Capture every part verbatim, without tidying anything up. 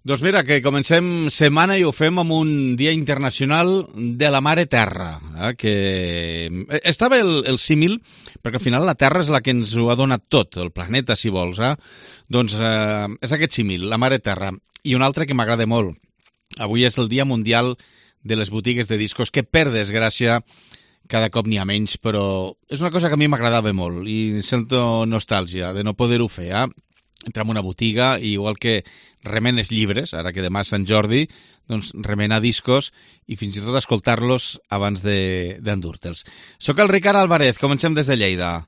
Doncs mira, que comencem setmana i ho fem amb un dia internacional de la mare terra, eh? Que estava el, el símil, perquè al final la terra és la que ens ho ha donat tot, el planeta, si vols, eh? Doncs eh, és aquest símil, la mare terra. I un altre que m'agrada molt. Avui és el Dia Mundial de les Botigues de Discos, que per desgràcia cada cop n'hi ha menys, però és una cosa que a mi m'agradava molt i sento nostàlgia de no poder-ho fer, eh? Entrar en una botiga i igual que remenes llibres, ara que demà és Sant Jordi, doncs remenar discos i fins i tot escoltar-los abans d'endur-te'ls. Soc el Ricard Álvarez, comencem des de Lleida.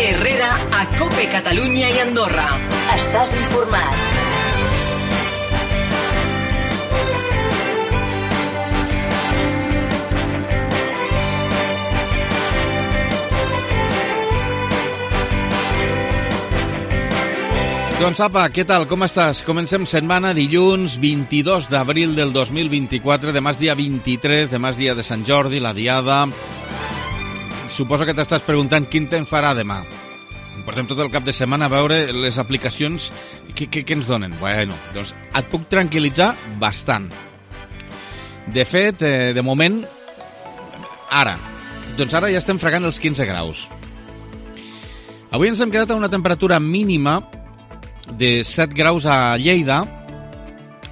Herrera a Cope Catalunya i Andorra. Estàs informat. Doncs apa, què tal? Com estàs? Comencem setmana, dilluns vint-i-dos d'abril del dos mil vint-i-quatre, demà és dia vint-i-tres, demà és dia de Sant Jordi, la diada. Suposo que t'estàs preguntant quin temps farà demà. Portem tot el cap de setmana a veure les aplicacions que, que, que ens donen. Bueno, doncs et puc tranquil·litzar bastant. De fet, eh, de moment, ara, doncs ara ja estem fregant els quinze graus. Avui ens hem quedat a una temperatura mínima de set graus a Lleida,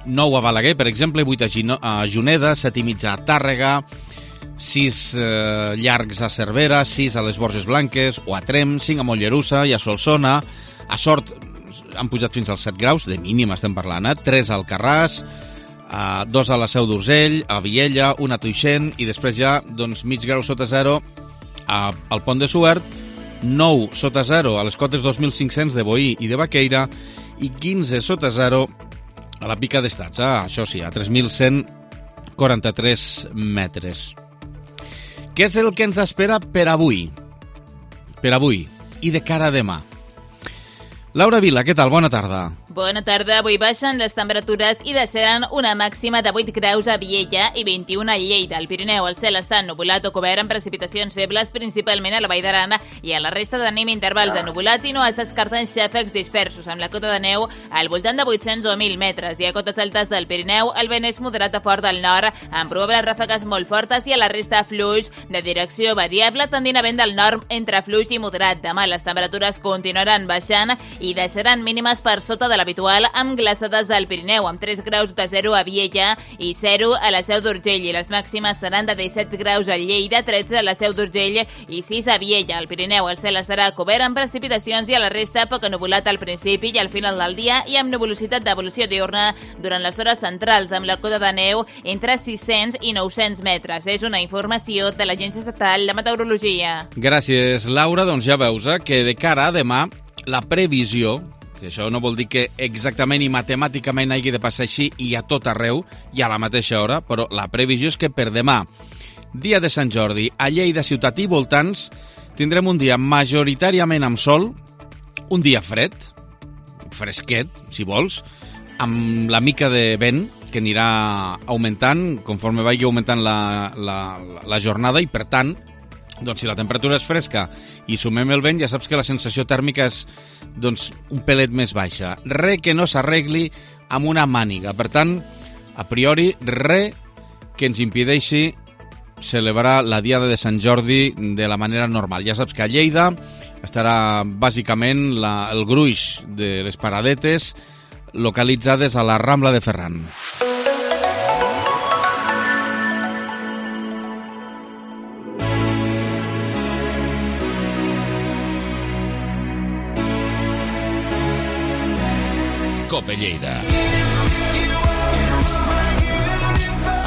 nou a Balaguer, per exemple, vuit a Juneda, set i mitja a Tàrrega, sis eh, llargs a Cervera, sis a les Borges Blanques o a Trem, cinc a Mollerussa i a Solsona. A Sort han pujat fins als set graus, de mínim estem parlant, eh? tres al Carràs, eh, dos a la Seu d'Urgell, a Viella, un a Tuixent i després ja doncs, mig grau sota zero a, al Pont de Suert, nou sota zero a les cotes dos mil cinc-cents de Boí i de Baqueira i quinze sota zero a la Pica d'Estats, ah, això sí, a tres mil cent quaranta-tres metres. Què és el que ens espera per avui? Per avui i de cara a demà. Laura Vila, què tal? Bona tarda. Bona tarda. Avui baixen les temperatures i deixaran una màxima de vuit graus a Viella i vint-i-un a Lleida. Al Pirineu el cel està ennuvolat o cobert amb precipitacions febles, principalment a la Vall d'Arana, i a la resta tenim intervals ennuvulats i no es descarten xàfecs dispersos, amb la cota de neu al voltant de vuit-cents o mil metres. I a cotes altes del Pirineu el vent és moderat a fort del nord, amb probables ràfegues molt fortes, i a la resta fluix de direcció variable, tendint a vent del nord entre fluix i moderat. Demà les temperatures continuaran baixant i deixaran mínimes per sota de l'habitual, amb glaçades al Pirineu, amb tres graus de zero a Viella i zero a la Seu d'Urgell, i les màximes seran de disset graus a Lleida, tretze a la Seu d'Urgell i sis a Viella. Al Pirineu el cel estarà cobert amb precipitacions i a la resta poc ennuvolat al principi i al final del dia, i amb nebulositat d'evolució diurna durant les hores centrals, amb la cota de neu entre sis-cents i nou-cents metres. És una informació de l'Agència Estatal de Meteorologia. Gràcies, Laura. Doncs ja veus eh, que de cara a demà la previsió, que això no vol dir que exactament i matemàticament hagi de passar així i a tot arreu i a la mateixa hora, però la previsió és que per demà, dia de Sant Jordi, a Lleida, ciutat i voltants, tindrem un dia majoritàriament amb sol, un dia fred, fresquet, si vols, amb la mica de vent que anirà augmentant conforme vagi augmentant la, la, la jornada, i per tant, doncs si la temperatura és fresca i sumem el vent, ja saps que la sensació tèrmica és doncs, un pelet més baixa. Re que no s'arregli amb una màniga. Per tant, a priori, re que ens impedeixi celebrar la Diada de Sant Jordi de la manera normal. Ja saps que a Lleida estarà bàsicament la, el gruix de les paradetes localitzades a la Rambla de Ferran. Cope Lleida.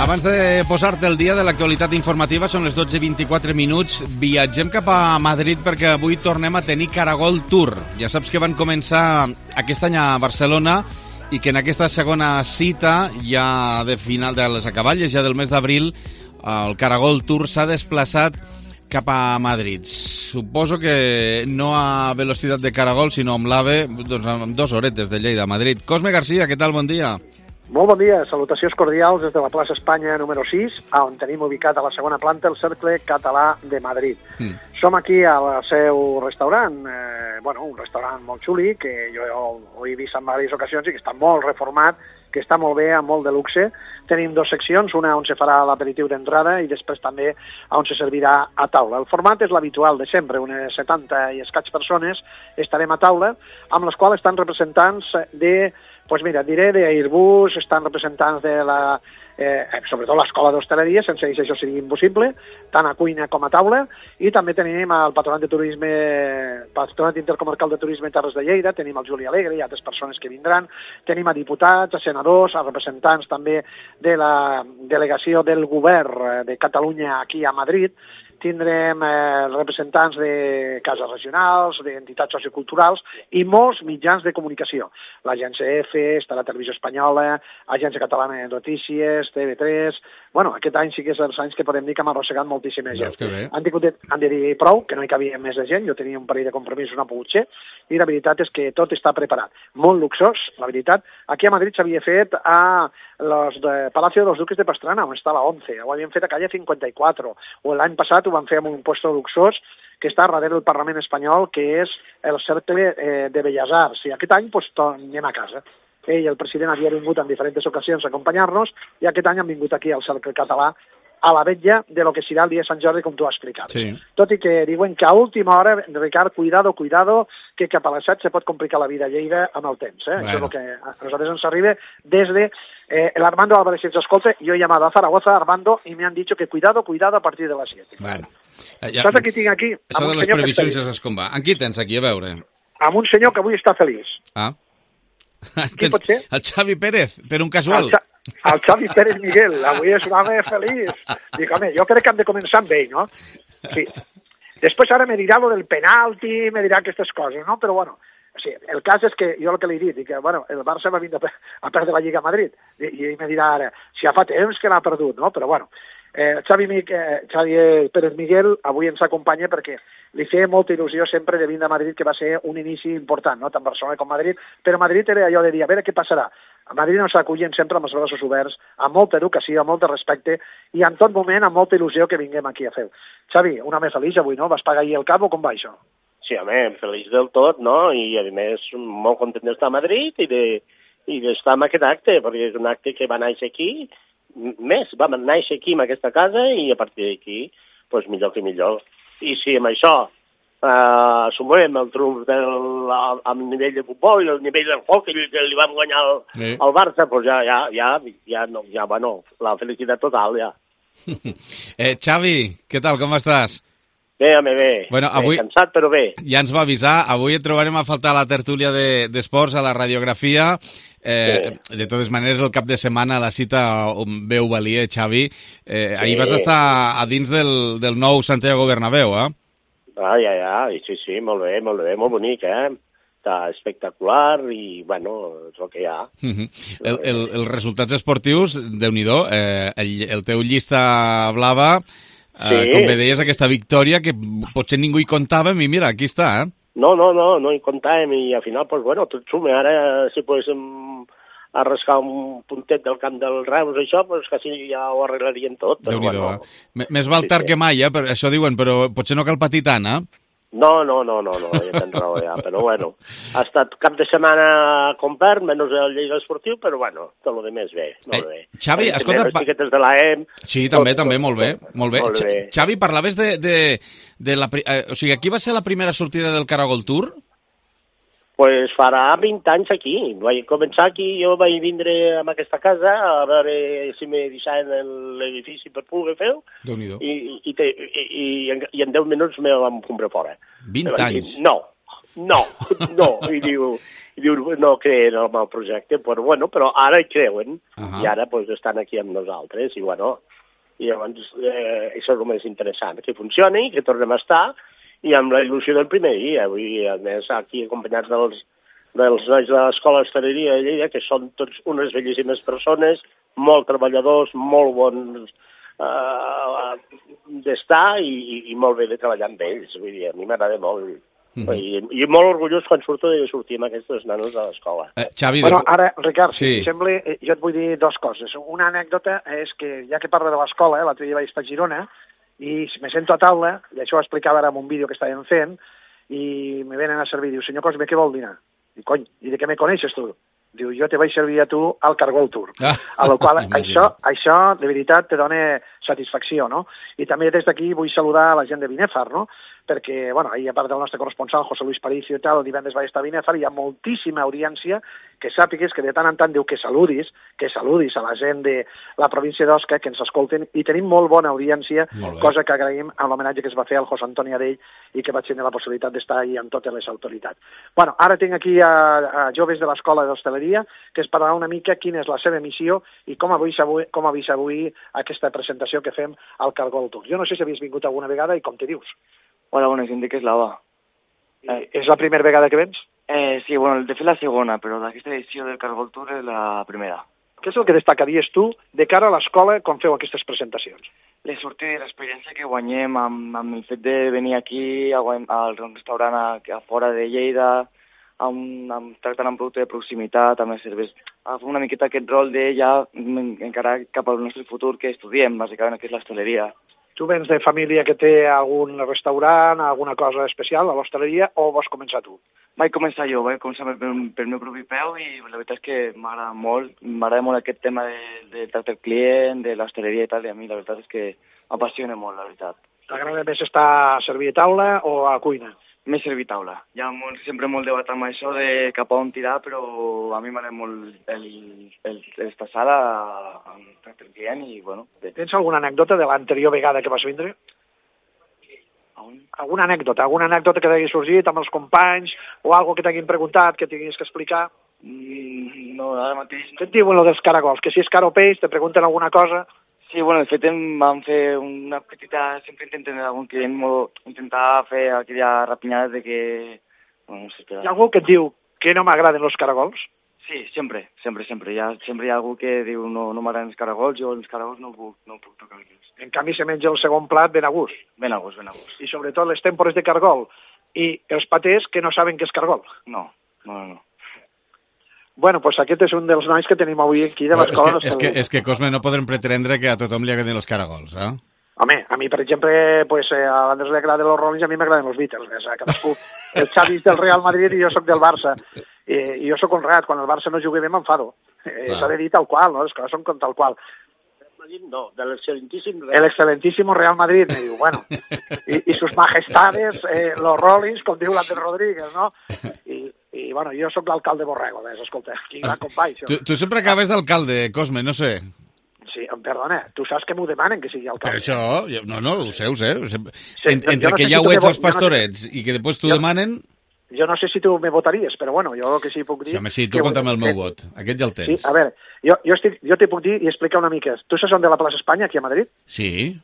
Abans de posar-te el dia de l'actualitat informativa, són les dotze i vint-i-quatre minuts. Viatgem cap a Madrid perquè avui tornem a tenir Caragol Tour. Ja saps que van començar aquest any a Barcelona i que en aquesta segona cita, ja de final de les acaballes, ja del mes d'abril, el Caragol Tour s'ha desplaçat cap a Madrid. Suposo que no a velocitat de caragol, sinó amb l'AVE, doncs amb dues horetes de Lleida a Madrid. Cosme García, què tal? Bon dia. Molt bon dia, salutacions cordials des de la plaça Espanya número sis, on tenim ubicat a la segona planta el Cercle Català de Madrid. Mm. Som aquí al seu restaurant, eh, bueno, un restaurant molt xuli, que jo ho he vist en diverses ocasions i que està molt reformat, que està molt bé, amb molt de luxe. Tenim dues seccions, una on se farà l'aperitiu d'entrada i després també on se servirà a taula. El format és l'habitual de sempre, unes setanta i escaig persones estarem a taula, amb les quals estan representants de, pues mira, diré d'Airbus, estan representants de la, eh, sobretot l'escola d'hostaleria, sense que això sigui impossible, tant a cuina com a taula, i també tenim el Patronat de Turisme, Patronat Intercomarcal de Turisme Terres de Lleida, tenim el Juli Alegre i altres persones que vindran, tenim a diputats, a senadors, a representants també de la delegació del govern de Catalunya aquí a Madrid, tindrem eh, representants de cases regionals, d'entitats socioculturals i molts mitjans de comunicació. L'Agència F, està la Televisió Espanyola, Agència Catalana de Notícies, T V tres... Bueno, aquest any sí que és els anys que podem dir que hem arrossegat moltíssima gent. Han, tingut, han de dir prou, que no hi cabia més de gent, jo tenia un parell de compromisos, no ha pogut ser, i la veritat és que tot està preparat. Molt luxós, la veritat. Aquí a Madrid s'havia fet a los de Palacio de los Duques de Pastrana, on està la ONCE, ho havien fet a calle cinquanta i quatre, o l'any passat ho van fer amb un puesto luxós que està darrere del Parlament espanyol, que és el Cercle eh, de Belles Arts. I aquest any pues, anem a casa. Ell i el president havia vingut en diferents ocasions a acompanyar-nos i aquest any han vingut aquí al Cercle Català a la vetlla de lo que serà el dia de Sant Jordi, com tu has explicat. Sí. Tot i que diuen que a última hora, Ricard, cuidado, cuidado, que cap a les set se pot complicar la vida a Lleida amb el temps. Eh? Bueno. Això és el que a nosaltres ens arriba des de eh, el Armando Álvarez, si ens escolta, jo he llamado a Zaragoza, Armando, y me han dicho que cuidado, cuidado a partir de les siete. Bueno. Ja, saps aquí tinc aquí? Això de les previsions ja saps com va. En qui tens aquí, a veure? Amb un senyor que avui està feliç. Ah. Qui pot ser? El Xavi Pérez, per un casual. El, el Xavi Pérez Miguel, avui és un home feliç. Dic, home, jo crec que hem de començar amb ell, no? Sí. Després ara me dirà lo del penalti, me dirà aquestes coses, no? Però bueno, sí, el cas és que jo el que li he dit, dic que bueno, el Barça va vindre a perdre la Lliga a Madrid, i, i ell me dirà ara, si ja fa temps que l'ha perdut, no? Però bueno, eh, Xavi, eh, Xavi Pérez Miguel avui ens acompanya perquè li feia molta il·lusió sempre de vindre a Madrid, que va ser un inici important, no? Tant Barcelona com Madrid, però Madrid era allò de dir, a veure què passarà. A Madrid ens acullen sempre amb els braços oberts, amb molta educació, amb molt de respecte, i en tot moment amb molta il·lusió que vinguem aquí a fer. Xavi, un home feliç avui, no? Vas pagar ahir el cap o com va això? Sí, home, feliç del tot, no? I a més molt content d'estar a Madrid i de, i d'estar en aquest acte, perquè és un acte que va néixer aquí, més, va néixer aquí en aquesta casa i a partir d'aquí, doncs millor que millor. I si amb això eh, sumem el triomf del el nivell de futbol i el nivell del hockey que li vam guanyar al, sí. al Barça, doncs ja, ja, ja, ja, no, ja, bueno, la felicitat total, ja. eh, Xavi, què tal, com estàs? Bé, home, bé. Bueno, avui, bé, cansat, però bé. Ja ens va avisar, avui et trobarem a faltar a la tertúlia d'esports, de, a la radiografia. Eh, sí. De totes maneres, el cap de setmana, la cita on veu valia, Xavi, eh, sí. ahir vas estar a dins del, del nou Santiago Bernabéu, eh? Ah, ja, ja, sí, sí, molt bé, molt bé, molt bonic, eh? Està espectacular i, bueno, és el que hi ha. Uh -huh. el, el, els resultats esportius, Déu-n'hi-do, eh, el, el teu llista blava, eh, sí. com bé deies, aquesta victòria que potser ningú hi comptàvem i mira, aquí està, eh? No, no, no, no hi comptàvem i al final, doncs, bueno, tot suma. Ara, si poguéssim arrascar un puntet del camp del Reus, això, doncs quasi ja ho arreglarien tot. Déu-n'hi-do, bueno, eh? Més val tard sí, que mai, eh? Això diuen, però potser no cal patir tant, eh? No, no, no, no, no, ja tens raó, ja, però bueno, ha estat cap de setmana compert, menys el Lleida Esportiu, però bueno, tot el més bé, molt bé. Eh, Xavi, escolta... Les xiquetes de l'A E M... Sí, també, tot, també, molt bé, molt bé. Molt bé. Xavi, parlaves de, de, de la... Eh, o sigui, aquí va ser la primera sortida del Caragol Tour? Pues farà vint anys aquí. Vaig començar aquí, jo vaig vindre a aquesta casa a veure si me deixaven l'edifici per poder fer-ho i, i, i, i, i en deu minuts me vam comprar fora. vint anys? Dir, no, no, no. I diu, i diu no creen el meu projecte, però bueno, però ara hi creuen uh -huh. i ara pues, estan aquí amb nosaltres i bueno, i llavors eh, això és el més interessant, que funcioni, que tornem a estar i amb la il·lusió del primer dia. Avui, a més, aquí acompanyats dels, dels nois de l'Escola d'Hostaleria de Lleida, que són tots unes bellíssimes persones, molt treballadors, molt bons eh, d'estar i, i molt bé de treballar amb ells. Vull dir, a mi m'agrada molt. Mm-hmm. I, I molt orgullós quan surto de sortir amb aquests nanos a l'escola. Eh, Xavi, Bueno, de... ara, Ricard, Sí. si em sembla, eh, jo et vull dir dues coses. Una anècdota és que, ja que parla de l'escola, eh, l'altre dia vaig estar a Girona, i me sento a taula, i això ho explicava ara en un vídeo que estàvem fent, i me venen a servir, diu, senyor Cosme, què vol dinar? I cony, i de què me coneixes tu? Diu, jo te vaig servir a tu al Cargol Tour. Ah, a la qual imagina. això, això, de veritat, te dona satisfacció, no? I també des d'aquí vull saludar a la gent de Binèfar, no? Perquè, bueno, ahir a part del nostre corresponsal, José Luis Paricio i tal, el divendres vaig estar a Binèfar, i hi ha moltíssima audiència que sàpigues que de tant en tant diu que saludis, que saludis a la gent de la província d'Osca, que ens escolten, i tenim molt bona audiència, Molt bé. cosa que agraïm amb l'homenatge que es va fer al José Antoni Adell i que vaig tenir la possibilitat d'estar ahir amb totes les autoritats. Bueno, ara tinc aquí a, a joves de l'Escola d'Hostaleria que es parlarà una mica quina és la seva missió i com ha vist avui, com ha vist avui aquesta presentació que fem al Cargol Tour. Jo no sé si havies vingut alguna vegada i com te dius. Hola, bueno, em dic Eslava. Eh, és la primera vegada que vens? Eh, sí, bueno, de fet la segona, però d'aquesta edició del Cargol Tour és la primera. Què és el que destacaries tu de cara a l'escola quan feu aquestes presentacions? Les sortides, l'experiència que guanyem amb, amb el fet de venir aquí a, guany- al restaurant a, a fora de Lleida, amb, amb, tractant amb producte de proximitat, amb les cerveses, a fer una miqueta aquest rol de ja en- encarar cap al nostre futur que estudiem, bàsicament, que és l'hostaleria. Tu vens de família que té algun restaurant, alguna cosa especial a l'hostaleria, o vols començar tu? Vaig començar jo, vaig començar per, pel meu propi peu i la veritat és que m'agrada molt, m'agrada molt aquest tema de, de tracte al client, de l'hostaleria i tal, i a mi la veritat és que m'apassiona molt, la veritat. T'agrada més estar a servir a taula o a cuina? M'he servit taula. Hi ha molt, sempre molt debat amb això de cap a on tirar, però a mi m'agrada molt el, el, estar sala amb tracte al client i, bueno, bé. Tens alguna anècdota de l'anterior vegada que vas vindre? On? Alguna anècdota, alguna anècdota que t'hagi sorgit amb els companys o algo que t'hagin preguntat, que tinguis que explicar? Mm, no, ara mateix... Què et diuen lo dels caragols? Que si és car o peix, te pregunten alguna cosa? Sí, bueno, de fet em van fer una petita... Sempre intenten algun client molt, intentar fer aquella rapinyada de que... Bueno, no sé, Hi ha algú que et diu que no m'agraden els caragols? Sí, sempre, sempre, sempre. Hi ha, sempre hi ha algú que diu no, no m'agraden els caragols, jo els caragols no puc, no puc tocar-los. En canvi, se menja el segon plat ben a gust. Ben a gust, ben a gust. I sobretot les tèmpores de cargol. I els patés que no saben què és cargol. No, no, no. Bueno, doncs aquest és un dels nois que tenim avui aquí de Però l'escola. és, que, és, que, és que, Cosme, no podrem pretendre que a tothom li agradin els caragols, eh? Home, a mi, per exemple, pues, eh, a l'Andrés li agraden els Rollins, a mi m'agraden els Beatles. O sea, cadascú, el Xavi és del Real Madrid i jo sóc del Barça. Eh, I jo sóc honrat, quan el Barça no juga bé m'enfado. Eh, S'ha de dir tal qual, no? Les coses són com tal qual. No, de l'excel·lentíssim... El excelentísimo Real Madrid, me diu, bueno, i, i sus majestades, eh, los Rollins, com diu l'Ander Rodríguez, no? I, i bueno, jo sóc l'alcalde Borrego, ves, escolta, quin gran company, això. Tu, tu sempre acabes d'alcalde, Cosme, no sé. Sí, em perdona, tu saps que m'ho demanen que sigui Per alcalde. això, jo- no, no, ho sé, ho sé. Sí, En, jo entre no sé que si ja tu ho me ets vo- als jo no sé- pastorets i que després t'ho Jo- demanen... Jo no sé si tu me votaries, però bueno, jo el que sí puc dir... Sí, home, sí, tu que- compta'm el meu que- vot. Aquest ja el Sí, tens. a veure, jo, jo, estic, jo t'hi puc dir i explicar una mica. Tu saps on de la plaça Espanya, aquí a Madrid? Sí,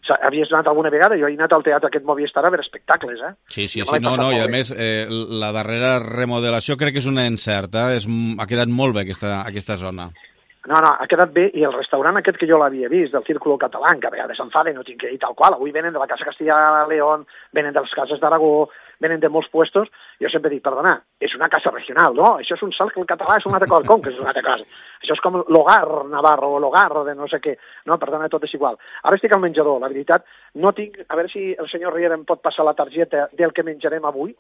Sa- Havies anat alguna vegada? Jo he anat al teatre aquest Movistar a veure espectacles, eh? sí, sí, Jo me sí l'he no, passat no, i molt a bé. més eh, la darrera remodelació crec que és una encerta, és, ha quedat molt bé aquesta, aquesta zona. No, no, ha quedat bé, i el restaurant aquest que jo l'havia vist, del Círculo Catalán, que a vegades s'enfaden, no tinc que dir tal qual, avui venen de la Casa Castilla-León, venen de les cases d'Aragó, venen de molts puestos, jo sempre dic, perdona, és una casa regional, no? Això és un salt que el català és una altra cosa, com que és una altra cosa? Això és com l'hogar navarro, o l'hogar de no sé què, no? Perdona, tot és igual. Ara estic al menjador, la veritat, no tinc, a veure si el senyor Riera em pot passar la targeta del que menjarem avui,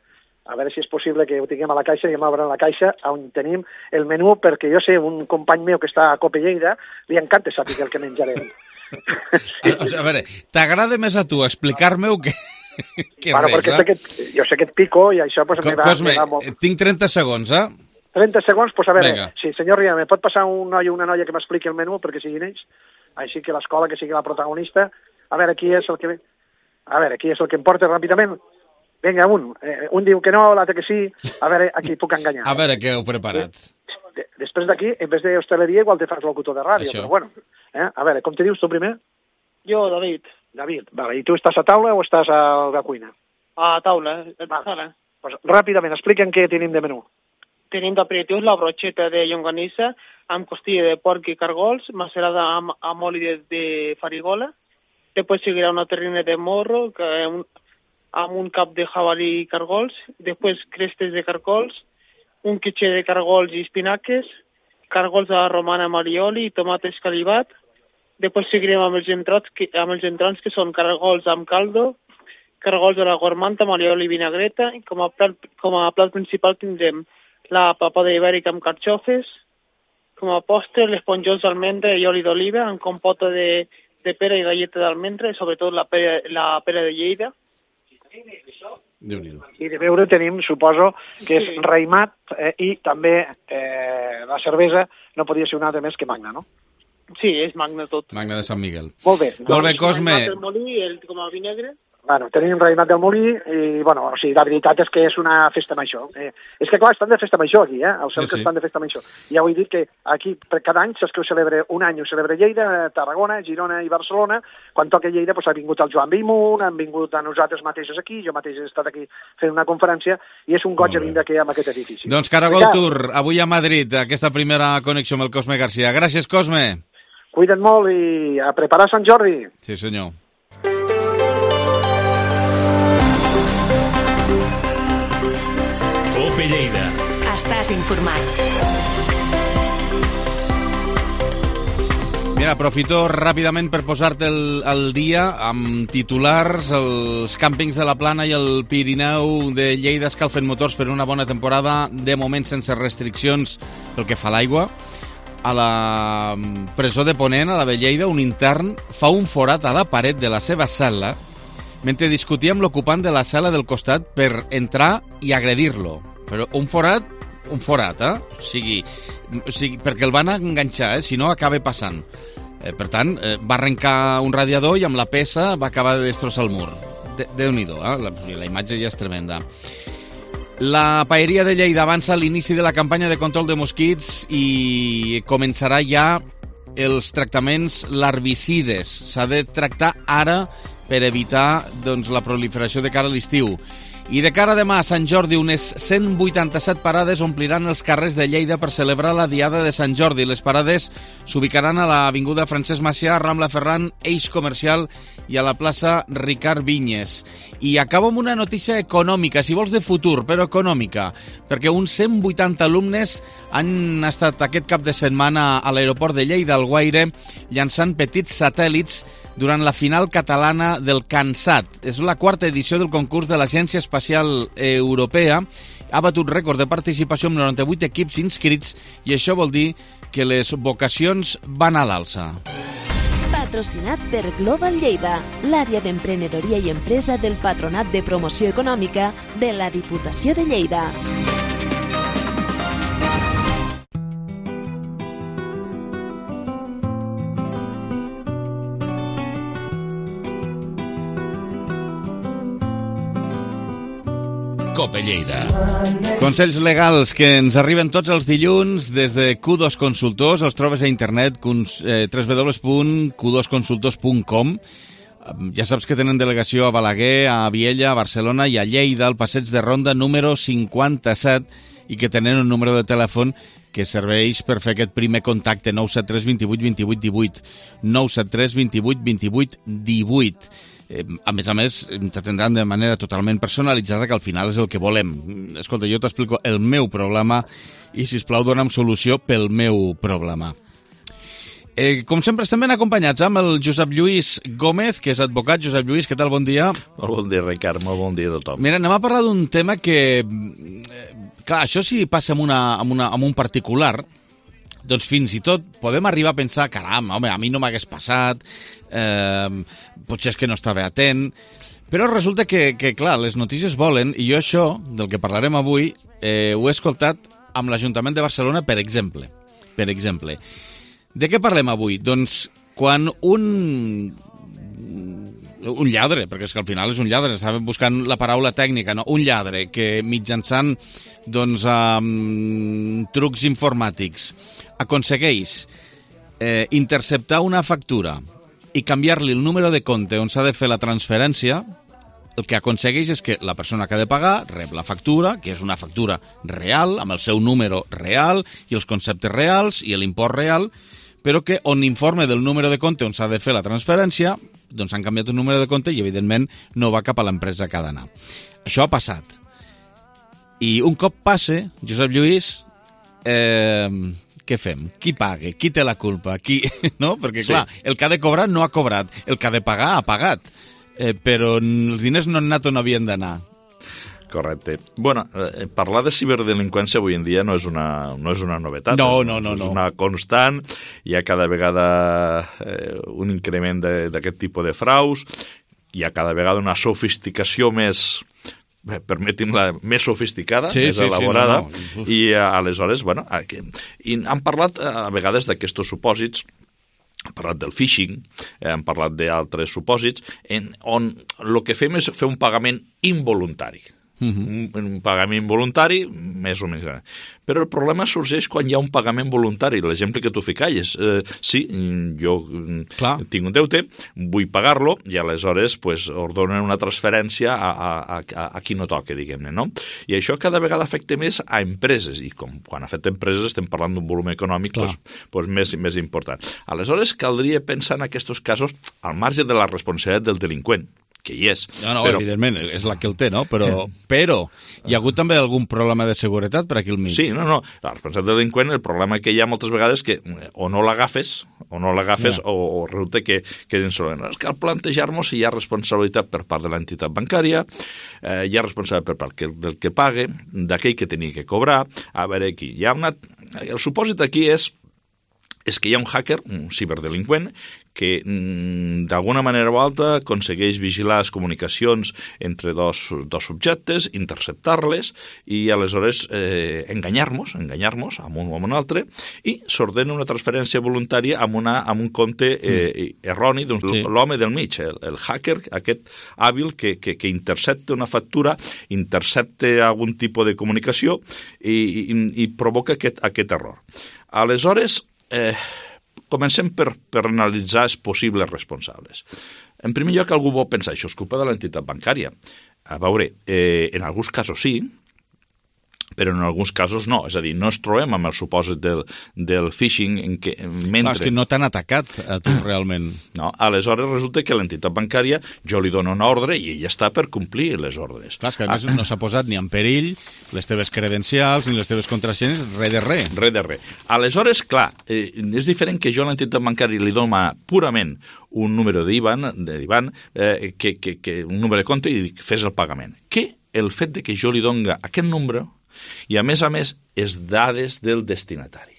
a veure si és possible que ho tinguem a la caixa i em obren la caixa on tenim el menú, perquè jo sé, un company meu que està a Copelleida, li encanta saber el que menjarem. A, o sigui, a veure, t'agrada més a tu explicar-me-ho que, que Bueno, res, perquè eh? sé que, jo sé que et pico i això pues, Co- me va, Cosme, me va molt. tinc trenta segons, eh? trenta segons, pues a veure, Vinga. sí, senyor Riera, me pot passar un noi o una noia que m'expliqui el menú perquè siguin ells? Així que l'escola, que sigui la protagonista. A veure, qui és el que... A veure, qui és el que em porta ràpidament? Vinga, un. Eh, un diu que no, l'altre que sí. A veure, a qui puc enganyar. A veure què heu preparat. De, després d'aquí, en vez d'hostaleria, igual te fas locutor de ràdio, Això. però bueno. Eh? A veure, com te dius tu primer? Jo, David, David. Vale, i tu estàs a taula o estàs a la cuina? a taula, a Vale. sala. Pues, ràpidament, explica'm què tenim de menú. Tenim d'aperitivos la brocheta de llonganissa amb costilla de porc i cargols, macerada amb, amb oli de, de farigola. Després seguirà una terrina de morro, que un, amb un cap de jabalí i cargols, després crestes de cargols, un quitxer de cargols i espinaques, cargols a la romana amb alioli i tomat escalivat. Després seguirem amb els entrons, que, amb els entrons, que són cargols amb caldo, cargols a la gormanta amb alioli i vinagreta, i com a plat, com a plat principal tindrem la papada ibèrica amb carxofes, com a postre l'esponjós d'almendra i oli d'oliva amb compota de, de pera i galleta d'almendra, i sobretot la pera, la pera de Lleida. I de beure tenim, suposo, que és raïmat eh, i també eh, la cervesa no podia ser una altra més que Magna, no? Sí, és Magna tot. Magna de Sant Miguel. Molt bé. Molt bé, Cosme. El molí, el, com a vi negre. Bueno, tenim raïmat del molí i, bueno, o sigui, la veritat és que és una festa major. Eh, és que, clar, estan de festa major aquí, eh? Els cercles sí, sí. estan de festa major. Ja ho he dit que aquí, per cada any, saps que ho celebra un any, ho celebra Lleida, Tarragona, Girona i Barcelona. Quan toca Lleida, doncs, ha vingut el Joan Bellmunt, han vingut a nosaltres mateixos aquí, jo mateix he estat aquí fent una conferència, i és un goig a vindre aquí amb aquest edifici. Doncs Caragol Tour, avui a Madrid, aquesta primera connexió amb el Cosme Garcia. Gràcies, Cosme. Cuida't molt i a preparar Sant Jordi. Sí, senyor. Cope Lleida. Estàs informat. Mira, aprofito ràpidament per posar-te el, el dia amb titulars. Els càmpings de la Plana i el Pirineu de Lleida escalfen motors per una bona temporada, de moment sense restriccions pel que fa a l'aigua. A la presó de Ponent, a la de Lleida, un intern fa un forat a la paret de la seva cel·la mentre discutia amb l'ocupant de la cel·la del costat per entrar i agredir-lo. Però un forat, un forat, eh? O sigui, o sigui perquè el van enganxar, eh? Si no, acaba passant. Eh, per tant, eh, va arrencar un radiador i amb la peça va acabar de destrossar el mur. De Déu-n'hi-do, eh? La, la imatge ja és tremenda. La paeria de Lleida avança a l'inici de la campanya de control de mosquits i començarà ja els tractaments larvicides. S'ha de tractar ara per evitar doncs, la proliferació de cara a l'estiu. I de cara a demà a Sant Jordi, unes cent vuitanta-set parades ompliran els carrers de Lleida per celebrar la Diada de Sant Jordi. Les parades s'ubicaran a l'avinguda Francesc Macià, Rambla Ferran, Eix Comercial i a la plaça Ricard Vinyes. I acabo amb una notícia econòmica, si vols de futur, però econòmica, perquè uns cent vuitanta alumnes han estat aquest cap de setmana a l'aeroport de Lleida, al Guaire, llançant petits satèl·lits durant la final catalana del CANSAT. És la quarta edició del concurs de l'Agència Espacial Europea. Ha batut rècord de participació amb noranta-vuit equips inscrits i això vol dir que les vocacions van a l'alça. Patrocinat per Global Lleida, l'àrea d'emprenedoria i empresa del Patronat de Promoció Econòmica de la Diputació de Lleida. Cope Lleida. Consells legals que ens arriben tots els dilluns des de Q dos Consultors. Els trobes a internet, w w w punt q dos consultors punt com. Ja saps que tenen delegació a Balaguer, a Viella, a Barcelona i a Lleida, al passeig de Ronda número cinquanta-set, i que tenen un número de telèfon que serveix per fer aquest primer contacte, nou set tres dos vuit vint vuit divuit, nou set tres dos vuit vint vuit divuit. A més a més, t'atendran de manera totalment personalitzada, que al final és el que volem. Escolta, jo t'explico el meu problema i, sisplau, dona'm solució pel meu problema. Eh, com sempre, estem ben acompanyats amb el Josep Lluís Gómez, que és advocat. Josep Lluís, què tal? Bon dia. Molt bon dia, Ricard. Molt bon dia a tothom. Mira, anem a parlar d'un tema que... Eh, clar, això si passa amb, una, amb, una, amb un particular, doncs fins i tot podem arribar a pensar, caram, home, a mi no m'hagués passat, eh, potser és que no estava atent, però resulta que, que, clar, les notícies volen, i jo això, del que parlarem avui, eh, ho he escoltat amb l'Ajuntament de Barcelona, per exemple. Per exemple. De què parlem avui? Doncs quan un... un lladre, perquè és que al final és un lladre, estava buscant la paraula tècnica, no? Un lladre que mitjançant doncs, um, trucs informàtics aconsegueix eh, interceptar una factura i canviar-li el número de compte on s'ha de fer la transferència, el que aconsegueix és que la persona que ha de pagar rep la factura, que és una factura real, amb el seu número real i els conceptes reals i l'import real, però que on informe del número de compte on s'ha de fer la transferència doncs han canviat un número de compte i, evidentment, no va cap a l'empresa que ha d'anar. Això ha passat. I un cop passe, Josep Lluís, eh, què fem? Qui paga? Qui té la culpa? Qui... No? Perquè, clar, sí. El que ha de cobrar no ha cobrat, el que ha de pagar ha pagat, eh, però els diners no han anat on havien d'anar. Correcte. Bueno, eh, parlar de ciberdelinqüència avui en dia no és una, no és una novetat. No, és, no, no. És no. una constant, hi ha cada vegada eh, un increment d'aquest tipus de fraus, hi ha cada vegada una sofisticació més... Bé, permeti'm-la, més sofisticada, sí, més sí, elaborada, sí, no, no. i aleshores, bueno, aquí, i han parlat a vegades d'aquests supòsits, han parlat del phishing, eh, han parlat d'altres supòsits, en, on el que fem és fer un pagament involuntari. Uh-huh. un, un pagament involuntari, més o menys. Però el problema sorgeix quan hi ha un pagament voluntari. L'exemple que tu ficalles, eh, sí, jo Clar. tinc un deute, vull pagar-lo, i aleshores pues, ordonen una transferència a, a, a, a qui no toca, diguem-ne, no? I això cada vegada afecta més a empreses, i com quan afecta empreses estem parlant d'un volum econòmic pues, pues, més, més important. Aleshores, caldria pensar en aquests casos al marge de la responsabilitat del delinqüent, que hi és. No, no, però... evidentment, és la que el té, no? Però, però hi ha hagut també algun problema de seguretat per aquí al mig? Sí, no, no. La responsabilitat del delinqüent, el problema que hi ha moltes vegades que o no l'agafes, o no l'agafes, yeah. o, o resulta que, que és insolent. Cal plantejar-nos si hi ha responsabilitat per part de l'entitat bancària, eh, hi ha responsabilitat per part que, del que pague, d'aquell que tenia que cobrar. A veure, aquí hi ha una... El supòsit aquí és és que hi ha un hacker, un ciberdelinqüent, que mm, d'alguna manera o altra aconsegueix vigilar les comunicacions entre dos, dos subjectes, interceptar-les i aleshores eh, enganyar-nos, enganyar-nos amb un o amb un altre, i s'ordena una transferència voluntària amb, una, amb un compte eh, erroni, doncs sí. l'home del mig, el, el hacker, aquest hàbil que, que, que intercepta una factura, intercepta algun tipus de comunicació i, i, i provoca aquest, aquest error. Aleshores, Eh, comencem per, per analitzar els possibles responsables. En primer lloc, algú vol pensar, això és culpa de l'entitat bancària. A veure, eh, en alguns casos sí, però en alguns casos no. És a dir, no ens trobem amb el supòsit del, del phishing en què mentre... Clar, és que no t'han atacat a tu realment. No, aleshores resulta que l'entitat bancària jo li dono una ordre i ella està per complir les ordres. Clar, és que a més ah. no s'ha posat ni en perill les teves credencials ni les teves contrasenyes, res de res. Res de res. Aleshores, clar, eh, és diferent que jo a l'entitat bancària li dona purament un número d'Iban, d'Iban eh, que, que, que un número de compte i fes el pagament. Que el fet de que jo li doni aquest número i, a més a més, és dades del destinatari.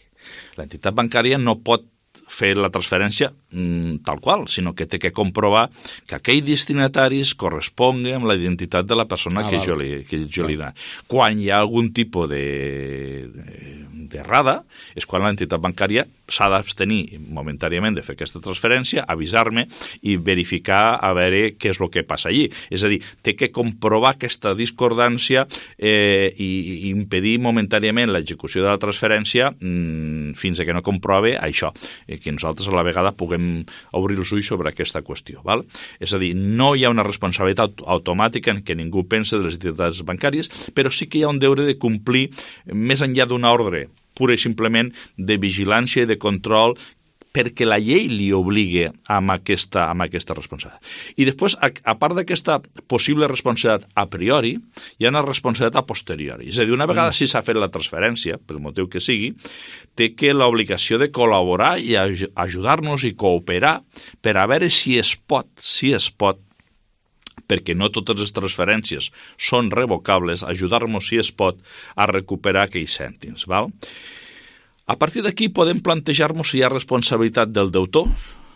L'entitat bancària no pot fer la transferència mm, tal qual, sinó que té que comprovar que aquell destinatari es correspongui amb la identitat de la persona ah, que, jo li, que jo li dono. Quan hi ha algun tipus de, de, d'errada, és quan l'entitat bancària s'ha d'abstenir momentàniament de fer aquesta transferència, avisar-me i verificar a veure què és el que passa allí. És a dir, té que comprovar aquesta discordància eh, i, i impedir momentàniament l'execució de la transferència mm, fins a que no comprove això, eh, que nosaltres a la vegada puguem obrir els ulls sobre aquesta qüestió. Val? És a dir, no hi ha una responsabilitat automàtica en què ningú pensa de les entitats bancàries, però sí que hi ha un deure de complir més enllà d'una ordre pura i simplement de vigilància i de control perquè la llei li obligui amb aquesta, amb aquesta responsabilitat. I després, a, a part d'aquesta possible responsabilitat a priori, hi ha una responsabilitat a posteriori. És a dir, una vegada mm. si s'ha fet la transferència, pel motiu que sigui, té que l'obligació de col·laborar i ajudar-nos i cooperar per a veure si es pot, si es pot, perquè no totes les transferències són revocables, ajudar-nos, si es pot, a recuperar aquells cèntims. Val? A partir d'aquí podem plantejar-nos si hi ha responsabilitat del deutor,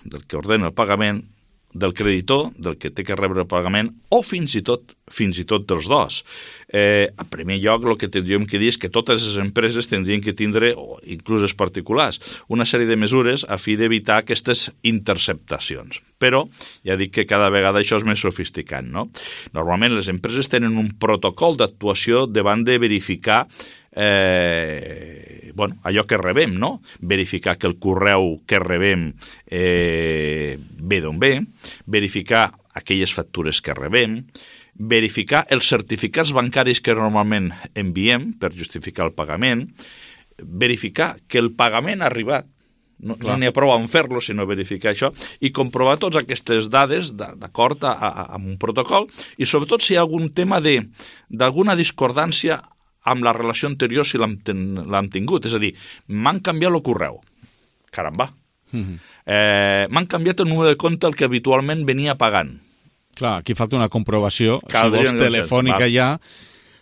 del que ordena el pagament, del creditor, del que té que rebre el pagament, o fins i tot fins i tot dels dos. Eh, en primer lloc, el que tindríem que dir és que totes les empreses tindrien que tindre, o inclús els particulars, una sèrie de mesures a fi d'evitar aquestes interceptacions. Però ja dic que cada vegada això és més sofisticat, no? Normalment les empreses tenen un protocol d'actuació davant de verificar Eh, bueno, allò que rebem, no? Verificar que el correu que rebem eh, ve d'on ve, verificar aquelles factures que rebem, verificar els certificats bancaris que normalment enviem per justificar el pagament, verificar que el pagament ha arribat, no n'hi ha prou en fer-lo, sinó verificar això, i comprovar totes aquestes dades d'acord a, a, amb un protocol, i sobretot si hi ha algun tema d'alguna discordància amb la relació anterior si l'hem tingut. És a dir, m'han canviat el correu. Caramba. Mm-hmm. eh, m'han canviat el número de compte el que habitualment venia pagant. Clar, aquí falta una comprovació, Caldria si vols telefònica ja.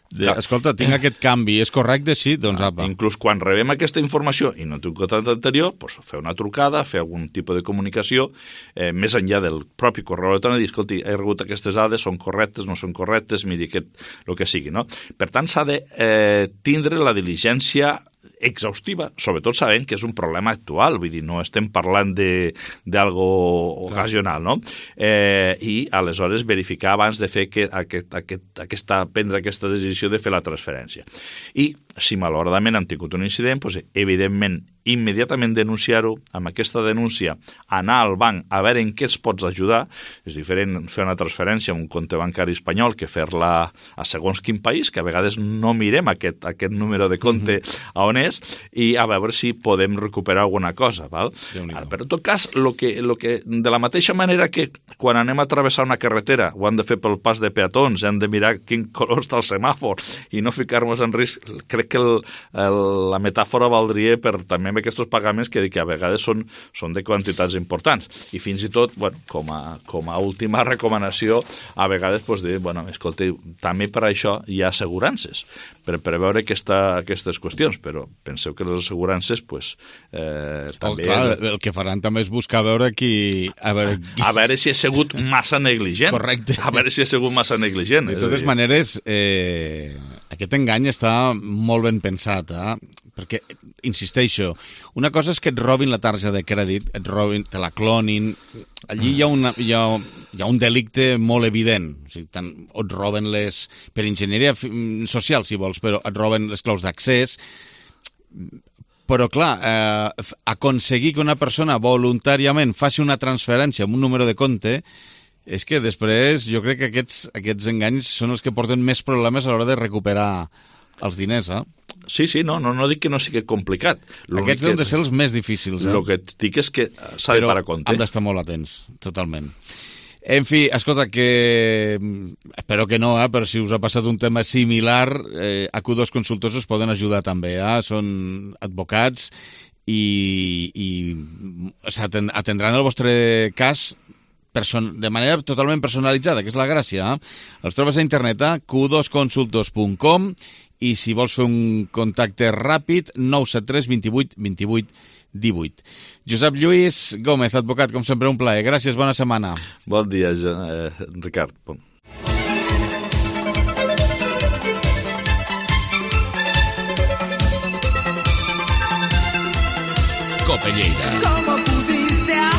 De, escolta, tinc aquest canvi, és correcte? Sí, doncs apa. Inclús quan rebem aquesta informació i no tinc contacte anterior, doncs fer una trucada, fer algun tipus de comunicació, eh, més enllà del propi correu electrònic, dir, escolti, he rebut aquestes dades, són correctes, no són correctes, miri, aquest, el que sigui, no? Per tant, s'ha de eh, tindre la diligència exhaustiva, sobretot sabent que és un problema actual, vull dir, no estem parlant d'algo ocasional, no? Eh, I aleshores verificar abans de fer que aquest, aquest, aquesta, prendre aquesta decisió de fer la transferència. I si malauradament han tingut un incident, doncs, evidentment, immediatament denunciar-ho, amb aquesta denúncia anar al banc a veure en què es pots ajudar. És diferent fer una transferència a un compte bancari espanyol que fer-la a segons quin país, que a vegades no mirem aquest, aquest número de compte mm-hmm. a on és, i a veure si podem recuperar alguna cosa. Val? Ara, però en tot cas, lo que, lo que, de la mateixa manera que quan anem a travessar una carretera ho hem de fer pel pas de peatons, hem de mirar quin color està el semàfor i no ficar-nos en risc, crec que el, el, la metàfora valdria per també amb aquests pagaments que, que a vegades són, són de quantitats importants. I fins i tot, bueno, com, a, com a última recomanació, a vegades pues, dir, bueno, escolta, també per això hi ha assegurances, per preveure aquesta, aquestes qüestions, però penseu que les assegurances, pues, eh, també... Oh, clar, el que faran també és buscar a veure qui... A veure, a veure si ha sigut massa negligent. Correcte. A veure si ha sigut massa negligent. De totes maneres, eh, aquest engany està molt ben pensat, eh? Perquè, insisteixo, una cosa és que et robin la targeta de crèdit, et robin, te la clonin, allí hi ha, una, hi ha, hi ha un delicte molt evident, o sigui, tant, o et roben les, per enginyeria social, si vols, però et roben les claus d'accés, però clar, eh, aconseguir que una persona voluntàriament faci una transferència amb un número de compte, és que després jo crec que aquests, aquests enganys són els que porten més problemes a l'hora de recuperar els diners, eh? Sí, sí, no, no, no dic que no sigui complicat. Aquests deuen de ser els més difícils, eh? El que et dic és que s'ha de parar compte. Però hem d'estar molt atents, totalment. En fi, escolta, que... Espero que no, eh? Però si us ha passat un tema similar, eh, a Q dos Consultors us poden ajudar també, eh? Són advocats i, i atendran el vostre cas de manera totalment personalitzada, que és la gràcia. Eh? Els trobes a internet a q dos consultors punt com i si vols fer un contacte ràpid, nou set tres vint vuit vint vuit divuit. Josep Lluís Gómez, advocat, com sempre un plaer. Gràcies, bona setmana. Bon dia, eh, Ricard. Bon. Cope Lleida.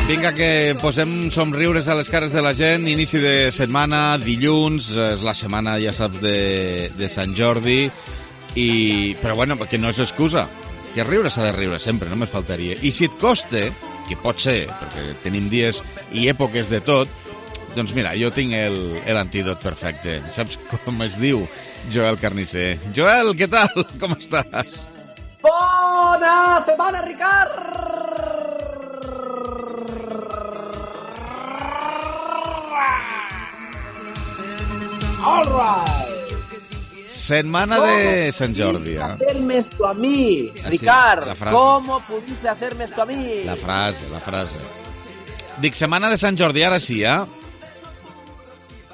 Vinga, que posem somriures a les cares de la gent. Inici de setmana, dilluns, és la setmana, ja saps, de, de Sant Jordi, i... però bueno, perquè no és excusa. Que riure s'ha de riure sempre, només faltaria. I si et costa, que pot ser, perquè tenim dies i èpoques de tot, doncs mira, jo tinc l'antídot perfecte. Saps com es diu? Joel Carnisser. Joel, què tal? Com estàs? Bona setmana, Ricard! All right. Setmana de Sant Jordi. ¿Cómo pudiste hacerme esto a mí, Ricard? Ah, sí, ¿Cómo pudiste hacerme esto a mí? La frase, la frase. Dic, setmana de Sant Jordi, ara sí, eh?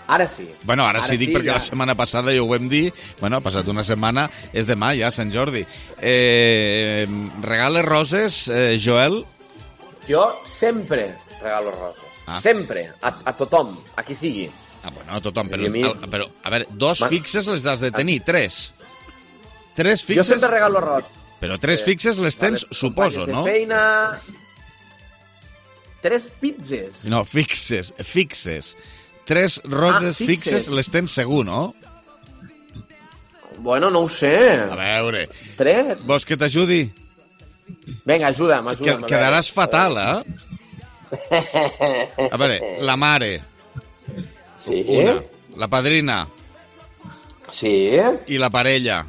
Ara sí. Bueno, ara, ara sí, dic sí, perquè ja. La setmana passada ja ho vam dir. Bueno, ha passat una setmana, és demà ja, Sant Jordi. Eh, regales roses, eh, Joel? Jo sempre regalo roses. Ah. Sempre, a, a tothom, a qui sigui. Ah, bueno, a tothom, però, a, mi... però a veure, dos Man... fixes les has de tenir, tres. Tres fixes... Jo sempre regalo roses. Però tres eh, fixes les tens, vale, suposo, no? Feina... Tres pizzes. No, fixes, fixes. Tres roses ah, fixes. fixes les tens segur, no? Bueno, no ho sé. A veure... Tres? Vols que t'ajudi? Vinga, ajuda'm, ajuda'm. Que, quedaràs fatal, eh? A veure, la mare... Sí. Una. La padrina. Sí. I la parella.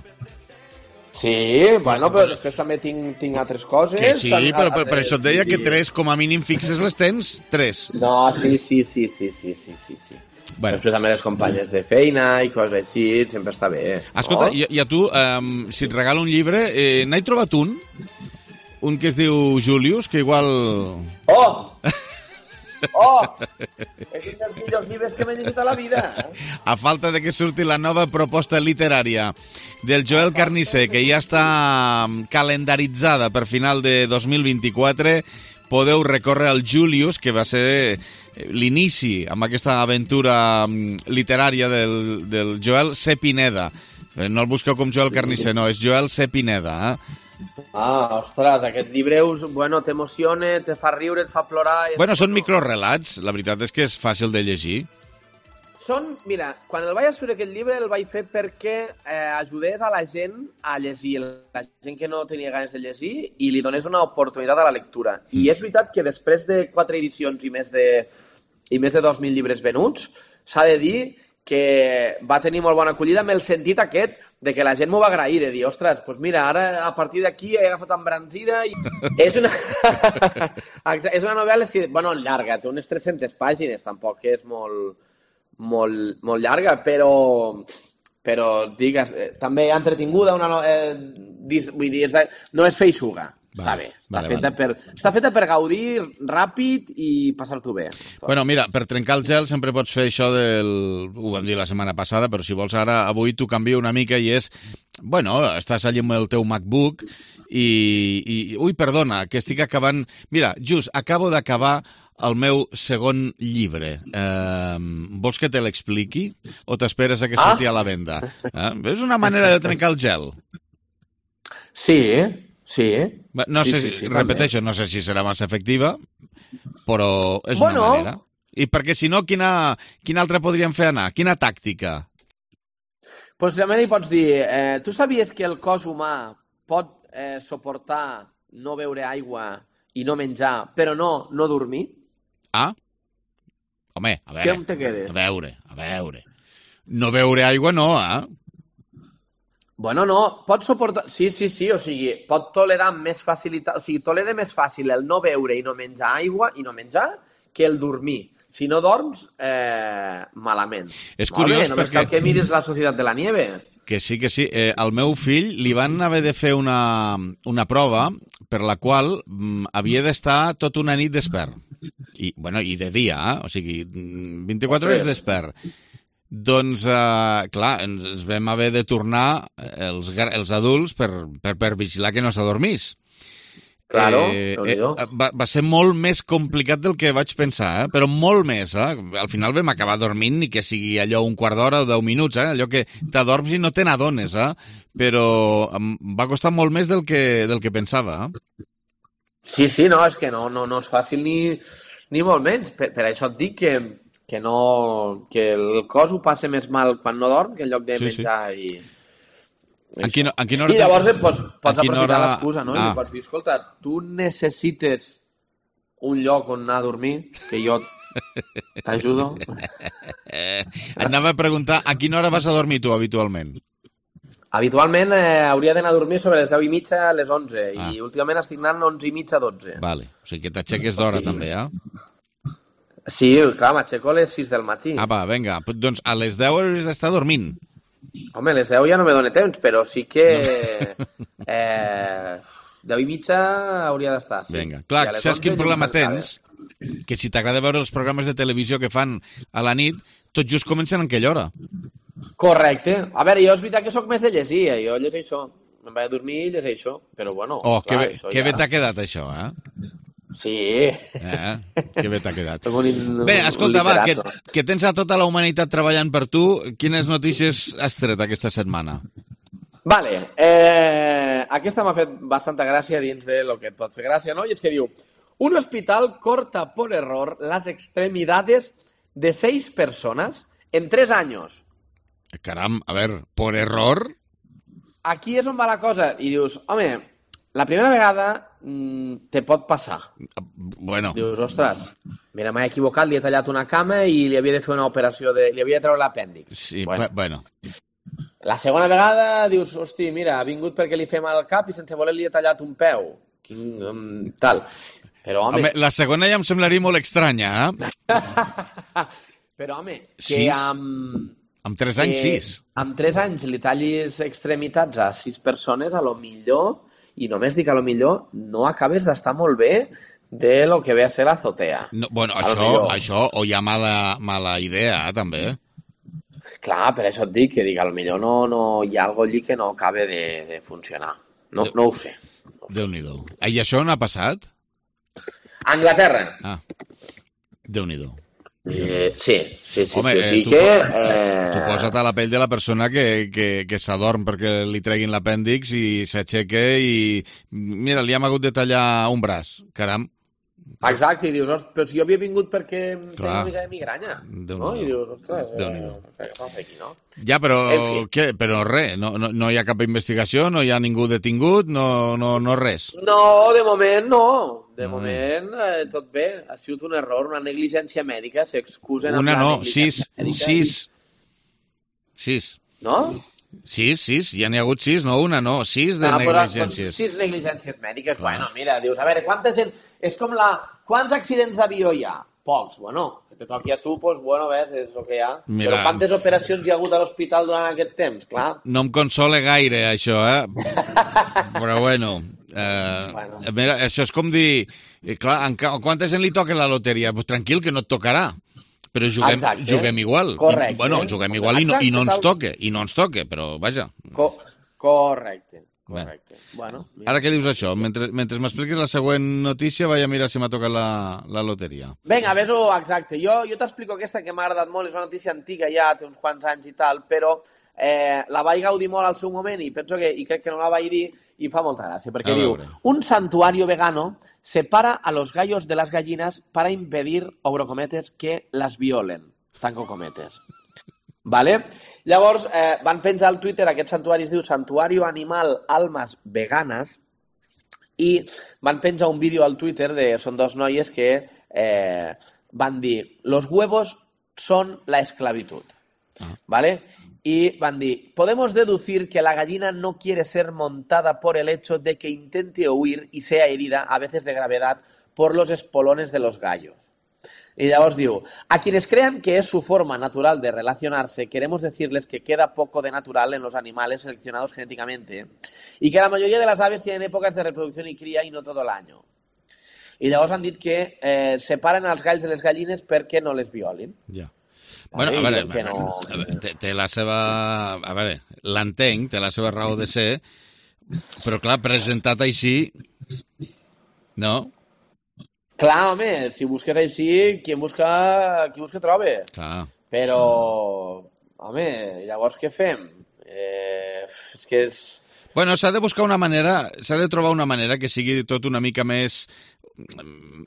Sí, bueno, però després també tinc, tinc altres coses. Que sí, però per, per això et deia que tres, com a mínim fixes les tens, tres. No, sí, sí, sí, sí, sí, sí, sí, sí. Bueno. Després també les companyes de feina i coses així, sempre està bé. Escolta, oh? i, i a tu, um, si et regalo un llibre, eh, n'he trobat un, un que es diu Julius, que igual... Oh! Oh! És un dels millors llibres que m'he llegit a la vida. A falta de que surti la nova proposta literària del Joel Carnicer, que ja està calendaritzada per final de dos mil vint-i-quatre, podeu recórrer al Julius, que va ser l'inici amb aquesta aventura literària del, del Joel C. Pineda. No el busqueu com Joel Carnicer, no, és Joel C. Pineda, eh? Ah, ostres, aquest llibre, bueno, t'emociona, te fa riure, et fa plorar... Bueno, són microrelats, la veritat és que és fàcil de llegir. Són, mira, quan el vaig escriure aquest llibre el vaig fer perquè eh, ajudés a la gent a llegir, la gent que no tenia ganes de llegir, i li donés una oportunitat a la lectura. Mm. I és veritat que després de quatre edicions i més de, i més de dos mil llibres venuts, s'ha de dir que va tenir molt bona acollida amb el sentit aquest de que la gent m'ho va agrair, de dir, ostres, doncs mira, ara a partir d'aquí he agafat embranzida i... és una... és una novel·la, sí, bueno, llarga, té unes tres-centes pàgines, tampoc és molt, molt, molt llarga, però, però digues, eh, també entretinguda, una, eh, dis, vull dir, és de, no és feixuga. Vale, està bé, està, vale, feta vale. per, està feta per gaudir ràpid i passar-t'ho bé. Bueno, mira, per trencar el gel sempre pots fer això del... Ho vam dir la setmana passada, però si vols ara, avui t'ho canvio una mica i és... Bueno, estàs allà amb el teu MacBook i... i ui, perdona, que estic acabant... Mira, just, acabo d'acabar el meu segon llibre. Eh, vols que te l'expliqui o t'esperes a que surti ah. a la venda? Eh? És una manera de trencar el gel. Sí, sí. No sé, sí, sí, sí, repeteixo, també. no sé si serà massa efectiva, però és bueno, una manera. I perquè si no, quina, quina altra podríem fer anar? Quina tàctica? Pues realment hi pots dir, eh, tu sabies que el cos humà pot eh, suportar no beure aigua i no menjar, però no, no dormir? Ah? Home, a veure, Què te quedes? a veure, a veure. No beure aigua no, eh? Bueno, no, pot suportar... Sí, sí, sí, o sigui, pot tolerar més facilitat... O sigui, tolera més fàcil el no beure i no menjar aigua i no menjar que el dormir. Si no dorms, eh, malament. És curiós Només perquè... cal que miris La Societat de la Nieve. Que sí, que sí. Eh, al meu fill li van haver de fer una, una prova per la qual mm, havia d'estar tota una nit despert. I, bueno, i de dia, eh? O sigui, vint-i-quatre hores despert. Doncs, eh, clar, ens, ens vam haver de tornar els, els adults per, per, per vigilar que no s'adormís. Claro, eh, eh, va, va ser molt més complicat del que vaig pensar, eh? Però molt més. Eh? Al final vam acabar dormint, ni que sigui allò un quart d'hora o deu minuts, eh? Allò que t'adorms i no te n'adones, eh? Però em va costar molt més del que, del que pensava. Eh? Sí, sí, no, és que no, no, no és fàcil ni, ni molt menys. Per, per això et dic que que no que el cos ho passa més mal quan no dorm que en lloc de sí, menjar sí. i... En quina, en quina hora I llavors et pots, pots aprofitar hora... l'excusa, no? Ah. I pots dir, escolta, tu necessites un lloc on anar a dormir, que jo t'ajudo. Anava a preguntar, a quina hora vas a dormir tu habitualment? Habitualment eh, hauria d'anar a dormir sobre les deu i mitja a les onze, ah. i últimament estic anant onze i mitja a dotze. Vale, o sigui que t'aixeques d'hora sí. també, eh? Sí, clar, m'aixeco a les sis del matí. Ah, va, vinga, doncs a les deu hauries d'estar dormint. Home, a les deu ja no me dóna temps, però sí que... No. eh, deu i mitja hauria d'estar, sí. Vinga, clar, saps quin problema tens? Que si t'agrada veure els programes de televisió que fan a la nit, tot just comencen en aquella hora. Correcte. A veure, jo és veritat que sóc més de llegir, eh? Jo llegeixo. Em vaig a dormir i llegeixo, però bueno... Oh, clar, que bé, que ja... bé t'ha quedat això, eh? Sí. Eh? Que bé t'ha quedat. Bé, escolta, va, que, que tens a tota la humanitat treballant per tu. Quines notícies has tret aquesta setmana? Vale. Eh, aquesta m'ha fet bastanta gràcia dins de lo que et pot fer gràcia, no? I és que diu, un hospital corta por error las extremidades de seis personas en tres años. Caram, a ver, por error? Aquí és on va la cosa. I dius, home, la primera vegada mmm, te pot passar. Bueno. Dius, ostres, mira, m'he equivocat, li he tallat una cama i li havia de fer una operació, de... li havia de treure l'apèndix. Sí, bueno. bueno. La segona vegada dius, hosti, mira, ha vingut perquè li fem al cap i sense voler li he tallat un peu. Quin, um, tal. Però, home... home... La segona ja em semblaria molt estranya, eh? Però, home, que sis? amb... Amb tres anys, que, sis. Amb tres anys li tallis extremitats a sis persones, a lo millor, i només dic a lo millor, no acabes d'estar molt bé de lo que ve a ser l'azotea. No, bueno, això, això, o hi ha mala, mala idea, eh, també. Clar, per això et dic que dic, potser no, no, hi ha alguna allí que no acaba de, de funcionar. No, no ho sé. No Déu-n'hi-do. I això on ha passat? A Anglaterra. Ah, Déu-n'hi-do. Eh, sí, sí, sí. Home, sí, sí tu, que, eh... tu eh... posa't a la pell de la persona que, que, que s'adorm perquè li treguin l'apèndix i s'aixeca i... Mira, li hem hagut de tallar un braç. Caram. Exacte, i dius, però si jo havia vingut perquè Clar. tenia una mica de migranya. No? I dius, ostres, Déu-n'hi-do. Eh, què aquí, no? Ja, però, en fi. què? Però res, no, no, no hi ha cap investigació, no hi ha ningú detingut, no, no, no res. No, de moment no. De mm. moment eh, tot bé. Ha sigut un error, una negligència mèdica, s'excusen Una amb la no, negligència sis, mèdica. sis. Sis. No? Sis, sis, ja n'hi ha hagut sis, no una, no, sis de Ah, però, negligències. doncs, sis negligències mèdiques, Clar. Bueno, mira, dius, a veure, quanta gent... És com la... Quants accidents d'avió hi ha? Pocs, bueno, que te toqui a tu, doncs, bueno, ves, és el que hi ha. Mira. Però quantes operacions hi ha hagut a l'hospital durant aquest temps? Clar. No em consola gaire, això, eh? Però bueno, eh, Bueno. mira, això és com dir... eh, Clar, en ca- quanta gent li toca la loteria? Pues tranquil, que no et tocarà. Però juguem, Exacte. juguem igual. Correcte. I, bueno, juguem igual i no, i no ens Exacte, tal. toque, i no ens toque, però vaja. Co correcte, correcte. Bueno, mira. Ara què dius això? Mentre, mentre m'expliquis la següent notícia, vaig a mirar si m'ha tocat la, la loteria. Vinga, ves-ho, exacte. Jo, jo t'explico aquesta que m'ha agradat molt, és una notícia antiga ja, té uns quants anys i tal, però eh, la vaig gaudir molt al seu moment i penso que, i crec que no la vaig dir i fa molta gràcia, perquè A diu, veure. un santuario vegano separa a los gallos de las gallinas para impedir, obro cometes, que las violen. Tanco cometes. Vale? Llavors, eh, van penjar al Twitter, aquest santuari es diu Santuario Animal Almas Veganas, i van penjar un vídeo al Twitter, de, són dos noies que eh, van dir, los huevos son la esclavitud. Ah. ¿Vale? Y van dir, podemos deducir que la gallina no quiere ser montada por el hecho de que intente huir y sea herida, a veces de gravedad, por los espolones de los gallos. Y llavors diu, a quienes crean que es su forma natural de relacionarse, queremos decirles que queda poco de natural en los animales seleccionados genéticamente y que la mayoría de las aves tienen épocas de reproducción y cría y no todo el año. I llavors han dit que eh, separen els galls de les gallines perquè no les violin. Ja. Vale, Bueno, a veure, que no... a veure, té, té la seva... A veure, l'entenc, té la seva raó de ser, però clar, presentat així... No? Clar, home, si busques així, qui busca, qui busca troba. Clar. Però, home, llavors què fem? Eh, és que és... Bueno, s'ha de buscar una manera, s'ha de trobar una manera que sigui tot una mica més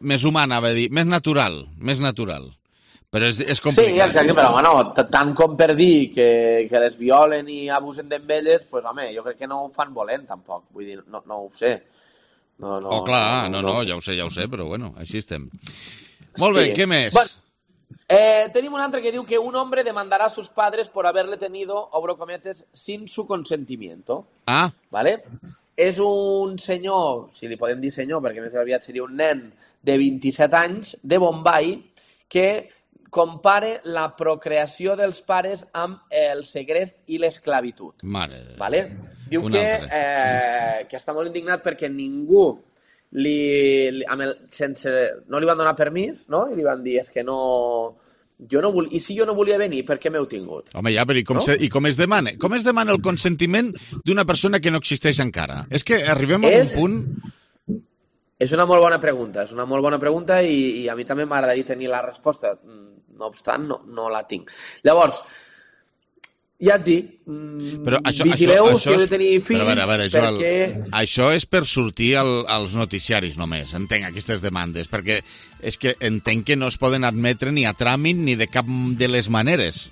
més humana, va dir, més natural, més natural. Però és, és complicat. Sí, exacte, però bueno, tant com per dir que, que les violen i abusen d'elles, pues, home, jo crec que no ho fan volent, tampoc. Vull dir, no, no ho sé. No, no, oh, clar, no, no, no, ja ho sé, ja ho sé, però bueno, així estem. Molt bé, sí. Què més? Bueno, eh, tenim un altre que diu que un hombre demandará a sus padres por haberle tenido, obro cometes, sin su consentimiento. Ah. ¿Vale? És un senyor, si li podem dir senyor, perquè més aviat seria un nen de vint-i-set anys, de Bombay, que compare la procreació dels pares amb el segrest i l'esclavitud. Mare. Vale? Diu que, eh, que està molt indignat perquè ningú li, li, amb el, sense, no li van donar permís, no? I li van dir, és que no... Jo no vol... I si jo no volia venir, per què m'heu tingut? Home, ja, però i com, no? se, i com es demana? Com es demana el consentiment d'una persona que no existeix encara? És que arribem a és... un punt... És una molt bona pregunta, és una molt bona pregunta i, i a mi també m'agradaria tenir la resposta. No obstant, no, no la tinc. Llavors, ja et dic, però això, vigileu això, això si heu de tenir fills, però a veure, a veure, això, perquè... El, això és per sortir al, als noticiaris només, entenc, aquestes demandes, perquè és que entenc que no es poden admetre ni a tràmit ni de cap de les maneres.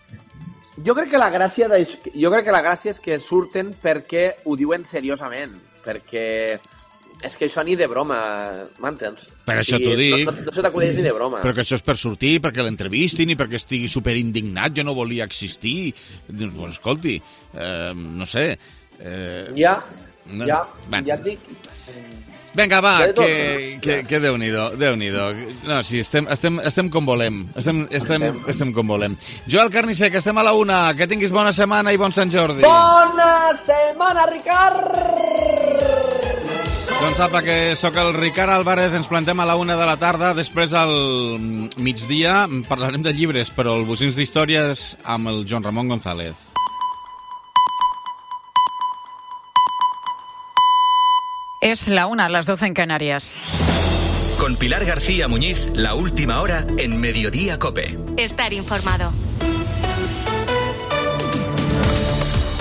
Jo crec que la gràcia de... jo crec que la gràcia és que surten perquè ho diuen seriosament, perquè És que això ni de broma, m'entens? Per això t'ho dic. No, no, no se t'acudeix ni de broma. Però que això és per sortir, perquè l'entrevistin i perquè estigui superindignat, jo no volia existir. Doncs, pues, escolti, eh, no sé... Eh, ja, no, ja, bueno. ja et dic... Vinga, va, que, que, que Déu-n'hi-do, Déu-n'hi-do. No, sí, estem, estem, estem com volem. Estem, estem, estem com volem. Joel Carnicer, que estem a la una. Que tinguis bona setmana i bon Sant Jordi. Bona setmana, Ricard! Doncs apa, que sóc el Ricard Álvarez, ens plantem a la una de la tarda, després al migdia parlarem de llibres, però el Bocins d'Històries amb el Joan Ramon González. Es la una, a las doce en Canarias. Con Pilar García Muñiz, la última hora en Mediodía COPE. Estar informado.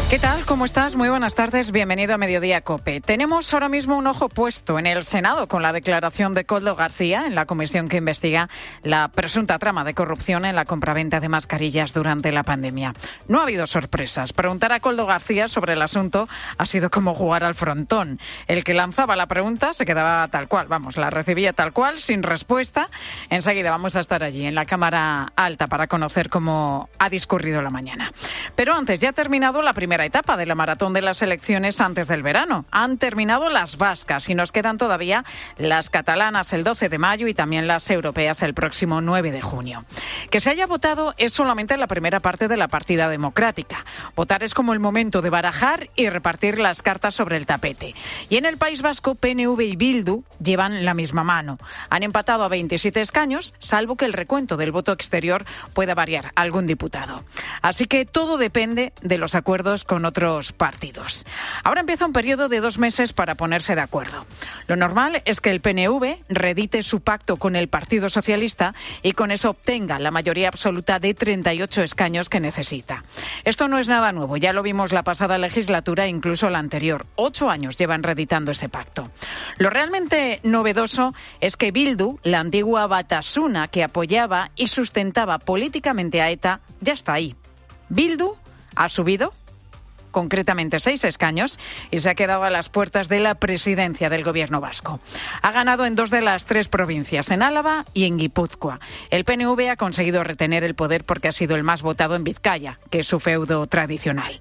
¿Qué tal? ¿Cómo estás? Muy buenas tardes. Bienvenido a Mediodía COPE. Tenemos ahora mismo un ojo puesto en el Senado con la declaración de Koldo García en la comisión que investiga la presunta trama de corrupción en la compraventa de mascarillas durante la pandemia. No ha habido sorpresas. Preguntar a Koldo García sobre el asunto ha sido como jugar al frontón. El que lanzaba la pregunta se quedaba tal cual, vamos, la recibía tal cual, sin respuesta. Enseguida vamos a estar allí en la Cámara Alta para conocer cómo ha discurrido la mañana. Pero antes, ya ha terminado la primera etapa de la maratón de las elecciones antes del verano. Han terminado las vascas y nos quedan todavía las catalanas el doce de mayo y también las europeas el próximo nueve de junio. Que se haya votado es solamente la primera parte de la partida democrática. Votar es como el momento de barajar y repartir las cartas sobre el tapete. Y en el País Vasco, P N V y Bildu llevan la misma mano. Han empatado a veintisiete escaños, salvo que el recuento del voto exterior pueda variar algún diputado. Así que todo depende de los acuerdos con otros partidos. Ahora empieza un periodo de dos meses para ponerse de acuerdo. Lo normal es que el P N V reedite su pacto con el Partido Socialista y con eso obtenga la mayoría absoluta de treinta y ocho escaños que necesita. Esto no es nada nuevo, ya lo vimos la pasada legislatura e incluso la anterior. Ocho años llevan reeditando ese pacto. Lo realmente novedoso es que Bildu, la antigua Batasuna que apoyaba y sustentaba políticamente a ETA, ya está ahí. Bildu ha subido concretamente seis escaños, y se ha quedado a las puertas de la presidencia del gobierno vasco. Ha ganado en dos de las tres provincias, en Álava y en Guipúzcoa. El P N V ha conseguido retener el poder porque ha sido el más votado en Vizcaya, que es su feudo tradicional.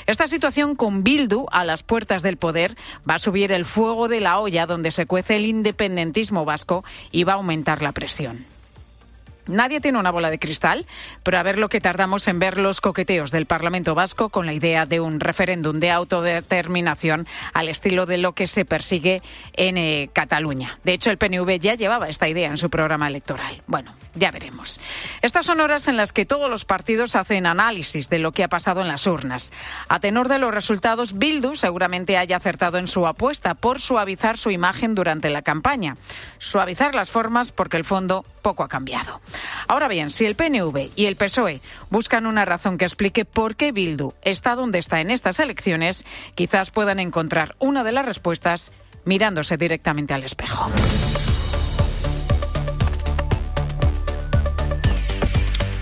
Esta situación con Bildu a las puertas del poder va a subir el fuego de la olla donde se cuece el independentismo vasco y va a aumentar la presión. Nadie tiene una bola de cristal, pero a ver lo que tardamos en ver los coqueteos del Parlamento Vasco con la idea de un referéndum de autodeterminación al estilo de lo que se persigue en eh, Cataluña. De hecho, el P N V ya llevaba esta idea en su programa electoral. Bueno, ya veremos. Estas son horas en las que todos los partidos hacen análisis de lo que ha pasado en las urnas. A tenor de los resultados, Bildu seguramente haya acertado en su apuesta por suavizar su imagen durante la campaña. Suavizar las formas porque el fondo poco ha cambiado. Ahora bien, si el P N V y el P S O E buscan una razón que explique por qué Bildu está donde está en estas elecciones, quizás puedan encontrar una de las respuestas mirándose directamente al espejo.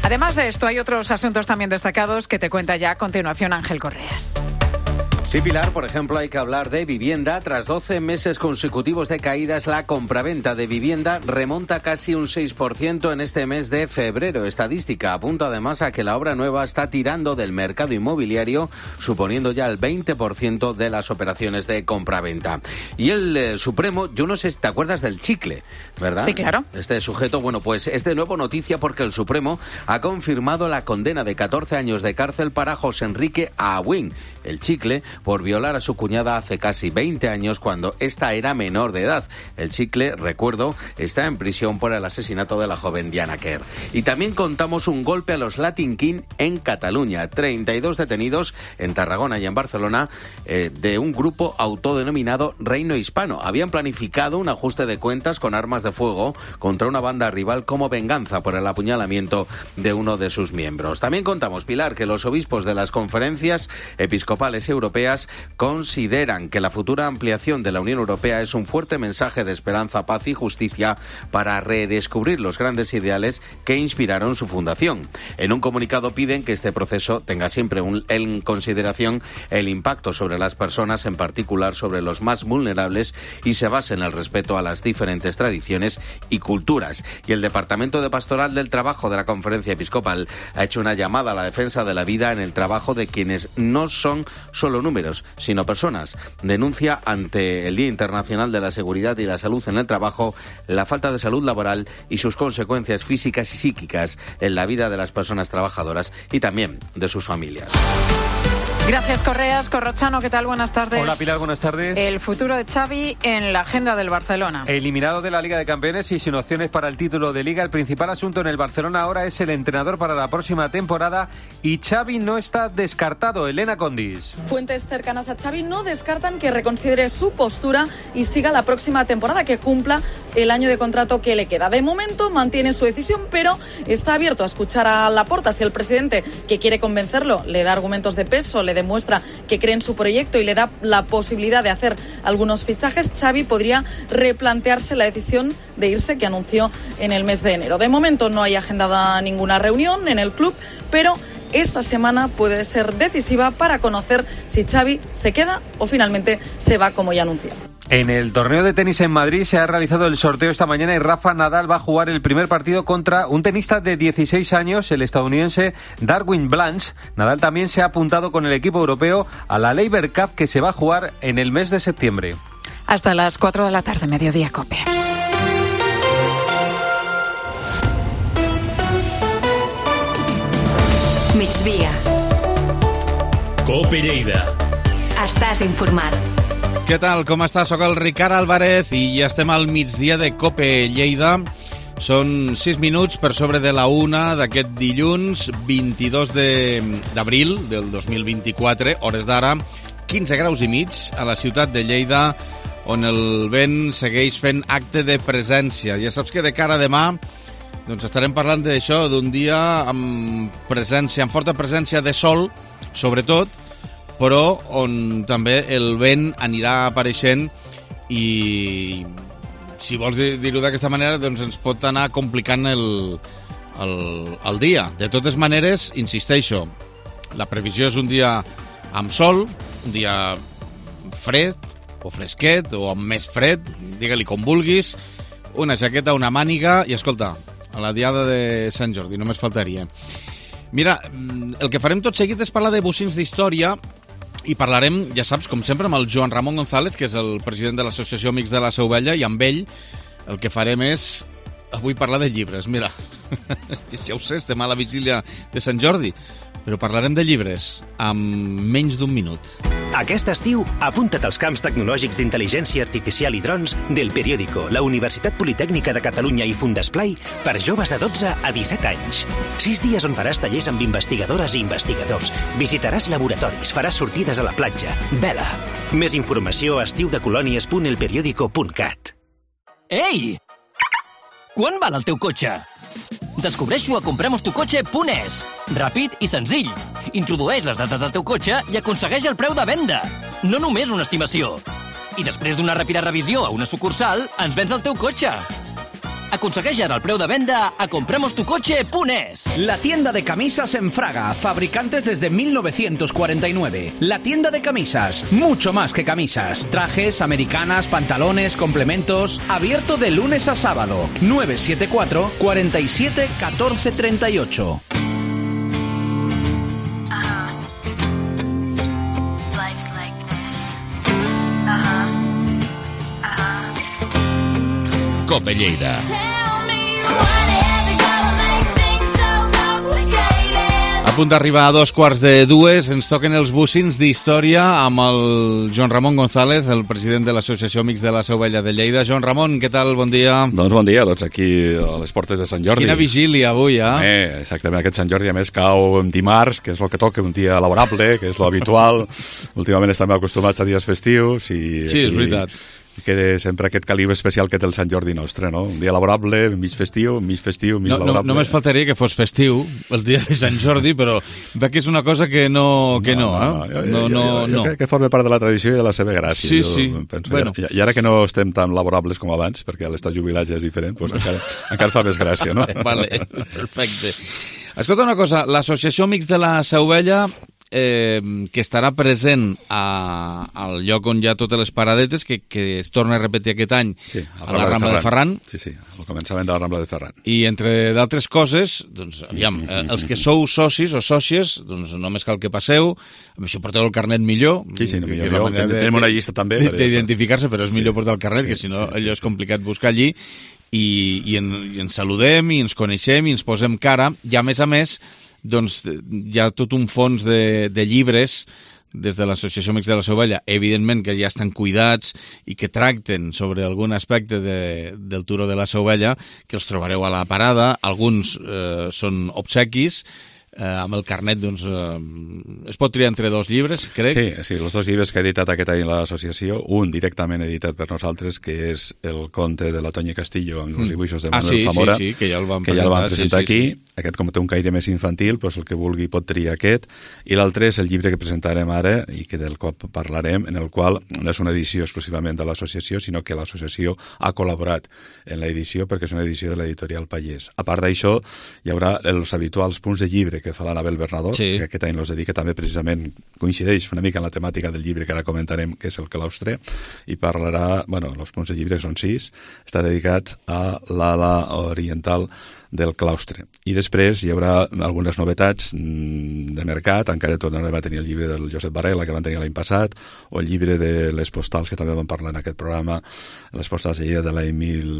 Además de esto, hay otros asuntos también destacados que te cuenta ya a continuación Ángel Correas. Sí, Pilar, por ejemplo, hay que hablar de vivienda. Tras doce meses consecutivos de caídas, la compraventa de vivienda remonta casi un seis por ciento en este mes de febrero. Estadística apunta además a que la obra nueva está tirando del mercado inmobiliario, suponiendo ya el veinte por ciento de las operaciones de compraventa. Y el eh, Supremo, yo no sé si te acuerdas del chicle, ¿verdad? Sí, claro. Este sujeto, bueno, pues es de nuevo noticia porque el Supremo ha confirmado la condena de catorce años de cárcel para José Enrique Abuin, el chicle, por violar a su cuñada hace casi veinte años cuando ésta era menor de edad. El chicle, recuerdo, está en prisión por el asesinato de la joven Diana Kerr. Y también contamos un golpe a los Latin King en Cataluña. treinta y dos detenidos en Tarragona y en Barcelona eh, de un grupo autodenominado Reino Hispano. Habían planificado un ajuste de cuentas con armas de fuego contra una banda rival como venganza por el apuñalamiento de uno de sus miembros. También contamos, Pilar, que los obispos de las conferencias episcopales europeas europeas consideran que la futura ampliación de la Unión Europea es un fuerte mensaje de esperanza, paz y justicia para redescubrir los grandes ideales que inspiraron su fundación. En un comunicado piden que este proceso tenga siempre un, en consideración el impacto sobre las personas, en particular sobre los más vulnerables, y se base en el respeto a las diferentes tradiciones y culturas. Y el Departamento de Pastoral del Trabajo de la Conferencia Episcopal ha hecho una llamada a la defensa de la vida en el trabajo de quienes no son solo números, sino personas. Denuncia ante el Día Internacional de la Seguridad y la Salud en el Trabajo la falta de salud laboral y sus consecuencias físicas y psíquicas en la vida de las personas trabajadoras y también de sus familias. Gracias, Correas. Corrochano, ¿qué tal? Buenas tardes. Hola, Pilar, buenas tardes. El futuro de Xavi en la agenda del Barcelona. Eliminado de la Liga de Campeones y sin opciones para el título de Liga, el principal asunto en el Barcelona ahora es el entrenador para la próxima temporada y Xavi no está descartado. Elena Condis. Fuentes cercanas a Xavi no descartan que reconsidere su postura y siga la próxima temporada, que cumpla el año de contrato que le queda. De momento mantiene su decisión, pero está abierto a escuchar a Laporta. Si el presidente, que quiere convencerlo, le da argumentos de peso, le demuestra que cree en su proyecto y le da la posibilidad de hacer algunos fichajes, Xavi podría replantearse la decisión de irse que anunció en el mes de enero. De momento no hay agendada ninguna reunión en el club, pero esta semana puede ser decisiva para conocer si Xavi se queda o finalmente se va, como ya anunció. En el torneo de tenis en Madrid se ha realizado el sorteo esta mañana y Rafa Nadal va a jugar el primer partido contra un tenista de dieciséis años, el estadounidense Darwin Blanch. Nadal también se ha apuntado con el equipo europeo a la Laver Cup, que se va a jugar en el mes de septiembre. Hasta las cuatro de la tarde, Mediodía Cope. Migdia. Cope Lleida. Estàs informat. Què tal, com estàs? Soc el Ricard Álvarez i ja estem al migdia de Cope Lleida. Són sis minuts per sobre de la una d'aquest dilluns vint-i-dos d'abril del dos mil vint-i-quatre, hores d'ara, quinze graus i mig a la ciutat de Lleida, on el vent segueix fent acte de presència. Ja saps que de cara a demà doncs estarem parlant d'això, d'un dia amb presència, amb forta presència de sol, sobretot, però on també el vent anirà apareixent i, si vols dir-ho d'aquesta manera, doncs ens pot anar complicant el, el, el dia. De totes maneres, insisteixo, la previsió és un dia amb sol, un dia fred o fresquet o amb més fred, digue-li com vulguis, una jaqueta, una màniga i, escolta, a la diada de Sant Jordi, només faltaria. Mira, el que farem tot seguit és parlar de bocins d'història i parlarem, ja saps, com sempre, amb el Joan Ramon González, que és el president de l'Associació Amics de la Seu Vella, i amb ell el que farem és avui parlar de llibres. Mira, ja ho sé, estem a la vigília de Sant Jordi, però parlarem de llibres amb menys d'un minut. Aquest estiu, apunta't als camps tecnològics d'intel·ligència artificial i drons del Periódico, la Universitat Politècnica de Catalunya i Fundesplai per joves de dotze a disset anys. Sis dies on faràs tallers amb investigadores i investigadors, visitaràs laboratoris, faràs sortides a la platja. Vela! Més informació a estiudecolònies punt el periódico punt cat. Ei! Quan val el teu cotxe? Descobreix-ho a compremos tu cotxe punt es. Ràpid i senzill. Introdueix les dades del teu cotxe i aconsegueix el preu de venda. No només una estimació. I després d'una ràpida revisió a una sucursal, ens vens el teu cotxe. Aconsegueix ara el preu de venda a compremos tu cotxe punt es. La tienda de camisas en Fraga, fabricantes desde mil novecientos cuarenta y nueve. La tienda de camisas, mucho más que camisas. Trajes, americanas, pantalones, complementos. Abierto de lunes a sábado. nueve siete cuatro, cuatro siete, uno cuatro tres ocho. Cope Lleida. A punt d'arribar a dos quarts de dues, ens toquen els bocins d'història amb el Joan Ramon González, el president de l'Associació Amics de la Seu Vella de Lleida. Joan Ramon, què tal? Bon dia. Doncs bon dia, tots aquí a les portes de Sant Jordi. Quina vigília avui, eh? eh exactament, aquest Sant Jordi a més cau en dimarts, que és el que toca, un dia laborable, que és lo habitual. Últimament estem acostumats a dies festius i... Sí, aquí... és veritat. que sempre aquest caliu especial que té el Sant Jordi nostre, no? Un dia laborable, mig festiu, mig festiu, mig no, laborable. No, només faltaria que fos festiu el dia de Sant Jordi, però veig que és una cosa que no, que no, no, eh? No, no, no, jo, jo, jo crec que forma part de la tradició i de la seva gràcia. Sí, jo sí. Penso, bueno. I, I ara que no estem tan laborables com abans, perquè l'estat jubilat ja és diferent, doncs encara, encara fa més gràcia, no? Vale, perfecte. Escolta una cosa, l'Associació Amics de la Seu Vella, eh, que estarà present a, al lloc on hi ha totes les paradetes, que, que es torna a repetir aquest any sí, a la Rambla de Ferran. Sí, sí, al començament de la Rambla de Ferran. I entre d'altres coses, doncs, aviam, eh, els que sou socis o sòcies, doncs només cal que passeu, si porteu el carnet millor. Sí, sí, no, millor, millor. De, tenim una llista també. D'identificar-se, però és sí, millor portar el carnet, sí, que si no sí, sí, allò és complicat buscar allí. I, i, en, i ens saludem i ens coneixem i ens posem cara, i a més a més doncs hi ha tot un fons de, de llibres des de l'Associació Amics de la Seu Vella, evidentment que ja estan cuidats i que tracten sobre algun aspecte de, del Turó de la Seu Vella, que els trobareu a la parada. Alguns eh, són obsequis, eh, amb el carnet doncs, eh, es pot triar entre dos llibres, crec. Sí, sí, els dos llibres que ha editat aquest any l'associació, un directament editat per nosaltres, que és el conte de la Tonya Castillo amb els dibuixos de Manuel ah, sí, Zamora, sí, sí, que ja el vam que presentar, ja el vam presentar sí, aquí. Sí, sí. Aquest, com té un caire més infantil, doncs el que vulgui pot triar aquest. I l'altre és el llibre que presentarem ara i que del qual parlarem, en el qual no és una edició exclusivament de l'associació, sinó que l'associació ha col·laborat en l'edició perquè és una edició de l'editorial Pallés. A part d'això, hi haurà els habituals punts de llibre que fa l'Anabel Bernadó, sí, que aquest any els dedica també precisament, coincideix una mica en la temàtica del llibre que ara comentarem, que és el claustre, i parlarà, bueno, els punts de llibre són sis, està dedicat a l'ala oriental del claustre. I després hi haurà algunes novetats de mercat, encara tornarem a tenir el llibre del Josep Varela, que van tenir l'any passat, o el llibre de les postals, que també vam parlar en aquest programa, les postals de Lleida de l'any mil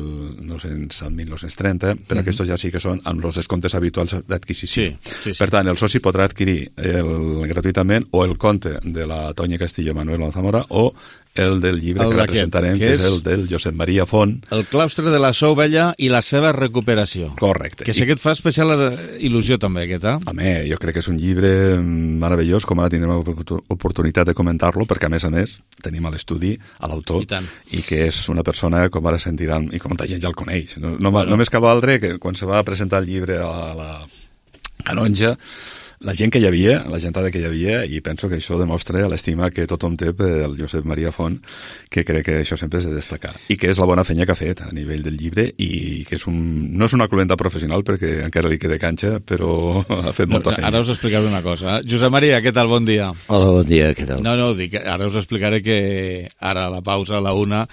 nou-cents al mil nou-cents trenta, però mm-hmm. aquests ja sí que són amb els descomptes habituals d'adquisició. Sí, sí, sí. Per tant, el soci podrà adquirir el, gratuïtament o el conte de la Tonya Castillo Manuel Zamora o el del llibre el que la presentarem, que és, que és el del Josep Maria Font. El claustre de la Seu Vella i la seva recuperació. Correcte. Que sé I... que et fa especial il·lusió també, aquest, eh? Home, jo crec que és un llibre meravellós, com ara tindrem oportunitat de comentar-lo, perquè a més a més tenim a l'estudi a l'autor, I, i que és una persona, com ara sentiran, i com molta gent ja el coneix. No, no, bueno. Només cal altre que quan se va presentar el llibre a la canonja, la gent que hi havia, la gentada que hi havia, i penso que això demostra l'estima que tothom té pel Josep Maria Font, que crec que això sempre és de destacar. I que és la bona feina que ha fet a nivell del llibre, i que és un, no és una cluenta professional, perquè encara li queda canxa, però ha fet molta feina. Ara us explicaré una cosa. Josep Maria, què tal? Bon dia. Hola, bon dia, què tal? No, no, dic, ara us explicaré que ara a la pausa, a la una,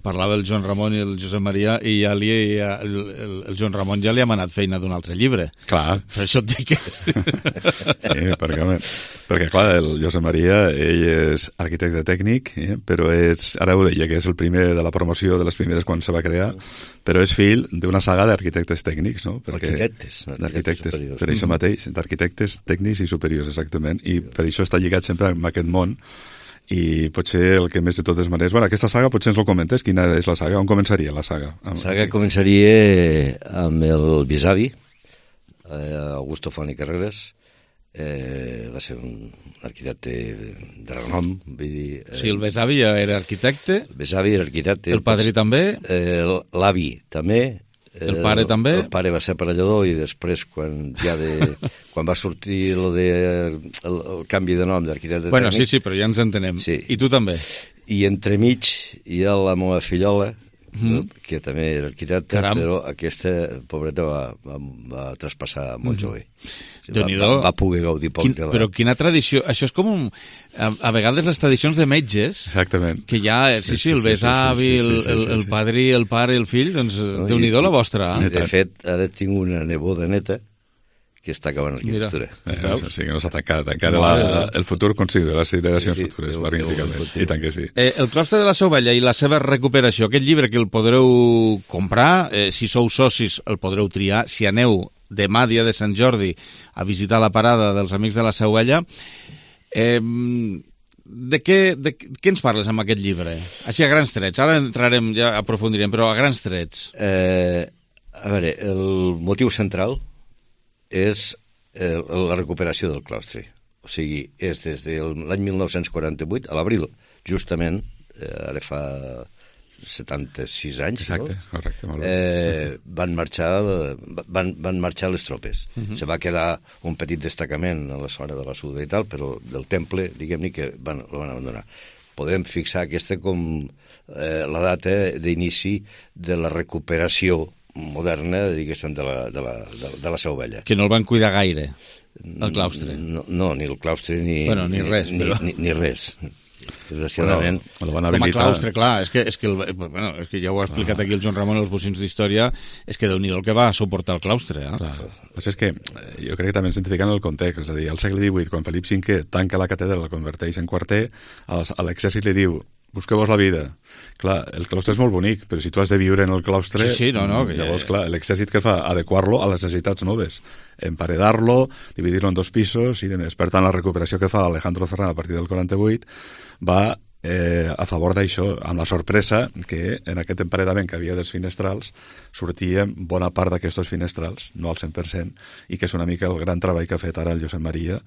parlava el Joan Ramon i el Josep Maria, i ja li, el, el, el Joan Ramon ja li ha manat feina d'un altre llibre. Clar. Per això et dic que... Sí, perquè, perquè clar, el Josep Maria, ell és arquitecte tècnic, eh, però és, ara ho deia, que és el primer de la promoció de les primeres quan se va crear, però és fill d'una saga d'arquitectes tècnics, no? Perquè, arquitectes, d'arquitectes, superiors. Per això mateix, d'arquitectes tècnics i superiors, exactament, i per això està lligat sempre amb aquest món, i potser el que més de totes maneres... Bueno, aquesta saga potser ens ho comentes, quina és la saga? On començaria la saga? La saga començaria amb el bisavi, eh, Augusto Font i Carreras. Eh, va ser un arquitecte de renom, vull dir... Eh, sí, el besavi era arquitecte. El besavi era arquitecte. El padrí pues, també. Eh, L'avi també. El pare el, també. El pare va ser aparellador, i després, quan ja de, quan va sortir lo de, el, el canvi de nom d'arquitecte bueno, tècnic... Sí, sí, però ja ens entenem. Sí. I tu també. I entremig hi ha la meva fillola, Mm. que també era arquitecte, Caram. Però aquesta pobreta va, va, va traspassar molt mm. jove. O sigui, va, va, va poder gaudir poc Quin, de la... Però quina tradició... Això és com un... A, a vegades les tradicions de metges... Exactament. Que ja, sí, sí, el besavi, sí, sí, sí, sí, sí, el, el, el padrí, el pare, el fill, doncs no, Déu-n'hi-do la vostra. I, de fet, ara tinc una neboda neta que està acabant l'arquitectura. Eh, o sigui, no s'ha tancat. Encara la, el futur considera les generacions sí, sí, futures, magníficament. I tant que sí. Eh, el claustre de la Seu Vella i la seva recuperació, aquest llibre que el podreu comprar, eh, si sou socis el podreu triar, si aneu demà, dia de Sant Jordi, a visitar la parada dels Amics de la Seu Vella, eh, de què, de què ens parles amb aquest llibre? Així a grans trets. Ara entrarem, ja aprofundirem, però a grans trets. Eh, a veure, el motiu central és eh, la recuperació del claustre. O sigui, és des de l'any mil nou-cents quaranta-vuit, a l'abril, justament, eh, ara fa setanta-sis anys, exacte, no? correcte, molt bé. Eh, van, marxar, van, van marxar les tropes. Uh Mhm. -huh. Se va quedar un petit destacament a la zona de la Suda i tal, però del temple, diguem-ne, que van, el van abandonar. Podem fixar aquesta com eh, la data d'inici de la recuperació moderna, diguéssim, de la, de la, de, de la Seu Vella. Que no el van cuidar gaire, el claustre. No, no ni el claustre ni, bueno, ni res, ni, però... ni, ni res. Desgraciadament... Bueno, com a claustre, clar, és que, és que, el, bueno, és que ja ho ha explicat aquí el Joan Ramon als bocins d'història, és que Déu-n'hi-do el que va suportar el claustre. Eh? Clar. Pues és que jo crec que també ens identifiquen el context, és a dir, al segle divuit, quan Felip cinquè tanca la catedral, la converteix en quarter, a l'exèrcit li diu busqueu-vos la vida. Clar, el claustre és molt bonic, però si tu has de viure en el claustre, sí, sí, no, no, que llavors, ja... clar, l'exèrcit que fa? Adequar-lo a les necessitats noves, emparedar-lo, dividir-lo en dos pisos i demés. Per tant, la recuperació que fa Alejandro Ferran a partir del quaranta-vuit va eh, a favor d'això, amb la sorpresa que en aquest emparedament que havia dels finestrals sortia bona part d'aquests finestrals, no al cent per cent, i que és una mica el gran treball que ha fet ara el Josep Maria,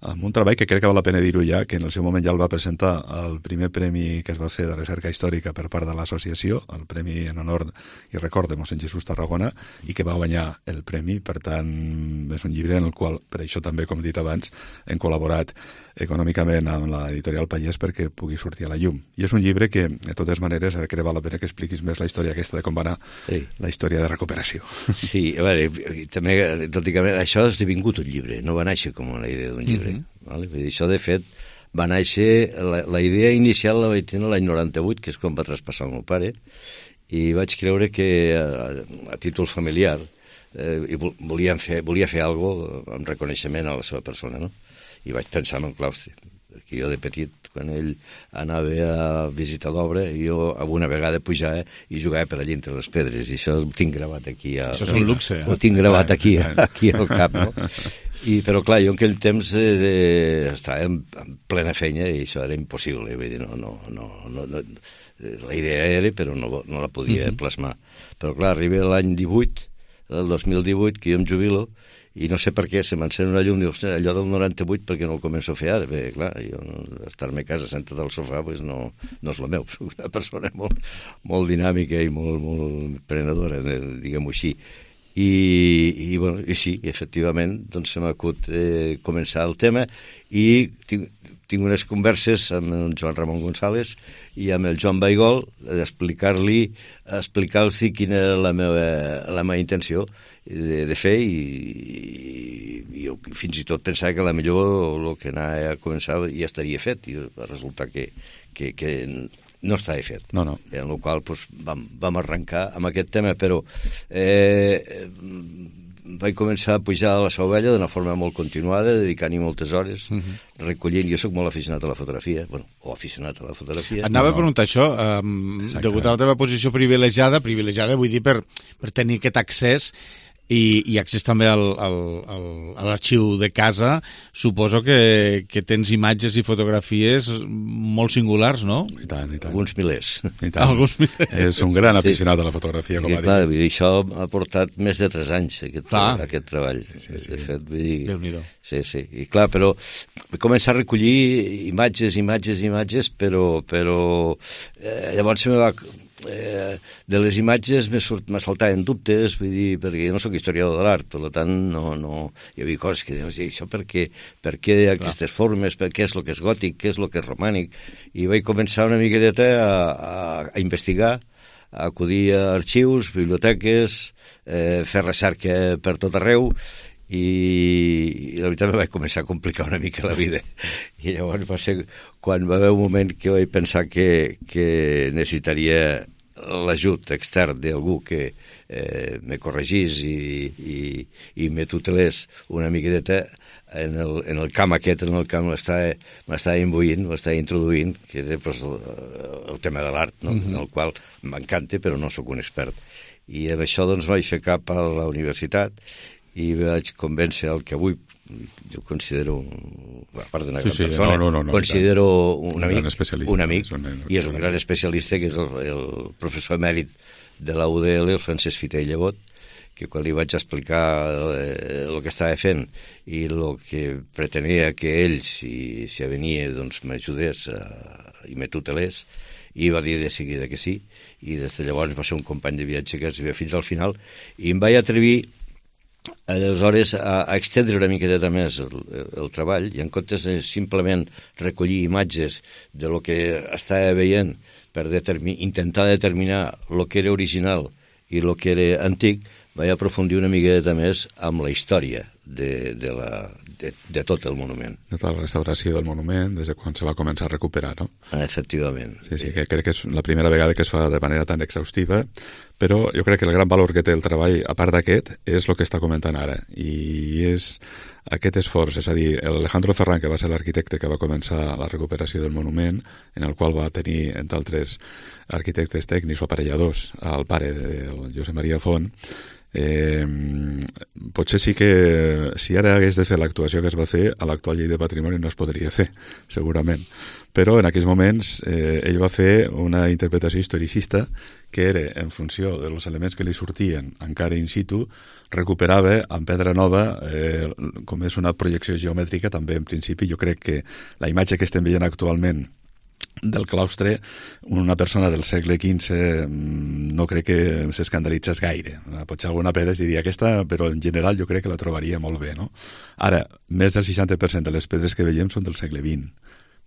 amb un treball que crec que val la pena dir-ho ja, que en el seu moment ja el va presentar el primer premi que es va fer de recerca històrica per part de l'associació, el premi en honor i record de mossèn Jesús Tarragona, i que va guanyar el premi. Per tant, és un llibre en el qual, per això també, com he dit abans, hem col·laborat econòmicament amb l'editorial Pallès perquè pugui sortir a la llum. I és un llibre que, de totes maneres, crec que val la pena que expliquis més la història aquesta de com va anar sí. la història de recuperació. Sí, a veure, també, tot i que això ha esdevingut un llibre, no va néixer com una idea d'un llibre. Mm-hmm. Vale? Vull dir, això, de fet, va néixer... La, la idea inicial la vaig tenir l'any noranta-vuit, que és quan va traspassar el meu pare, i vaig creure que, a, a títol familiar, eh, i volia fer, volia fer alguna cosa en reconeixement a la seva persona, no? I vaig pensar en el claustre, perquè jo de petit, quan ell anava a visitar l'obra, jo alguna vegada pujava i jugava per allà entre les pedres, i això ho tinc gravat aquí. A, això és un luxe, eh? Ho tinc gravat aquí, aquí al cap, no? I, però clar, jo en aquell temps eh, estava en, en plena feina i això era impossible, vull dir, no, no, no, no, no, la idea era, però no, no la podia uh-huh. plasmar. Però clar, arriba l'any divuit, el dos mil divuit, que jo em jubilo, i no sé per què se m'encén una llum, dius, allò del noranta-vuit perquè no el començo a fer ara. Bé, clar, jo estar-me a casa sentat al sofà pues no, no és el meu, soc una persona molt, molt dinàmica i molt, molt prenedora, diguem-ho així. I, i, bueno, i sí, efectivament, doncs se m'acut eh, començar el tema i tinc, tinc unes converses amb el Joan Ramon González i amb el Joan Baigol d'explicar-li explicar-los quina era la meva, la meva intenció de, de fer i, i, i jo fins i tot pensava que la millor el que anava a començar ja estaria fet i va resultar que, que, que no estava fet. No, no. En el qual doncs, vam, vam arrencar amb aquest tema, però eh, vaig començar a pujar a la Seu Vella d'una forma molt continuada, dedicant-hi moltes hores, uh-huh. recollint. Jo sóc molt aficionat a la fotografia, bueno, o aficionat a la fotografia. Anava no, no. a preguntar això, um, degut a la teva posició privilegiada, privilegiada vull dir per, per tenir aquest accés i, i accés també al, al, al, a l'arxiu de casa, suposo que, que tens imatges i fotografies molt singulars, no? I tant, i tant. Alguns milers. I tant. Alguns milers. És un gran aficionat sí. a la fotografia, com a dir. Clar, això ha portat més de tres anys, aquest, aquest treball. Sí, sí. De fet, vull dir... Déu-n'hi-do. Sí, sí. I clar, però vaig començar a recollir imatges, imatges, imatges, però, però eh, llavors se me va... Eh, de les imatges m'ha saltat dubtes, vull dir, perquè jo no soc historiador de l'art, per tant no, no, hi havia coses que dius, això per què, per què aquestes formes, per què és el que és gòtic, què és el que és romànic, i vaig començar una miqueta a, a, a investigar, a acudir a arxius, biblioteques, eh, fer recerca per tot arreu, i, i la veritat me vaig començar a complicar una mica la vida. I llavors va ser quan va haver un moment que vaig pensar que, que necessitaria l'ajut extern d'algú que eh, me corregís i, i, i me tutelés una miqueta en el, en el camp aquest, en el camp m'estava imbuint, m'estava introduint, que era pues, el, el tema de l'art, no? Mm-hmm. En el qual m'encanta, però no sóc un expert. I amb això doncs vaig fer cap a la universitat i vaig convèncer el que avui jo considero, a part d'una sí, gran sí, persona, no, no, no, considero un, un amic, un amic, un, un, i és un gran especialista, que és el, el professor emèrit de la U D L, el Francesc Fita i Llevot, que quan li vaig explicar eh, el que estava fent i el que pretenia que ell, si, si venia, doncs m'ajudés i me tutelés, i va dir de seguida que sí, i des de llavors va ser un company de viatge que es ve fins al final, i em vaig atrevir aleshores a, a extendre una miqueta més el, el, el treball, i en comptes de simplement recollir imatges de lo que estava veient per determi, intentar determinar el que era original i el que era antic, vaig aprofundir una miqueta més amb la història de, de, la, de, de tot el monument. De tota la restauració del monument, des de quan se va començar a recuperar, no? Efectivament. Sí, sí, que crec que és la primera vegada que es fa de manera tan exhaustiva, però jo crec que el gran valor que té el treball, a part d'aquest, és el que està comentant ara, i és aquest esforç, és a dir, Alejandro Ferran, que va ser l'arquitecte que va començar la recuperació del monument, en el qual va tenir, entre altres arquitectes tècnics o aparelladors, el pare del Josep Maria Font, eh, potser sí que si ara hagués de fer l'actuació que es va fer, a l'actual llei de patrimoni no es podria fer, segurament. Però en aquells moments eh, ell va fer una interpretació historicista que era, en funció dels elements que li sortien encara in situ, recuperava en pedra nova, eh, com és una projecció geomètrica, també en principi jo crec que la imatge que estem veient actualment del claustre, una persona del segle quinze no crec que s'escandalitzés gaire. Potser alguna pedra es diria aquesta, però en general jo crec que la trobaria molt bé, no? Ara, més del seixanta per cent de les pedres que veiem són del segle vint.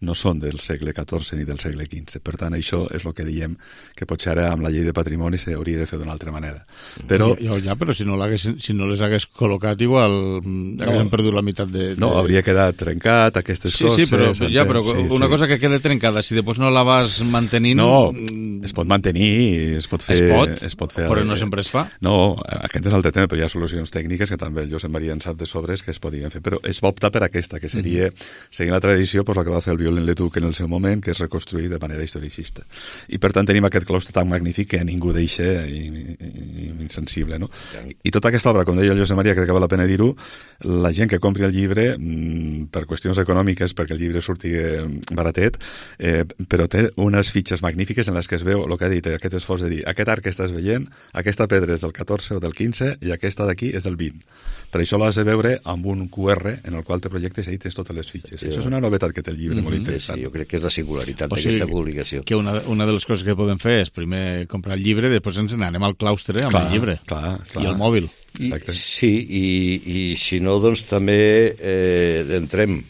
No són del segle catorze ni del segle quinze. Per tant, això és el que diem que potser ara amb la llei de patrimoni s'hauria de fer d'una altra manera. Però... Ja, ja, però si no, si no les hagués col·locat igual haguéssim no, perdut la meitat de, de... No, hauria quedat trencat aquestes sí, coses. Sí, però, ja, però sí, una sí. cosa que queda trencada, si després no la vas mantenint... No, es pot mantenir, es pot fer... Es pot, es pot fer però no sempre es fa. No, aquest és l'altre tema, però hi ha solucions tècniques que també el Josep Maria en sap de sobres que es podien fer, però es va optar per aquesta, que seria, mm-hmm. seguint la tradició, pues, la que va fer el Violent Letuc en el seu moment, que és reconstruir de manera historicista. I per tant tenim aquest claustre tan magnífic que a ningú deixa insensible, no? I tota aquesta obra, com deia el Josep Maria, crec que val la pena dir-ho, la gent que compri el llibre, per qüestions econòmiques, perquè el llibre surti baratet, eh, però té unes fitxes magnífiques en les que es veu el que ha dit, aquest esforç de dir, aquest arc que estàs veient, aquesta pedra és del catorze o del quinze i aquesta d'aquí és del vint. Per això l'has de veure amb un Q R en el qual te projectes i tens totes les fitxes. Sí, això és una novetat que té el llibre, mm-hmm. molt interessant. Sí, jo crec que és la singularitat o sigui, d'aquesta publicació. Que una, una de les coses que podem fer és primer comprar el llibre, després ens n'anem al claustre amb clar, el llibre clar, clar. i el mòbil. I, sí, i, i si no, doncs també eh, entrem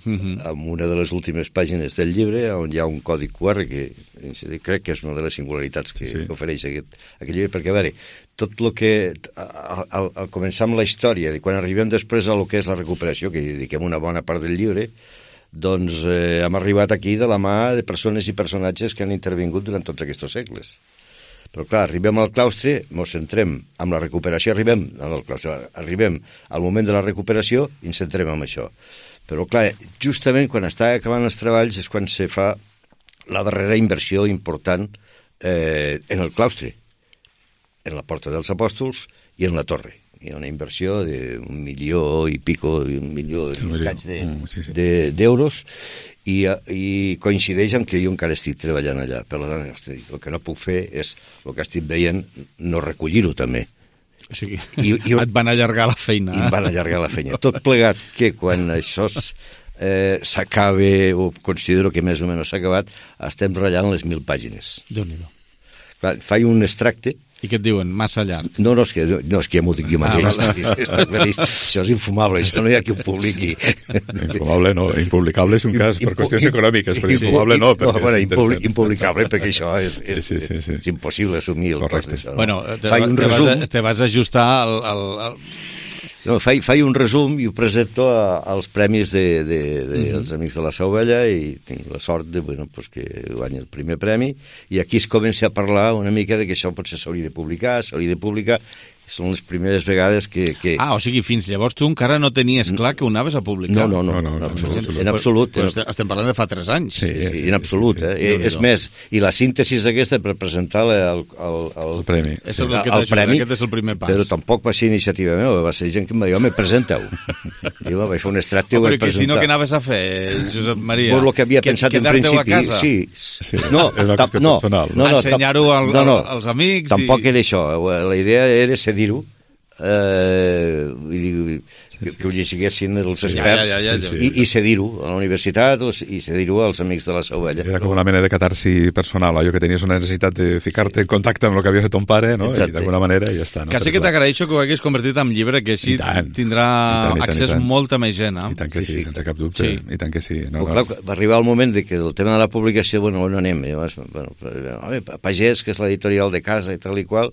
mm-hmm. en una de les últimes pàgines del llibre on hi ha un codi Q R que crec que és una de les singularitats que, sí. que ofereix aquest, aquest llibre, perquè a veure, tot el que al, al, al començar amb la història, quan arribem després a lo que és la recuperació, que dediquem una bona part del llibre, doncs eh, hem arribat aquí de la mà de persones i personatges que han intervingut durant tots aquests segles. Però clar, arribem al claustre, ens centrem amb la recuperació, arribem al claustre, arribem al moment de la recuperació i ens centrem en això. Però clar, justament quan està acabant els treballs és quan se fa la darrera inversió important eh, en el claustre, en la Porta dels Apòstols i en la torre. Hi ha una inversió d'un milió i pico, un milió i escaig de, mm, sí, sí. de, d'euros, i, i coincideix amb que jo encara estic treballant allà. Per tant, el que no puc fer és, el que estic veient, no recollir-ho també. O sigui, I, i, et van allargar la feina. I em van allargar la feina. Tot plegat que quan això eh, s'acabe, o considero que més o menys s'ha acabat, estem ratllant les mil pàgines. Déu-n'hi-do. Clar, faig un extracte. I què et diuen? Massa llarg? No, no, és que, no, és que ja m'ho dic jo mateix. Ah, vale. Això és infumable, això no hi ha qui ho publiqui. Infumable no, impublicable és un cas per qüestions econòmiques, però infumable no. no bueno, impublicable, perquè això és, és, sí, sí, sí. és impossible assumir el cost d'això. No? Bueno, te, te, resum... vas, te vas ajustar al... al, al... No, faig, faig un resum i ho presento a, als premis de, de, de, mm-hmm. dels Amics de la Sa Ovella i tinc la sort de, bueno, pues que guanyi el primer premi i aquí es comença a parlar una mica de que això potser s'hauria de publicar, s'hauria de publicar. Són les primeres vegades que, que... Ah, o sigui, fins llavors tu encara no tenies clar que ho anaves a publicar. No, no, no, no, no, no, no en absolut. Pues, pues estem parlant de fa tres anys. Sí, sí, sí, en absolut. Sí, sí. Eh? És més, i la síntesi aquesta per presentar el, el, el, el premi. És el, el, el premi, aquest és el primer pas. Però tampoc va ser iniciativa meva, va ser gent que em va dir, home, presenta-ho. Jo vaig fer un extracte i ho vaig presentar. Però si no, què anaves a fer, Josep Maria? Por lo que havia pensat en principi. Sí, sí. No, és una qüestió personal. Ensenyar-ho als amics. Tampoc era això. La idea era cedir-ho eh, vull dir, que, que ho llegissin els experts ja, ja, ja, ja. i, i cedir-ho a la universitat i cedir-ho als amics de la Sa Ovella. Era com una mena de catarsi personal, allò que tenies una necessitat de ficar-te en contacte amb el que havia fet ton pare, no? I d'alguna manera ja està. No? Quasi que t'agraeixo que ho hagués convertit en llibre, que així tindrà I tant, i tant, accés i tant. molta més gent. Eh? I tant que sí, sí, sense cap dubte. Sí. I tant que sí. No, no. Clar, va arribar el moment de que el tema de la publicació, bueno, on anem? Llavors, bueno, Pagès, que és l'editorial de casa i tal i qual,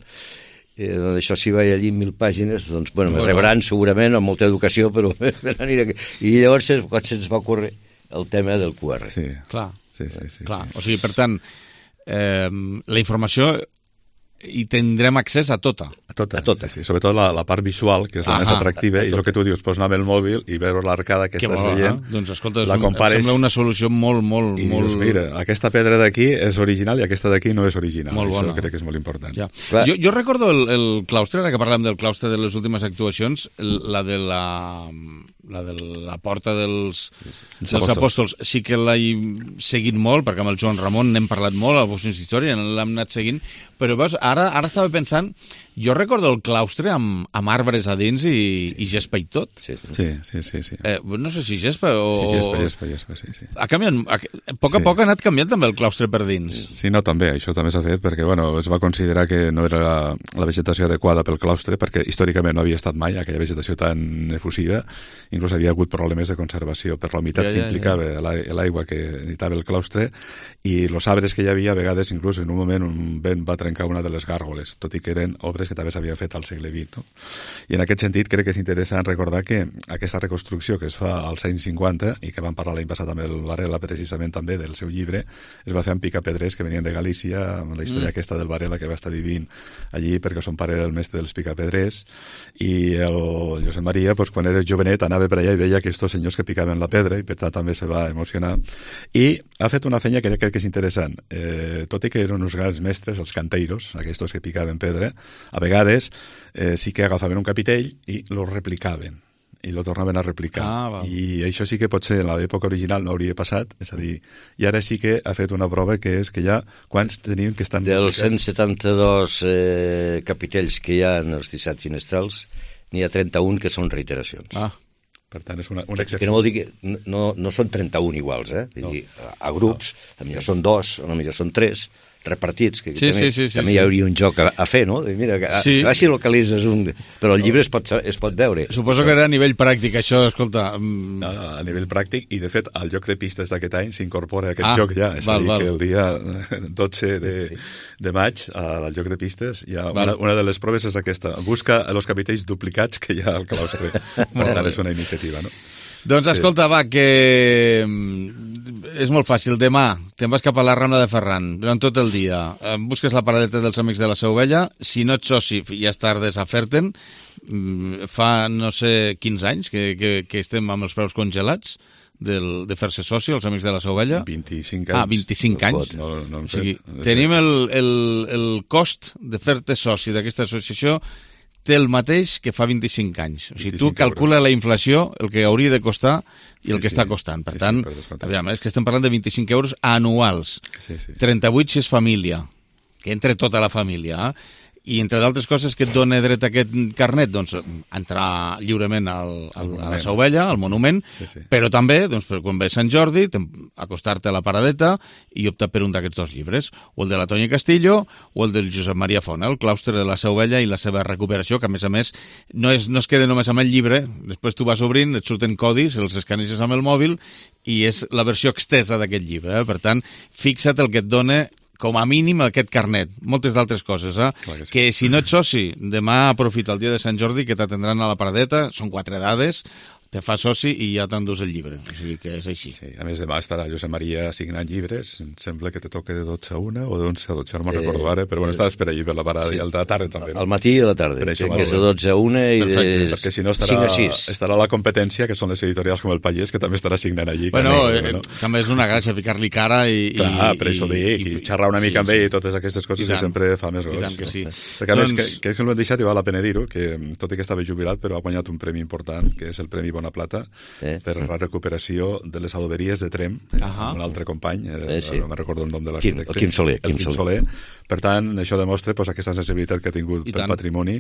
eh, doncs això s'hi va allí mil pàgines, doncs, bueno, me rebran segurament amb molta educació, però i llavors quan se'ns va ocórrer el tema del Q R. Sí, clar. Sí, sí, sí, clar. Sí. O sigui, per tant, eh, la informació i tindrem accés a tota. A tota, a tota. Sí, sí. Sobretot la, la part visual, que és la ah, més atractiva, i és el que tu dius, pots anar amb el mòbil i veure l'arcada que, que estàs bo, veient, eh? Doncs escolta, la compares, em sembla una solució molt, molt... I molt... dius, mira, aquesta pedra d'aquí és original i aquesta d'aquí no és original. Molt bona. Això crec que és molt important. Ja. Jo, jo recordo el, el claustre, ara que parlem del claustre de les últimes actuacions, la de la... la de la porta dels, dels apòstols. apòstols, sí que l'he seguit molt, perquè amb el Joan Ramon n'hem parlat molt, a Bossins Història, l'hem anat seguint, però veus, ara, ara estava pensant, jo recordo el claustre amb, amb arbres a dins i, i gespa i tot. Sí, sí, sí. sí, sí. Eh, no sé si gespa o... Sí, gespa, gespa, gespa, sí, sí. Ha canviat, a, a poc a sí. poc ha anat canviant també el claustre per dins. Sí, no, també, això també s'ha fet, perquè, bueno, es va considerar que no era la, la vegetació adequada pel claustre, perquè històricament no havia estat mai aquella vegetació tan efusiva, inclús havia hagut problemes de conservació per la humitat ja, ja, que implicava ja. l'aigua que necessitava el claustre, i els arbres que hi havia, a vegades, inclús en un moment, un vent va trencar una de les gàrgoles, tot i que eren obres que també s'havia fet al segle vint. No? I en aquest sentit crec que és interessant recordar que aquesta reconstrucció que es fa als anys cinquanta, i que vam parlar l'any passat amb el Varela precisament també del seu llibre, es va fer amb picapedrers que venien de Galícia, amb la història mm. aquesta del Varela que va estar vivint allí perquè son pare era el mestre dels picapedrers, i el Josep Maria, pues, quan era jovenet, anava per allà i veia aquests senyors que picaven la pedra i per tant també se va emocionar, i ha fet una feina que crec que és interessant, eh, tot i que eren uns grans mestres, els canteiros, aquests que picaven pedra, a vegades eh, sí que agafaven un capitell i lo replicaven i lo tornaven a replicar. Ah, I això sí que potser en l'època original no hauria passat, és a dir, i ara sí que ha fet una prova que és que ja, quants tenim que estan... Dels cent setanta-dos eh, capitells que hi ha en els disset finestrals, n'hi ha trenta-un que són reiteracions. Ah, per tant, és una, un exercici. Que no vol dir que no, no són trenta-un iguals, eh? Vull no. dir, a, a grups, no. a millor són dos, a millor són tres, repartits, que sí, també, sí, sí, també sí, hi hauria un joc a, a fer, no? De, mira, a, sí. a, si localitzes un... Però el llibre es pot, es pot veure. Suposo que era a nivell pràctic, això, escolta... Um... No, a nivell pràctic, i de fet, al joc de pistes d'aquest any s'incorpora aquest ah, joc ja. És val, a dir, val. que el dia dotze de, sí. de maig, al joc de pistes, hi ha una, una de les proves és aquesta. Busca els capitells duplicats que hi ha al claustre. Per tant, és una iniciativa, no? Doncs escolta, sí. va, que és molt fàcil. Demà te'n vas cap a la Rambla de Ferran durant tot el dia. Busques la paradeta dels Amics de la Sa Ovella. Si no ets soci, ja és tard a fer-te'n. Fa, no sé, quinze anys que, que, que estem amb els preus congelats del, de fer-se soci, els Amics de la Sa Ovella. vint-i-cinc anys. Ah, vint-i-cinc anys. No, no o sigui, tenim el, el, el cost de fer-te soci d'aquesta associació té el mateix que fa vint-i-cinc anys. O sigui, tu calcula euros. La inflació, el que hauria de costar i el sí, que sí. està costant. Per sí, tant, sí, per aviam, és que estem parlant de vint-i-cinc euros anuals. Sí, sí. trenta-vuit si és família, que entre tota la família, eh? I entre d'altres coses que et dona dret a aquest carnet, doncs entrar lliurement al, al, a la Sa Ovella, al monument, sí, sí. però també, doncs, per quan ve Sant Jordi, acostar-te a la paradeta i optar per un d'aquests dos llibres, o el de la Tonya Castillo o el del Josep Maria Fona, el claustre de la Sa Ovella i la seva recuperació, que a més a més no, és, no es queda només amb el llibre, després tu vas obrint, et surten codis, els escaneges amb el mòbil i és la versió extesa d'aquest llibre. Eh? Per tant, fixa't el que et dona com a mínim aquest carnet, moltes d'altres coses, eh? Que, sí. que si no ets soci, demà aprofita el dia de Sant Jordi que t'atendran a la paradeta, són quatre dades, te fa soci i ja t'endús el llibre. O sigui que és així. Sí, a més, demà estarà Josep Maria signant llibres. Em sembla que te toca de dotze a una o de onze a dotze, no me'n eh, recordo ara, però bueno, estàs per allí per la parada sí. i al de la tarda també. No? Al matí i a la tarda, que és de dotze a una i perfecte, de perquè si no estarà, estarà la competència, que són les editorials com el Pallès, que també estarà signant allí. Bueno, també, eh, no? també és una gràcia ficar-li cara i... Clar, i, per això dic, i, i xerrar una mica sí, amb ell i totes aquestes coses que sempre fa més gols. I tant que sí. No? Perquè a doncs... més, que, que és que l'hem deixat i val la pena dir-ho, que tot i que estava jubilat, però ha guanyat un premi important, que és el Premi segona plata eh. per la recuperació de les adoberies de Trem, uh-huh. un altre company, eh, eh, sí. no me'n recordo el nom de l'arquitecte. l'arquitecte. Quim Soler. El Quim Soler. Per tant, això demostra pues, aquesta sensibilitat que ha tingut I pel tant. patrimoni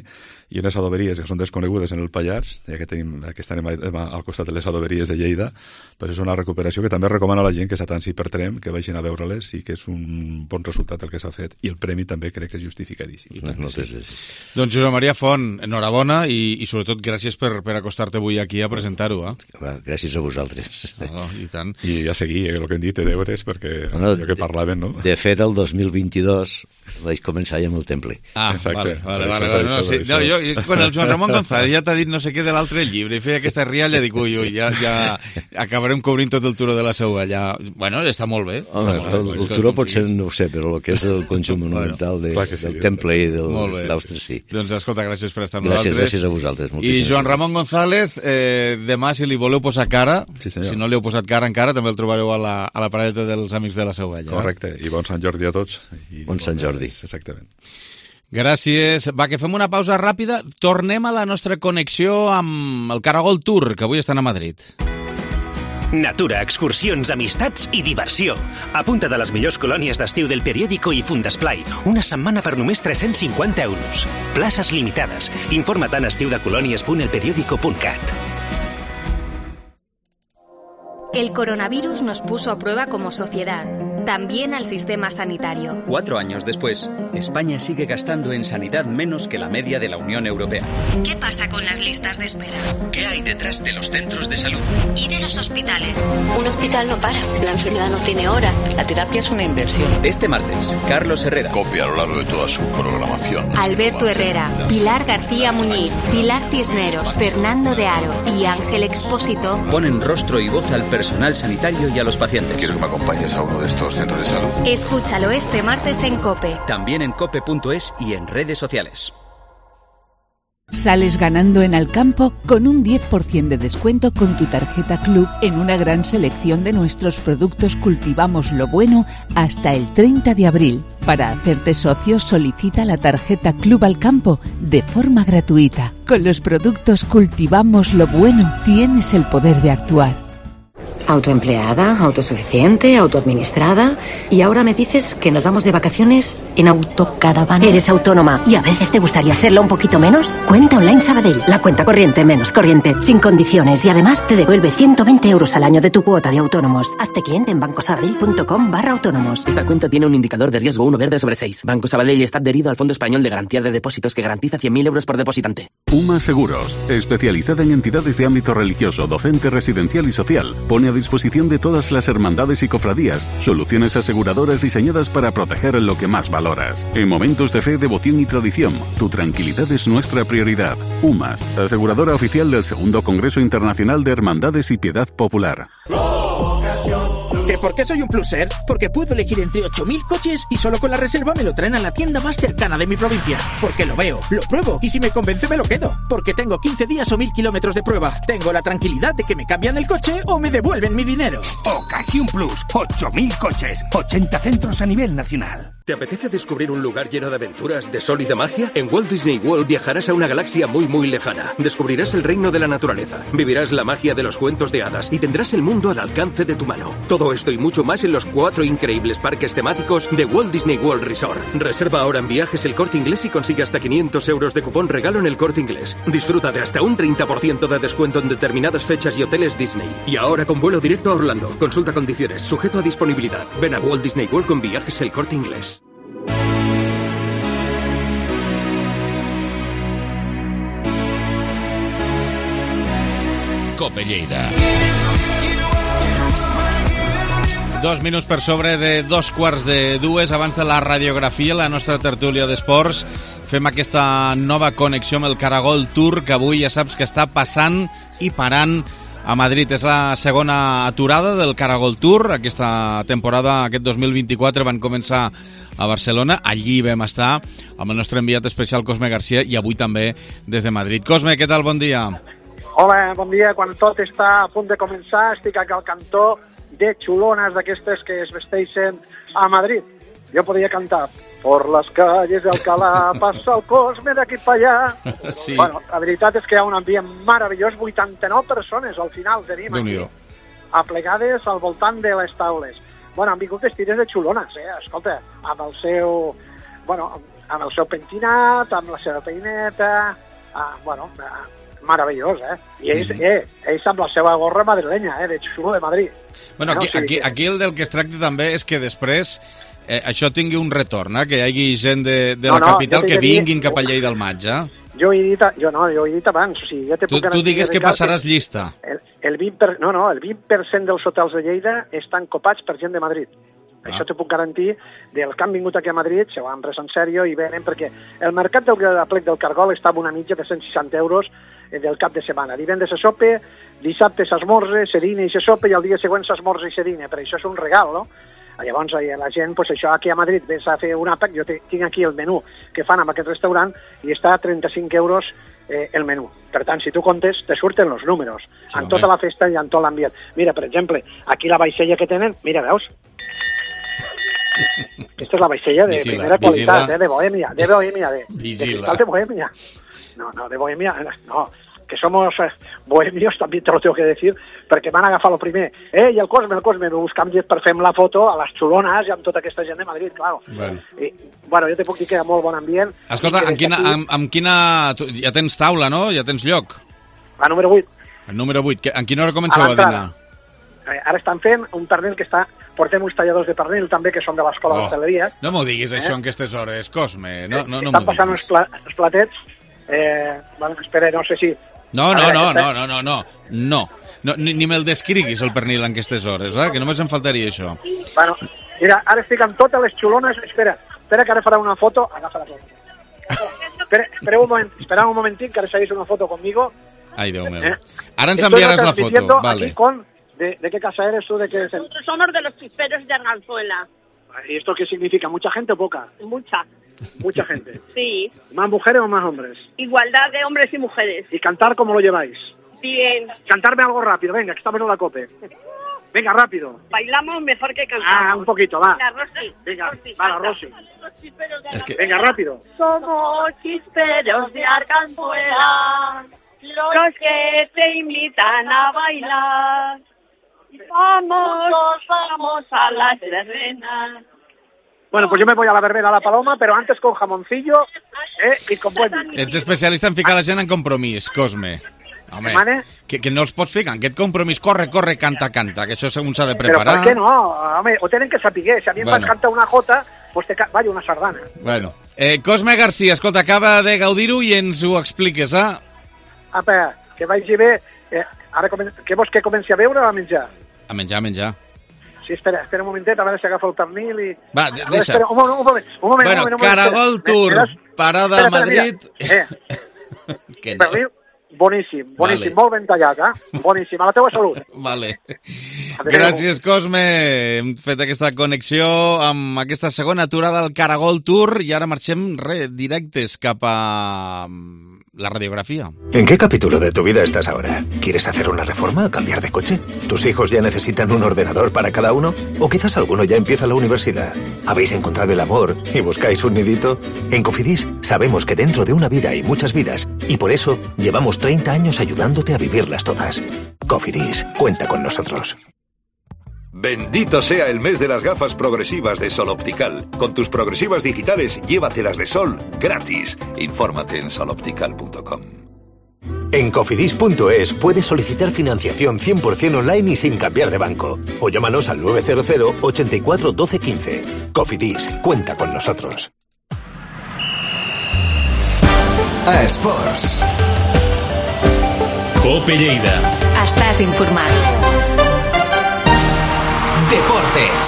i unes adoberies que són desconegudes en el Pallars, ja que tenim aquesta anem al costat de les adoberies de Lleida, pues és una recuperació que també recomano a la gent que s'atansi per Trem, que vagin a veure-les i que és un bon resultat el que s'ha fet. I el premi també crec que és justificadíssim. I tant, sí. Doncs Josep Maria Font, enhorabona i, i sobretot gràcies per, per acostar-te avui aquí a presentar-ho. Eh? Gràcies a vosaltres. Oh, I tant. I a seguir, eh, el que hem dit, de deures, perquè no, allò que parlaven, no? De fet, el dos mil vint-i-dos vaig començar ja amb el temple. Ah, Exacte. vale, vale, vale, vale. No, sí. no, jo, quan el Joan Ramon González ja t'ha dit no sé què de l'altre llibre i feia aquesta rialla, dic, ui, ui, ja, ja acabarem cobrint tot el turó de la Seua. Ja... Bueno, està molt bé. Home, està el, molt el, el turó potser no ho sé, però el que és el conjunt monumental de, bueno, sí, del temple i del claustre, sí. Doncs escolta, gràcies per estar amb gràcies, nosaltres. Gràcies a vosaltres. I Joan Ramon González, eh, demà, si li voleu posar cara, sí, si no li heu posat cara encara, també el trobareu a la, a la paradeta dels Amics de la Seua. Correcte, i bon Sant Jordi a tots. I bon Sant Jordi. Exactament. Gràcies. Va, que fem una pausa ràpida. Tornem a la nostra connexió amb el Caragol Tour, que avui estan a Madrid. Natura, excursions, amistats i diversió. Apunta't a les millors colònies d'estiu del Periódico i Fundesplai. Una setmana per només tres-cents cinquanta euros. Places limitades. Informa't en estiudecolònies punt el periódico punt cat. El coronavirus nos puso a prueba como sociedad, también al sistema sanitario. Cuatro años después, España sigue gastando en sanidad menos que la media de la Unión Europea. ¿Qué pasa con las listas de espera? ¿Qué hay detrás de los centros de salud? ¿Y de los hospitales? Un hospital no para, la enfermedad no tiene hora, la terapia es una inversión. Este martes, Carlos Herrera. Copia a lo largo de toda su programación. Alberto Herrera, Pilar García Muñiz, Pilar Cisneros, Fernando de Aro y Ángel Expósito ponen rostro y voz al personal sanitario y a los pacientes. Quiero que me acompañes a uno de estos centros de salud. Escúchalo este martes en COPE. También en cope punto es y en redes sociales. Sales ganando en Alcampo con un diez por ciento de descuento con tu tarjeta Club en una gran selección de nuestros productos Cultivamos lo Bueno hasta el treinta de abril. Para hacerte socio, solicita la tarjeta Club Alcampo de forma gratuita. Con los productos Cultivamos lo Bueno tienes el poder de actuar. Autoempleada, autosuficiente, autoadministrada. Y ahora me dices que nos vamos de vacaciones en autocaravana. ¿Eres autónoma y a veces te gustaría serlo un poquito menos? Cuenta Online Sabadell, la cuenta corriente menos corriente, sin condiciones y además te devuelve ciento veinte euros al año de tu cuota de autónomos. Hazte cliente en bancosabadell.com barra autónomos. Esta cuenta tiene un indicador de riesgo uno verde sobre seis. Banco Sabadell está adherido al Fondo Español de Garantía de Depósitos que garantiza cien mil euros por depositante. UMA Seguros, especializada en entidades de ámbito religioso, docente, residencial y social, pone a disposición de todas las hermandades y cofradías soluciones aseguradoras diseñadas para proteger lo que más valoras. En momentos de fe, devoción y tradición, tu tranquilidad es nuestra prioridad. UMAS, aseguradora oficial del segundo Congreso Internacional de Hermandades y Piedad Popular. ¿Que por qué soy un pluser? Porque puedo elegir entre ocho mil coches y solo con la reserva me lo traen a la tienda más cercana de mi provincia. Porque lo veo, lo pruebo y si me convence me lo quedo. Porque tengo quince días o mil kilómetros de prueba. Tengo la tranquilidad de que me cambian el coche o me devuelven mi dinero. Ocasión Plus, ocho mil coches, ochenta centros a nivel nacional. ¿Te apetece descubrir un lugar lleno de aventuras, de sol y de magia? En Walt Disney World viajarás a una galaxia muy muy lejana. Descubrirás el reino de la naturaleza, vivirás la magia de los cuentos de hadas y tendrás el mundo al alcance de tu mano. Todo esto y mucho más en los cuatro increíbles parques temáticos de Walt Disney World Resort. Reserva ahora en Viajes El Corte Inglés y consigue hasta quinientos euros de cupón regalo en El Corte Inglés. Disfruta de hasta un treinta por ciento de descuento en determinadas fechas y hoteles Disney. Y ahora con vuelo directo a Orlando. Consulta condiciones, sujeto a disponibilidad. Ven a Walt Disney World con Viajes El Corte Inglés. Cope Lleida. Dos minuts per sobre de dos quarts de dues. Abans de la radiografia, la nostra tertúlia d'esports, fem aquesta nova connexió amb el Caragol Tour, que avui ja saps que està passant i parant a Madrid. És la segona aturada del Caragol Tour. Aquesta temporada, aquest dos mil vint-i-quatre, van començar a Barcelona. Allí vam estar amb el nostre enviat especial Cosme Garcia i avui també des de Madrid. Cosme, què tal? Bon dia. Hola, bon dia. Quan tot està a punt de començar, estic aquí al cantó de xulones d'aquestes que es vesteixen a Madrid. Jo podria cantar por les calles d'Alcalá passa el Cosme d'aquí per allà. Sí. Bueno, la veritat és que hi ha un ambient meravellós, vuitanta-nou persones al final tenim aquí, aplegades al voltant de les taules. Bueno, han vingut vestides de xulones, eh? Escolta, amb el seu, bueno, amb el seu pentinat, amb la seva peineta, ah, bueno, ah, meravellós, eh? I ells, mm-hmm. eh, ells amb la seva gorra madrilenya, eh? De xulo de Madrid. Bueno, aquí, no? O sigui aquí, que... aquí el del que es tracta també és que després eh, això tingui un retorn, eh? Que hi hagi gent de, de no, la capital no, que vinguin cap a Lleida al maig, eh? Jo he dit, jo no, jo he dit abans, o sigui, ja te tu, puc tu digues que passaràs que llista. El, el vint per, no, no, el vint per cent dels hotels de Lleida estan copats per gent de Madrid. Ah. Això te puc garantir, dels que han vingut aquí a Madrid, se ho han pres en sèrio i venen, perquè el mercat del Plec del Cargol està amb una mitja de cent seixanta euros del cap de setmana. Divendres se sope, dissabte s'esmorze, se dina i se sope, i el dia següent s'esmorze i se dina, però això és un regal, no? Llavors, la gent, pues, això, aquí a Madrid, vens a fer un àpat, jo tinc aquí el menú que fan en aquest restaurant i està a trenta-cinc euros eh, el menú. Per tant, si tu comptes, te surten els números, sí, en tota la festa i en tot l'ambient. Mira, per exemple, aquí la vaixella que tenen, mira, veus? Aquesta és la vaixella de vigila, primera qualitat, vigila. eh, de Bohèmia, de Bohèmia, de, de cristal de Bohèmia. No, no, de Bohèmia, no, que somos eh, bohemios, també te lo tengo que decir, perquè van agafar el primer. Eh, i el Cosme, el Cosme, me buscam llet per fer la foto a les xulones i amb tota aquesta gent de Madrid, claro. Bueno, I, bueno jo te puc dir que hi ha molt bon ambient. Escolta, amb quina, aquí... amb, amb quina... Ja tens taula, no? Ja tens lloc? La número vuit. El número vuit. En quina hora comenceu a, a dinar? Eh, ara estan fent un pernil que està... Portem uns talladors de pernil també, que són de l'escola oh, d'hostaleria. No m'ho diguis, eh? Això, en aquestes hores, Cosme. No, no, no Estan passant uns, pla, uns platets. Eh, bueno, espera, no sé si... No, no, no, no, no, no, no, no. no ni, ni me'l descriguis, el pernil, en aquestes hores, eh? Que només em faltaria això. Bueno, mira, ara estic amb totes les xulones. Espera, espera que ara farà una foto. Agafa la foto. espera, espera un moment, espera un momentín que ara seguís una foto conmigo. Ai, Déu meu. Eh? Ara ens enviaràs la foto, vale. Con de, ¿De qué casa eres tú? De qué... Nosotros somos de los chisperos de Arganzuela. ¿Y esto qué significa? ¿Mucha gente o poca? Mucha. Mucha gente. Sí. ¿Más mujeres o más hombres? Igualdad de hombres y mujeres. ¿Y cantar cómo lo lleváis? Bien. Cantarme algo rápido, venga, que estamos en la cope. Venga, rápido. Bailamos mejor que cantamos. Ah, un poquito, va. Venga, Rosy. Venga, Rosy, va, la Rosy. Es que... Venga, rápido. Somos chisperos de Arganzuela, los que te invitan a bailar. Vamos, vamos a las verbenas. Bueno, pues yo me voy a la verbena a la Paloma, pero antes con jamoncillo eh, y con buen vino. Ets especialista en ficar la gent en compromís, Cosme. Home, que, que no els pots ficar en aquest compromís, corre, corre, canta, canta, que això segons s'ha de preparar. Però per què no? Home, ho tenen que saber. Si a mi bueno. em canta una jota, pues te ca... vaya una sardana. Bueno, eh, Cosme García, escolta, acaba de gaudir-ho i ens ho expliques, eh? Apa, que vagi bé. Eh, ara comen... Què vols que comenci a beure o a menjar? A menjar, a menjar. Sí, espera, espera un momentet, a veure si agafo el pernil i... Va, veure, deixa. Espera, un moment, un moment, un moment. Bueno, un moment, Caragol espera. Tour, espera, parada espera, a Madrid... Espera, eh. que no. Pernil, boníssim, boníssim, vale. molt ben tallat, eh? Boníssim, a la teva salut. Vale. Gràcies, Cosme. Hem fet aquesta connexió amb aquesta segona aturada del Caragol Tour i ara marxem re, directes cap a la radiografía. ¿En qué capítulo de tu vida estás ahora? ¿Quieres hacer una reforma? ¿Cambiar de coche? ¿Tus hijos ya necesitan un ordenador para cada uno? ¿O quizás alguno ya empieza la universidad? ¿Habéis encontrado el amor y buscáis un nidito? En Cofidis sabemos que dentro de una vida hay muchas vidas y por eso llevamos treinta años ayudándote a vivirlas todas. Cofidis, cuenta con nosotros. Bendito sea el mes de las gafas progresivas de Sol Optical. Con tus progresivas digitales, llévatelas de sol gratis. Infórmate en sol optical punto com. En cofidis punto es puedes solicitar financiación cien por ciento online y sin cambiar de banco. O llámanos al nueve cero cero, ochenta y cuatro, doce, quince. Cofidis, cuenta con nosotros. A Esports. Cope Lleida. Estàs informat. Deportes.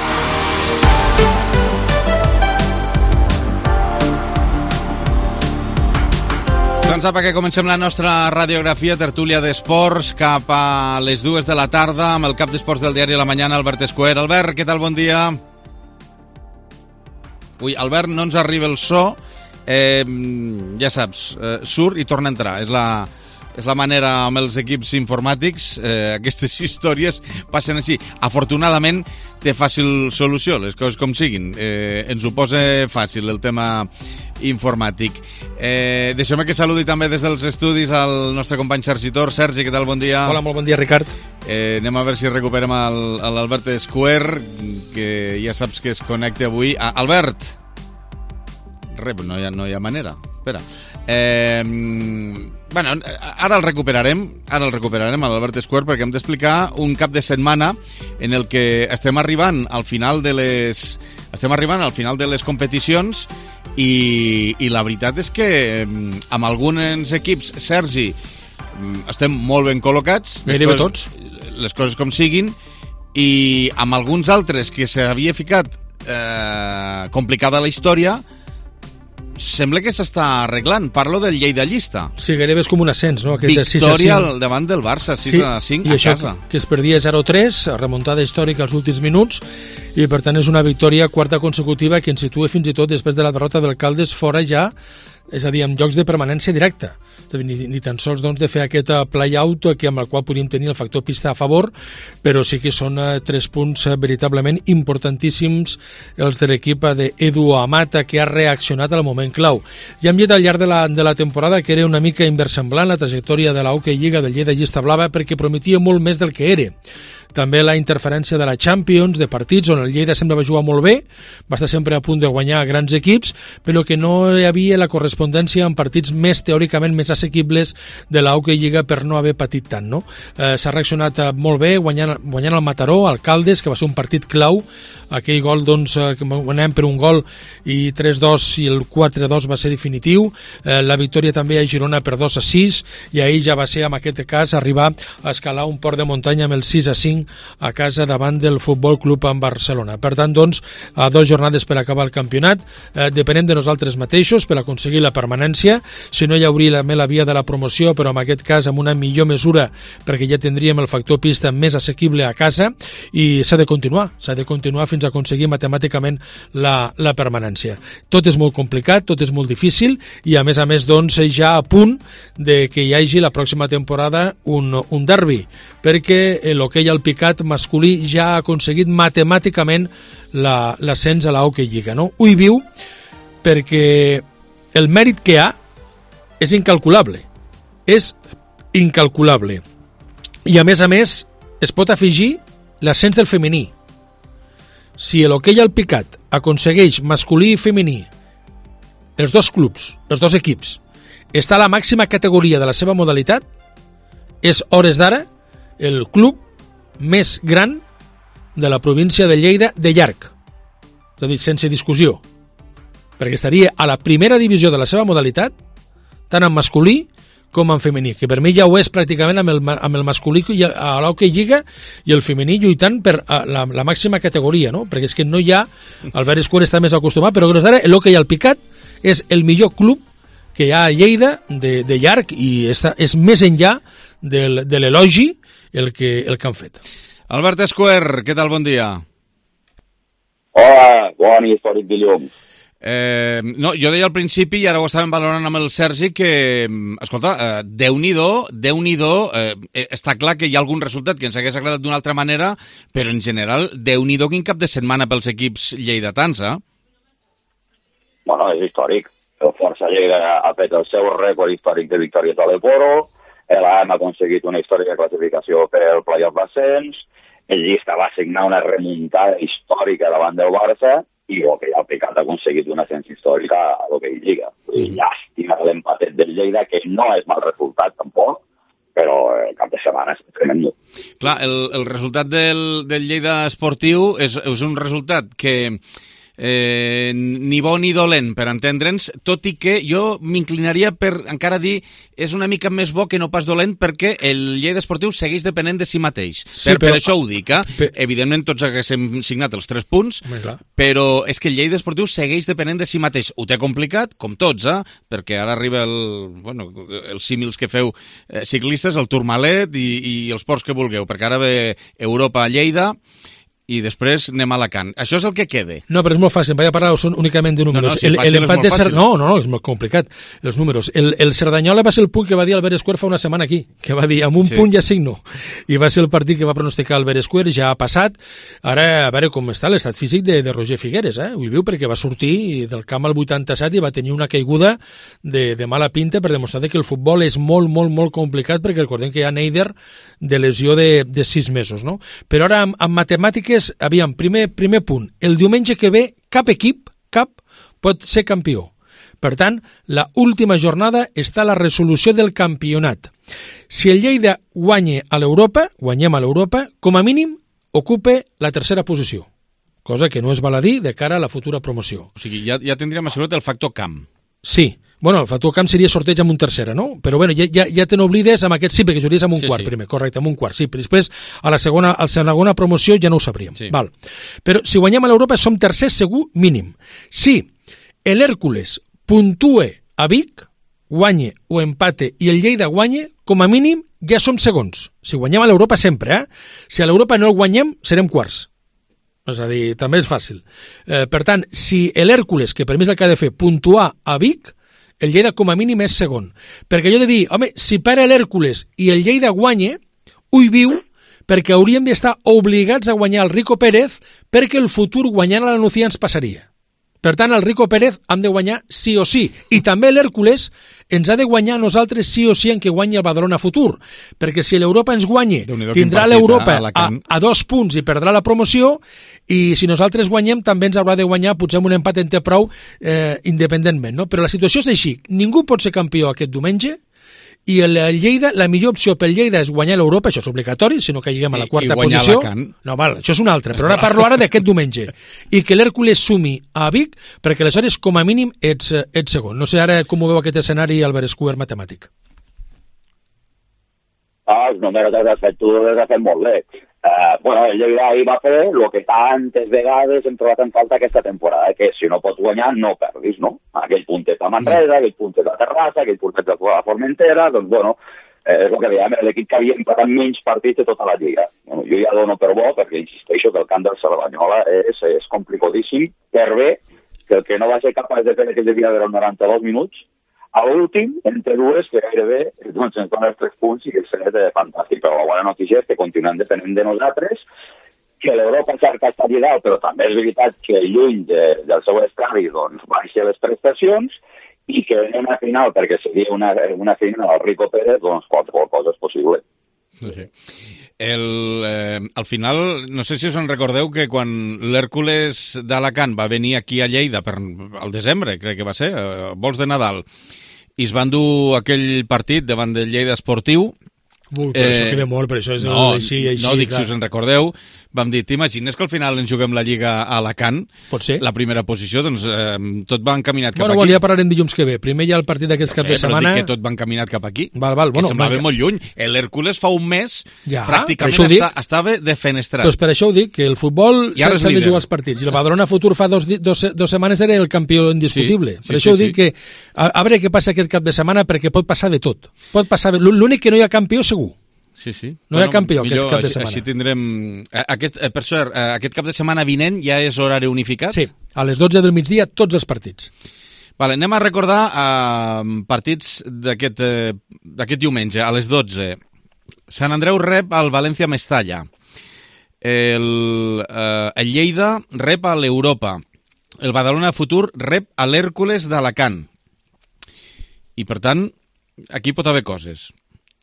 Doncs apa, que comencem la nostra radiografia, tertúlia d'esports, cap a les dues de la tarda, amb el cap d'esports del diari La Mañana, Albert Escuer. Albert, què tal? Bon dia. Ui, Albert, no ens arriba el so. Eh, ja saps, eh, surt i torna a entrar. És la, és la manera amb els equips informàtics, eh, aquestes històries passen així. Afortunadament té fàcil solució, les coses com siguin. Eh, ens ho posa fàcil el tema informàtic. Eh, Deixeu-me que saludi també des dels estudis al nostre company Sergi Tor. Sergi, què tal? Bon dia. Hola, molt bon dia, Ricard. Eh, anem a veure si recuperem l'Albert Square, que ja saps que es connecta avui. Ah, Albert! Rep, no hi ha, no hi ha manera. Espera. Eh, bueno, ara el recuperarem, ara el recuperarem a l'Albert Square, perquè hem d'explicar un cap de setmana en el que estem arribant al final de les estem arribant al final de les competicions i, i la veritat és que amb alguns equips, Sergi, estem molt ben col·locats, gairebé tots, les coses com siguin, i amb alguns altres que s'havia ficat eh, complicada la història, sembla que s'està arreglant. Parlo del Lleida Llista. Sí, gairebé és com un ascens, no? Aquest Victòria al davant del Barça, sis a cinc a casa. Que, que es perdia zero a tres, remuntada històrica als últims minuts, i per tant és una victòria quarta consecutiva que ens situa fins i tot després de la derrota del Caldes fora ja, és a dir, amb llocs de permanència directa. Ni, ni tan sols doncs, de fer aquest play-out que amb el qual podríem tenir el factor pista a favor, però sí que són eh, tres punts eh, veritablement importantíssims els de l'equip d'Edu Amata, que ha reaccionat al moment clau. Ja hem dit al llarg de la, de la temporada que era una mica inversemblant la trajectòria de la Hockey Lliga del Lleida Llista Blava, perquè prometia molt més del que era. També la interferència de la Champions, de partits on el Lleida semblava jugar molt bé, va estar sempre a punt de guanyar grans equips, però que no hi havia la correspondència en partits més teòricament més assequibles de la Hockey Lliga per no haver patit tant, no? Eh, s'ha reaccionat molt bé, guanyant, guanyant el Mataró, el Caldes, que va ser un partit clau, aquell gol, doncs, que guanyem per un gol i tres dos i el quatre dos va ser definitiu, eh, la victòria també a Girona per dos a sis, i ahir ja va ser, en aquest cas, arribar a escalar un port de muntanya amb el sis a cinc a casa davant del Futbol Club en Barcelona. Per tant, doncs, a dues jornades per acabar el campionat, eh, depenem de nosaltres mateixos per aconseguir la permanència, si no hi hauria la, la via de la promoció, però en aquest cas amb una millor mesura, perquè ja tindríem el factor pista més assequible a casa, i s'ha de continuar, s'ha de continuar fins a aconseguir matemàticament la, la permanència. Tot és molt complicat, tot és molt difícil, i a més a més, doncs, ja a punt de que hi hagi la pròxima temporada un, un derbi, perquè l'hoquei al picat masculí ja ha aconseguit matemàticament l'ascens a la Hockey Lliga, no? Ho hi viu perquè el mèrit que ha és incalculable, és incalculable, i a més a més es pot afegir l'ascens del femení. Si l'hoquei al picat aconsegueix masculí i femení, els dos clubs, els dos equips, està a la màxima categoria de la seva modalitat, és hores d'ara el club més gran de la província de Lleida de llarg, és a dir, sense discussió, perquè estaria a la primera divisió de la seva modalitat, tant en masculí com en femení, que per mi ja ho és pràcticament amb el, amb el masculí i a l'Hockey Lliga i el femení lluitant per la, la màxima categoria, no? Perquè és que no hi ha, Albert Square està més acostumat, però ara l'hoquei al picat és el millor club que hi ha a Lleida de, de llarg, i està, és més enllà del, de l'elogi el que, el que han fet. Albert Square, què tal? Bon dia. Hola, bon i històric dilluns. Eh, no, jo deia al principi, i ara ho estàvem valorant amb el Sergi, que, escolta, eh, Déu-n'hi-do, Déu-n'hi-do, eh, està clar que hi ha algun resultat que ens hagués agradat d'una altra manera, però en general, Déu-n'hi-do quin cap de setmana pels equips lleidatans, eh? Bueno, és històric. El Força Lleida ha fet el seu rècord històric de victòries a l'Eporo, l'A M ha aconseguit una històrica classificació per el playoff d'ascens, el Llista va signar una remuntada històrica davant del Barça, i l'hoquei al picat ha aconseguit una ascens històrica a l'hoquei Lliga. Mm. Llàstima l'empatet del Lleida, que no és mal resultat tampoc, però el cap de setmana és tremendo. Clar, el, el resultat del, del Lleida esportiu és, és un resultat que eh, ni bo ni dolent, per entendre'ns, tot i que jo m'inclinaria per encara dir és una mica més bo que no pas dolent, perquè el Lleida esportiu segueix depenent de si mateix. Sí, per, però, per això ho dic, eh? Per... Evidentment tots haguéssim signat els tres punts, però és que el Lleida esportiu segueix depenent de si mateix. Ho té complicat, com tots, eh? Perquè ara arriba el, bueno, els símils que feu eh, ciclistes, el Tourmalet i, i els ports que vulgueu, perquè ara ve Europa a Lleida, i després anem a Alacant. Això és el que quede. No, però és molt fàcil, vaig a parlar són únicament de números. No, no, si el, fàcil el és molt de Cer... fàcil. No, no, no, és molt complicat, els números. El, el Cerdanyola va ser el punt que va dir Albert Esquer fa una setmana aquí, que va dir, amb un sí. punt ja signo. I va ser el partit que va pronosticar Albert Esquer, ja ha passat. Ara, a veure com està l'estat físic de, de Roger Figueres, eh? Ho viu perquè va sortir del camp al vuitanta-set i va tenir una caiguda de, de mala pinta per demostrar que el futbol és molt, molt, molt complicat, perquè recordem que hi ha Neider de lesió de, de sis mesos, no? Però ara, amb, amb matemàtiques, aviam, primer Primer punt, el diumenge que ve cap equip, cap, pot ser campió. Per tant, la última jornada està la resolució del campionat. Si el Lleida guanya a l'Europa, guanyem a l'Europa, com a mínim ocupe la tercera posició, cosa que no és baladí de cara a la futura promoció. O sigui, ja, ja tindríem assegurat el factor camp. Sí. Bueno, el factor camp seria sorteig amb un tercera, no? Però bueno, ja, ja, ja te n'oblides amb aquest, sí, perquè jugaries amb un sí, quart sí. primer, correcte, amb un quart, sí, però després a la segona, a la segona promoció ja no ho sabríem. Sí. Val. Però si guanyem a l'Europa som tercers segur mínim. Si l'Hèrcules puntue a Vic, guanye o empate i el Lleida guanye, com a mínim ja som segons. Si guanyem a l'Europa sempre, eh? Si a l'Europa no el guanyem, serem quarts. És a dir, també és fàcil. Eh, per tant, si l'Hèrcules, que per mi és el que ha de fer, puntuar a Vic, el Lleida com a mínim és segon. Perquè jo he de dir, home, si para l'Hèrcules i el Lleida guanya, ui viu, perquè hauríem d'estar obligats a guanyar el Rico Pérez perquè el futur guanyant a la Nucía ens passaria. Per tant, el Rico Pérez hem de guanyar sí o sí. I també l'Hèrcules ens ha de guanyar a nosaltres sí o sí en què guanyi el Badalona Futur. Perquè si l'Europa ens guanya, tindrà l'Europa a, a, a dos punts i perdrà la promoció, i si nosaltres guanyem també ens haurà de guanyar, potser amb un empat en té prou, eh, independentment. No? Però la situació és així. Ningú pot ser campió aquest diumenge, i el Lleida, la millor opció pel Lleida és guanyar l'Europa, això és obligatori, si no caiguem a la quarta I, i posició. Alacant. No, val, això és un altre, però ara parlo ara d'aquest diumenge. I que l'Hèrcules sumi a Vic, perquè aleshores, com a mínim, ets, ets segon. No sé ara com ho veu aquest escenari Albert Esquer matemàtic. Ah, els números que has fet tu els has fet molt bé. Uh, bueno, el Lleida ahir va fer el que tantes vegades hem trobat en falta aquesta temporada, que si no pots guanyar no perdis, no? Aquell puntet a Manresa, aquell puntet a Terrassa, aquell puntet a Formentera, doncs bueno, eh, és el que dèiem, l'equip que havia empatat menys partits de tota la Lliga. Bueno, jo ja dono per bo, perquè insisteixo que el camp del Cerdanyola és, és complicadíssim, per bé que el que no va ser capaç de fer aquell de dia de noranta-dos minuts, a l'últim, entre dues, que gairebé doncs, ens donen els tres punts i que és fantàstic. Però la bona notícia és que continuem depenent de nosaltres, que l'Europa cerca està dalt, però també és veritat que lluny de, del seu estadi doncs, baixa les prestacions i que anem a final, perquè seria una, una final al Rico Pérez, doncs qualsevol cosa és possible. Sí. El, eh, al final, no sé si us en recordeu que quan l'Hèrcules d'Alacant va venir aquí a Lleida per, al desembre, crec que va ser, eh, vols de Nadal, i es van dur aquell partit davant del Lleida Esportiu. Ui, però eh, això queda molt, però això és no, així, així. No, dic, clar. Si us en recordeu, vam dir, t'imagines que al final ens juguem la Lliga a Alacant? Pot ser. La primera posició, doncs eh, tot va encaminat cap bueno, aquí. Bueno, ja parlarem dilluns que ve. Primer hi ha el partit d'aquest no cap sé, de setmana. Però dic que tot va encaminat cap aquí. Val, val. Que bueno, semblava va... molt lluny. L'Hèrcules fa un mes ja, pràcticament dic, està, estava defenestrat. Doncs per això ho dic, que el futbol s'ha de jugar els partits. I el Badalona Futur fa dos, dos, dos setmanes era el campió indiscutible. Sí, per sí, això sí, ho dic sí. que a, a veure què passa aquest cap de setmana, perquè pot passar de tot. Pot passar... L'únic que no hi ha campió segur. Sí, sí. No bueno, hi ha campió millor, aquest cap de així, setmana. Així tindrem... Aquest, eh, per cert, eh, aquest cap de setmana vinent ja és horari unificat? Sí, a les dotze del migdia tots els partits. Vale, anem a recordar eh, partits d'aquest eh, diumenge, a les dotze. Sant Andreu rep al València Mestalla. El, eh, el Lleida rep a l'Europa. El Badalona Futur rep a l'Hèrcules d'Alacant. I, per tant, aquí pot haver coses.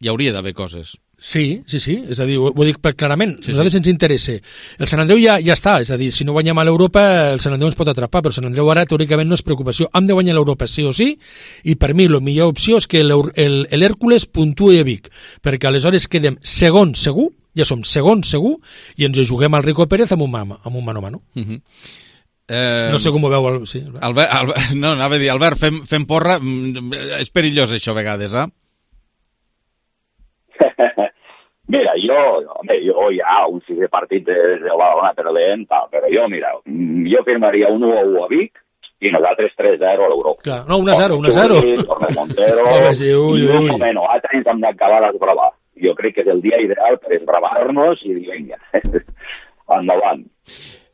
Hi hauria d'haver coses. Sí, sí, sí, és a dir, ho, ho dic clarament, sí, nosaltres sí. ens interessa. El Sant Andreu ja, ja està, és a dir, si no guanyem a l'Europa, el Sant Andreu ens pot atrapar, però el Sant Andreu ara teòricament no és preocupació. Hem de guanyar l'Europa sí o sí, i per mi la millor opció és que l'Hèrcules puntuï a Vic, perquè aleshores quedem segon segur, ja som segon segur, i ens juguem al Rico Pérez amb un mano amb un mano, mano. Uh -huh. Eh, no sé com ho veu el... Sí, Albert. Albert, Albert, no, anava a dir, Albert, fem, fem porra, és perillós això a vegades, eh? Mira, jo, home, jo ja un sisè partit de, de Badalona perdent, però jo, mira, jo firmaria un u a u a Vic i nosaltres tres a zero a l'Europa. Clar, no, un a zero, un a zero. Torre Montero, sí, ui, i ui. un moment, altre hem d'acabar d'esbravar. Jo crec que és el dia ideal per esbravar-nos i dir, vinga, endavant.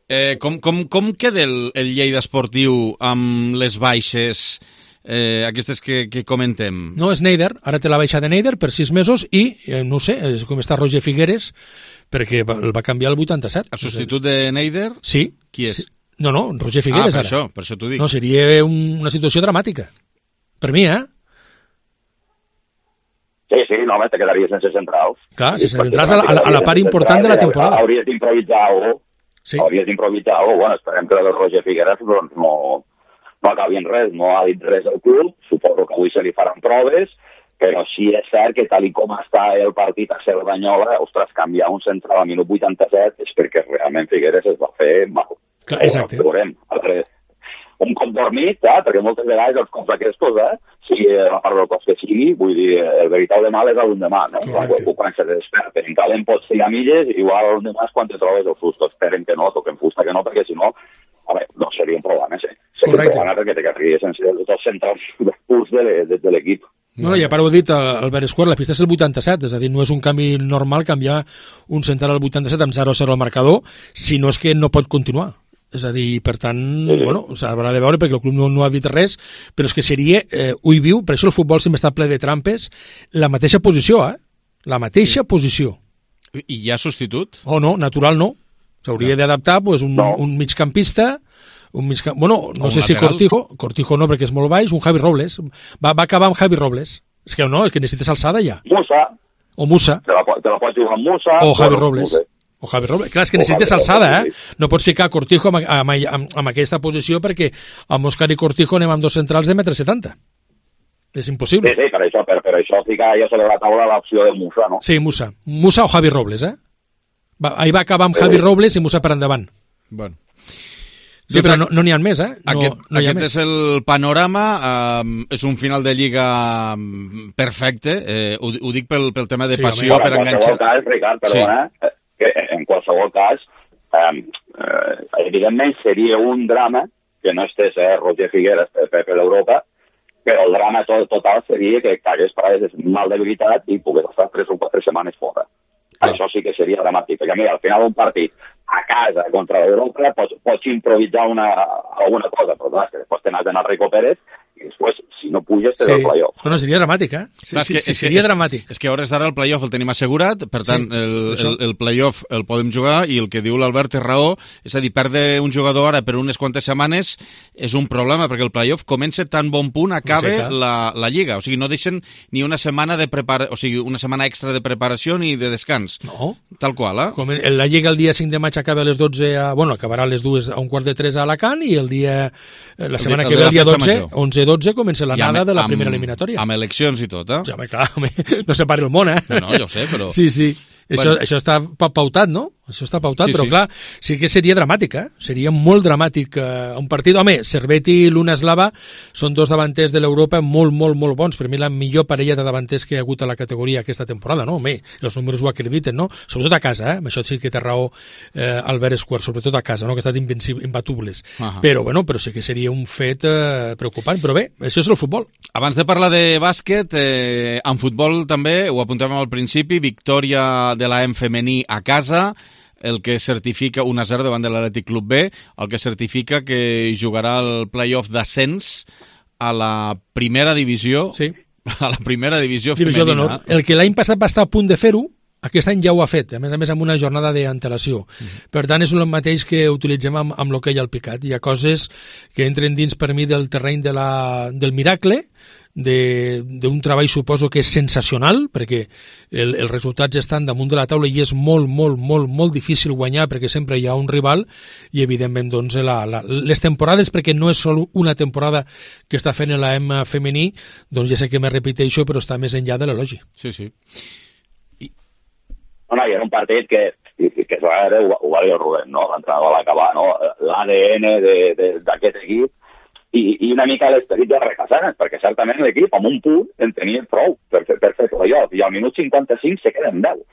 Eh, com, com, com queda el, el Lleida esportiu amb les baixes, eh, aquestes que, que comentem? No, és Neider, ara té la baixa de Neider per sis mesos i, eh, no sé, com està Roger Figueres, perquè el va canviar el vuitanta-set. El substitut de Neider? Sí. Qui és? Sí. No, no, Roger Figueres, ah, per ara. això, per això t'ho dic. No, seria un, una situació dramàtica. Per mi, eh? Sí, sí, no, te quedaria sense centrals. Clar, si centrals a, a, a la part important de la temporada. Hauries d'improvisar alguna cosa. Sí. Hauries d'improvisar alguna cosa. Bueno, esperem que el Roger Figueres doncs, no, no acabi en res, no ha dit res al club, suposo que avui se li faran proves, però sí és cert que tal i com està el partit a Cerdanyola, ostres, canviar un central al minut vuitanta-set és perquè realment Figueres es va fer mal. Clar, exacte. Veurem. Un cop dormit, eh? Perquè moltes vegades els cops aquests, eh? si la part del cos que sigui, vull dir, el veritable mal és l'endemà, no? Quan, quan se desperta, en calent pots tirar milles, igual l'endemà és quan te trobes el fusto. Esperen que no, toquen fusta que no, perquè si no, a veure, no seria un problema, sí. Seria un problema perquè te quedaries sense els dos centrals purs de, de, de l'equip. No, ja per ho he dit, Albert Esquer, la pista és el vuitanta-set, és a dir, no és un canvi normal canviar un central al vuitanta-set amb zero a zero al marcador, si no és que no pot continuar. És a dir, per tant, sí. bueno, s'haurà de veure perquè el club no, no ha dit res, però és que seria, eh, ui viu, per això el futbol sempre està ple de trampes, la mateixa posició, eh? La mateixa sí. posició. I hi ha substitut? Oh, no, natural no. S'hauria no. d'adaptar pues, un, no. un migcampista, un migcamp... bueno, no sé lateral. si Cortijo, Cortijo no perquè és molt baix, un Javi Robles, va, va acabar amb Javi Robles. És que no, és que necessites alçada ja. Musa. O Musa. Te la, te la pots jugar amb Musa. O Javi Robles. O Javi Robles. Clar, és que necessites alçada, eh? No pots ficar Cortijo amb, amb, amb, amb aquesta posició perquè amb Òscar i Cortijo anem amb dos centrals de metre setanta. És impossible. Sí, sí, per això, per, per això ficar jo sobre la taula l'opció de Musa, no? Sí, Musa. Musa o Javi Robles, eh? Va, ahir va acabar amb Javi Robles i Musa per endavant. Bueno. Sí, però no n'hi no ha més, eh? No, aquest no aquest és el panorama, eh, és un final de Lliga perfecte, eh, ho, ho dic pel, pel tema de sí, passió, per enganxar... En qualsevol cas, Ricard, perdona, sí. que en qualsevol cas, eh, eh, evidentment seria un drama que no estés eh, Roger Figueres per, per, per l'Europa, però el drama tot, total seria que cagués per a mal debilitat i pogués estar tres o quatre setmanes fora. Ah. Això sí que seria dramàtic, perquè mira, al final un partit a casa contra l'Europa pots, pots improvisar una, alguna cosa, però clar, que després te n'has d'anar a Rico Pérez i després, si no puges, te sí. del play-off. No, no, seria dramàtic, eh? Sí, clar, sí, que, sí, seria és, dramàtic. És que a hores d'ara el play-off el tenim assegurat, per tant, sí, el, el, el play-off el podem jugar i el que diu l'Albert té raó, és a dir, perdre un jugador ara per unes quantes setmanes és un problema, perquè el play-off comença tan bon punt, acabe sí, la, la Lliga. O sigui, no deixen ni una setmana de prepara... o sigui, una setmana extra de preparació ni de descans. No. Tal qual, eh? Com la Lliga el dia cinc de maig acaba a les dotze, a, bueno, acabarà a les dues a un quart de tres a Alacant i el dia, la setmana el, el que ve, el dia dotze, onze dotze, comença la nada de la primera eliminatòria. Amb eleccions i tot, eh? Ja, home, clar, home, no se pari el món, eh? No, no, jo ho sé, però... Sí, sí. Això, bueno. això està pautat, no? Això està pautat, sí, però sí. clar, sí que seria dramàtic, eh? Seria molt dramàtic eh, un partit. Home, Cervetti i Luna Slava són dos davanters de l'Europa molt, molt, molt bons. Per mi la millor parella de davanters que hi ha hagut a la categoria aquesta temporada, no? Home, els números ho acrediten, no? Sobretot a casa, eh? Això sí que té raó eh, Albert Esquer, sobretot a casa, no? Que ha estat imbatubles. Uh -huh. Però, bueno, però sí que seria un fet eh, preocupant. Però bé, això és el futbol. Abans de parlar de bàsquet, eh, en futbol també, ho apuntàvem al principi, victòria de l'A E M femení a casa, el que certifica un a zero davant de l'Atlètic Club B, el que certifica que jugarà el play-off d'ascens a la primera divisió, sí. a la primera divisió, divisió femenina. El que l'any passat va estar a punt de fer-ho, aquest any ja ho ha fet, a més a més amb una jornada d'antelació. Mm-hmm. Per tant, és el mateix que utilitzem amb, amb l'hoquei al picat. Hi ha coses que entren dins per mi del terreny de la, del miracle, d'un treball suposo que és sensacional, perquè el, els resultats estan damunt de la taula i és molt, molt, molt, molt difícil guanyar perquè sempre hi ha un rival i evidentment doncs, la, la, les temporades, perquè no és sol una temporada que està fent l'A E M femení, doncs ja sé que me repeteixo, però està més enllà de l'elogi. Sí, sí. I... No, no, hi era un partit que, que, que ho, ho va dir el Rubén, no? L'entrenador a l'acabar, no? L'A D N d'aquest equip i, i una mica l'esperit de Recasanes, perquè certament l'equip amb un punt en tenia prou per, per, per fer play-off, i al minut cinquanta-cinc se queden deu.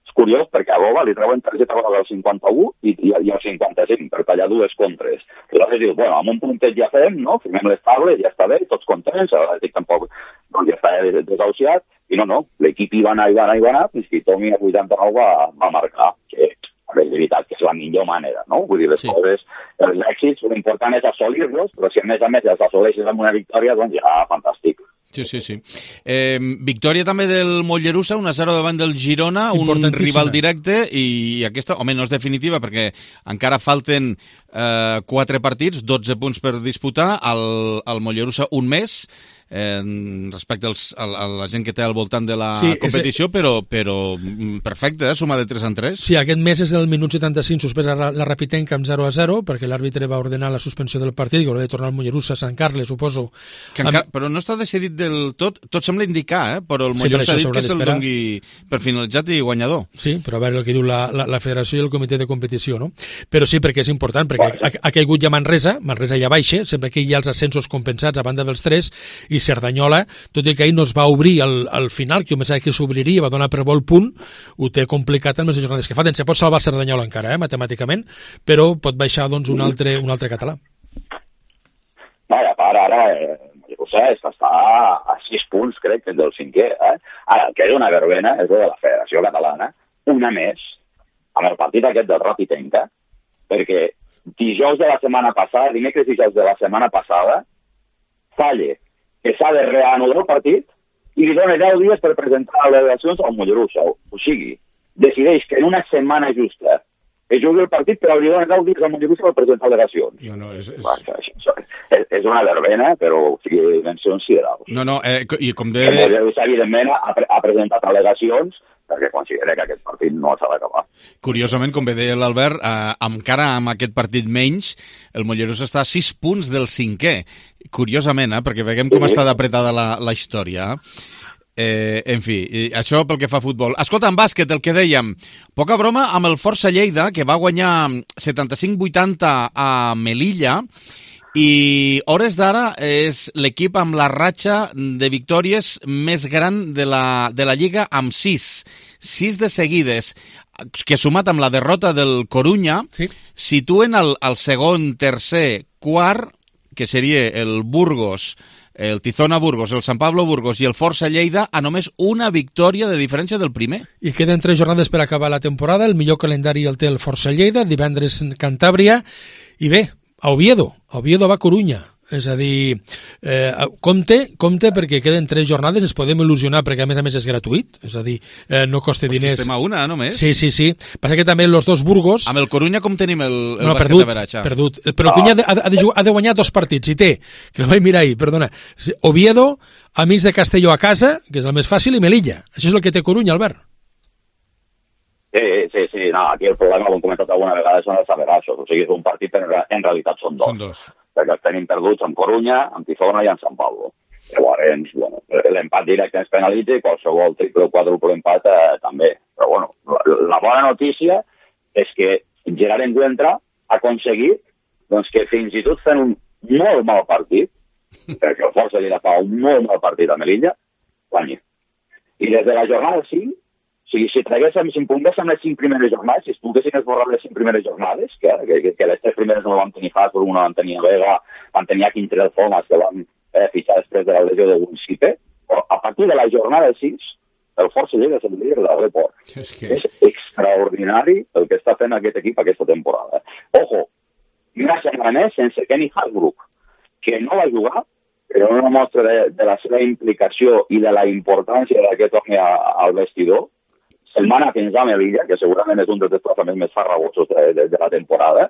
És curiós perquè a Boba li treuen targeta groga al cinquanta-u i, i, i al cinquanta-cinc per tallar dues contres. I llavors dius, bueno, amb un puntet ja fem, no? Firmem les taules, ja està bé, tots contents, l'Atlètic tampoc doncs ja està desahuciat, i no, no, l'equip hi va anar, hi va anar, hi va anar, fins que Tomi a vuitanta-nou va, va marcar, que és veritat que és la millor manera, no? Vull dir, les sí. coses, els èxits, l'important és assolir-los, però si a més a més els assoleixes amb una victòria, doncs ja, fantàstic. Sí, sí, sí. Eh, victòria també del Mollerussa, un a zero davant del Girona, un rival directe, i aquesta, home, no és definitiva, perquè encara falten eh, quatre partits, dotze punts per disputar, al, al Mollerussa un mes, eh, respecte als, a, a la gent que té al voltant de la sí, competició, és... però, però perfecte, eh? Suma de tres en tres. Sí, aquest mes és el minut setanta-cinc suspesa la, la Rapitenca amb zero a zero, perquè l'àrbitre va ordenar la suspensió del partit, que haurà de tornar al Mollerussa a Sant Carles, suposo. Que encara, amb... Però no està decidit del tot, tot sembla indicar, eh? Però el Mollerussa sí, ha dit que se'l doni per finalitzat i guanyador. Sí, però a veure el que diu la, la, la federació i el comitè de competició, no? Però sí, perquè és important, perquè ha, ha caigut ja Manresa, Manresa ja baixa, sempre que hi ha els ascensos compensats a banda dels tres, i Cerdanyola, tot i que ahir no es va obrir al, al final, que jo pensava que s'obriria, va donar per bo el punt, ho té complicat en les jornades que falten. Se pot salvar Cerdanyola encara, eh, matemàticament, però pot baixar doncs, un, altre, un altre català. No, i a part, ara, eh, no sé, és que està a sis punts, crec, que és del cinquè. Eh? Ara, el que és una verbena és de la Federació Catalana, una més, amb el partit aquest del Rapitenca, perquè dijous de la setmana passada, dimecres dijous de la setmana passada, falle que s'ha de reanudar el partit i li dona deu dies per presentar al·legacions al Mollerussa. O sigui, decideix que en una setmana justa es jugui el partit, però li dona deu dies al Mollerussa per presentar al·legacions. No, no, és... és... Va, és, és una verbena, però o sigui, dimensions considerables. No, no, eh, i com de... El Mollerussa, evidentment, ha, pre ha presentat al·legacions perquè considera que aquest partit no s'ha d'acabar. Curiosament, com bé deia l'Albert, eh, encara amb aquest partit menys, el Mollerussa està a sis punts del cinquè. Curiosament, eh, perquè veiem com sí. està d'apretada la, la història. Eh, en fi, això pel que fa a futbol. Escolta, en bàsquet, el que dèiem, poca broma amb el Força Lleida, que va guanyar setanta-cinc vuitanta a Melilla, i hores d'ara és l'equip amb la ratxa de victòries més gran de la, de la Lliga, amb sis. Sis de seguides, que sumat amb la derrota del Corunya, sí. situen el, el segon, tercer, quart, que seria el Burgos, el Tizona Burgos, el Sant Pablo Burgos i el Força Lleida a només una victòria de diferència del primer. I queden tres jornades per acabar la temporada. El millor calendari el té el Força Lleida, divendres Cantàbria, i bé, a Oviedo, a Oviedo va a Corunya. És a dir, eh, compte, compte perquè queden tres jornades, ens podem il·lusionar perquè a més a més és gratuït, és a dir, eh, no costa pues diners. Estem a una, només. Sí, sí, sí. Passa que també els dos Burgos... Amb el Corunya com tenim el, el no, bàsquet perdut, de Beratxa? Perdut, però el Corunya ha, ha, de, ha de guanyar dos partits, i té, que no vaig mirar ahir, perdona, Oviedo, amics de Castelló a casa, que és el més fàcil, i Melilla. Això és el que té Corunya, Albert. Sí, sí, sí, no, aquí el problema, com hem comentat alguna vegada, són els averassos, o sigui, és un partit, però en realitat són dos. Són dos. Perquè els tenim perduts amb Corunya, amb Tizona i amb Sant Pablo. Llavors, bueno, l'empat directe ens penalitza i qualsevol triple o quadruple empat eh, també. Però, bueno, la, la bona notícia és que Gerard Encuentra ha aconseguit doncs, que fins i tot fent un molt mal partit, perquè el Força Lleida fa un molt mal partit a Melilla, guanyi. I des de la jornada cinc, o sigui, si traguéssim, si impugnéssim les cinc primeres jornades, si es poguessin esborrar les cinc primeres jornades, que, que, que les tres primeres no van tenir Hasbro, una van tenir Vega, van tenir a Quintre del Fomas, que van eh, fitxar després de la lesió de Gunsipe, però a partir de la jornada sis, el Força Lleida és el líder del report. És, que... és extraordinari el que està fent aquest equip aquesta temporada. Ojo, una setmana més sense Kenny Hasbrook, que no va jugar, però una mostra de, de la seva implicació i de la importància de que torni a, al vestidor. Setmana fins a Melilla, que segurament és un dels desplaçaments més farragosos de, de, de la temporada,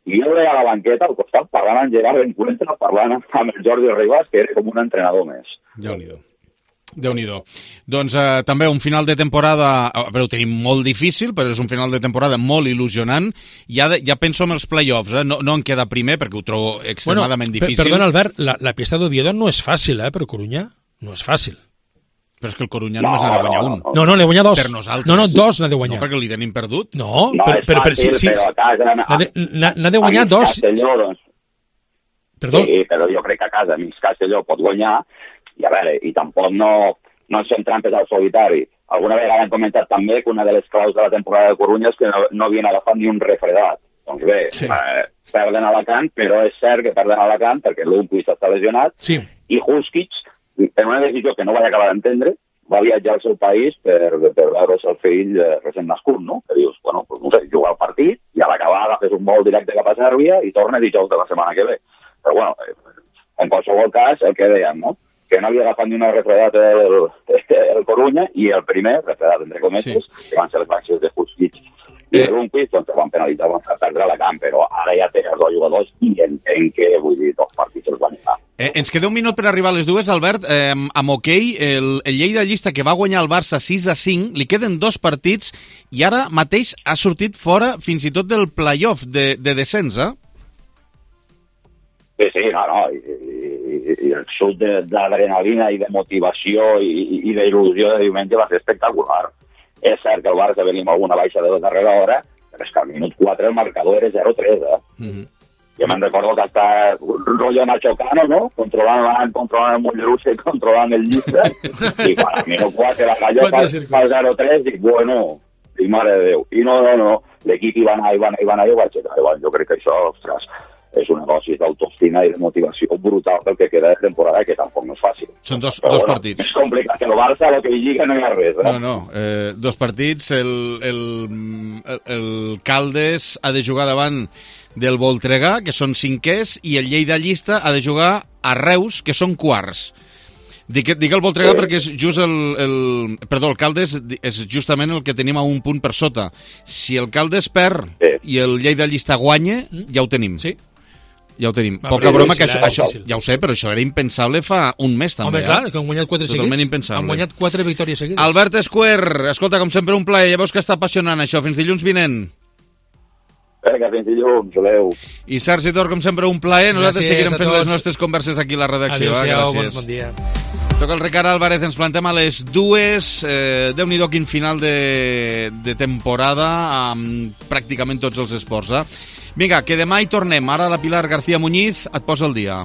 i jo veia a la banqueta al costat parlant amb Gerard Encuentra, parlant amb el Jordi Ribas, que era com un entrenador més. Déu-n'hi-do. Déu-n'hi-do. Doncs eh, també un final de temporada, a veure, ho tenim molt difícil, però és un final de temporada molt il·lusionant. Ja, de, ja penso en els play-offs, eh? no, no en queda primer, perquè ho trobo extremadament bueno, difícil. Perdona, Albert, la, la pista d'Oviedo no és fàcil, eh, per Corunya. No és fàcil. Però és que el Corunya no, només n'ha de guanyar un. No, no, n'ha de guanyar dos. Per nosaltres. No, no, dos n'ha de guanyar. No, perquè li tenim perdut. No, no però, però, però, sí, sí, però a casa... N'ha de guanyar dos. Castelló, doncs. Perdó? Sí, però jo crec que a casa Amics Castelló pot guanyar, i a veure, i tampoc no, no ens fem trampes al solitari. Alguna vegada hem comentat també que una de les claus de la temporada de Corunya és que no, no havien agafat ni un refredat. Doncs bé, sí. eh, perden a Alacant, però és cert que perden a Alacant perquè l'Umpuis està lesionat, sí. i Huskic, en una decisió que no vaig acabar d'entendre, va viatjar al seu país per, per veure el seu fill eh, recent nascut, no? Que dius, bueno, pues, no sé, juga al partit i a l'acabar agafes un vol directe cap a Sèrbia i torna dijous de la setmana que ve. Però bueno, en qualsevol cas, el que dèiem, no? Que no havia agafat ni una refredat el, el Corunya i el primer, refredat entre cometes, sí. que van ser les baixes de Huskic i eh. un quiz, doncs van penalitzar, van fer perdre la camp, però ara ja té els dos jugadors i entenc que, vull dir, dos partits els van anar. Eh, ens queda un minut per arribar a les dues, Albert. Eh, amb hoquei, el, el Lleida Llista, que va guanyar el Barça sis a cinc, li queden dos partits i ara mateix ha sortit fora fins i tot del play-off de, de descens, eh? Sí, sí, no, no, i, i, i el sud d'adrenalina i de motivació i, i d'il·lusió de diumenge va ser espectacular. És cert que el Barça venia amb alguna baixa de la darrera hora, però és que al minut quatre el marcador era zero tres, eh? Mm-hmm. Jo me'n recordo que hasta rollo Nacho Cano, no? Controlant, controlant el Mollerussa i controlant el Llista, i quan al minut quatre la calló per zero tres, dic, bueno, i mare de Déu. I no, no, no, l'equip hi va anar, hi va anar, hi va anar, i ho vaig aixecar. Jo crec que això, ostres, és una dosis d'autoestima i de motivació brutal pel que queda de temporada, que tampoc no és fàcil. Són dos, Però, dos bueno, partits. És complicat, que el Barça, el que hi lliga, no hi ha res. Eh? No, no, eh, dos partits. El, el, el, el Caldes ha de jugar davant del Voltregà, que són cinquers, i el Lleida Llista ha de jugar a Reus, que són quarts. Dic, dic el Voltregà sí. perquè és just el, el... Perdó, el Caldes és justament el que tenim a un punt per sota. Si el Caldes perd sí. i el Lleida Llista guanya, ja ho tenim. Sí. Ja ho tenim. Va, Poca broma, que això, això, ja ho sé, però això era impensable fa un mes, també. Home, clar, que han guanyat quatre Totalment seguits. impensable. Han guanyat quatre victòries seguides. Albert Esquer, escolta, com sempre, un plaer. Ja veus que està apassionant això. Fins dilluns vinent. Vinga, fins dilluns, adeu. I Sergi Tor, com sempre, un plaer. Nosaltres seguirem fent les nostres converses aquí a la redacció. Adéu-siau, eh? bon, bon dia. Soc el Ricard Álvarez, ens plantem a les dues. Eh, Déu-n'hi-do quin final de, de temporada amb pràcticament tots els esports, eh? Vinga, que demà hi tornem. Ara la Pilar García Muñiz et posa el dia.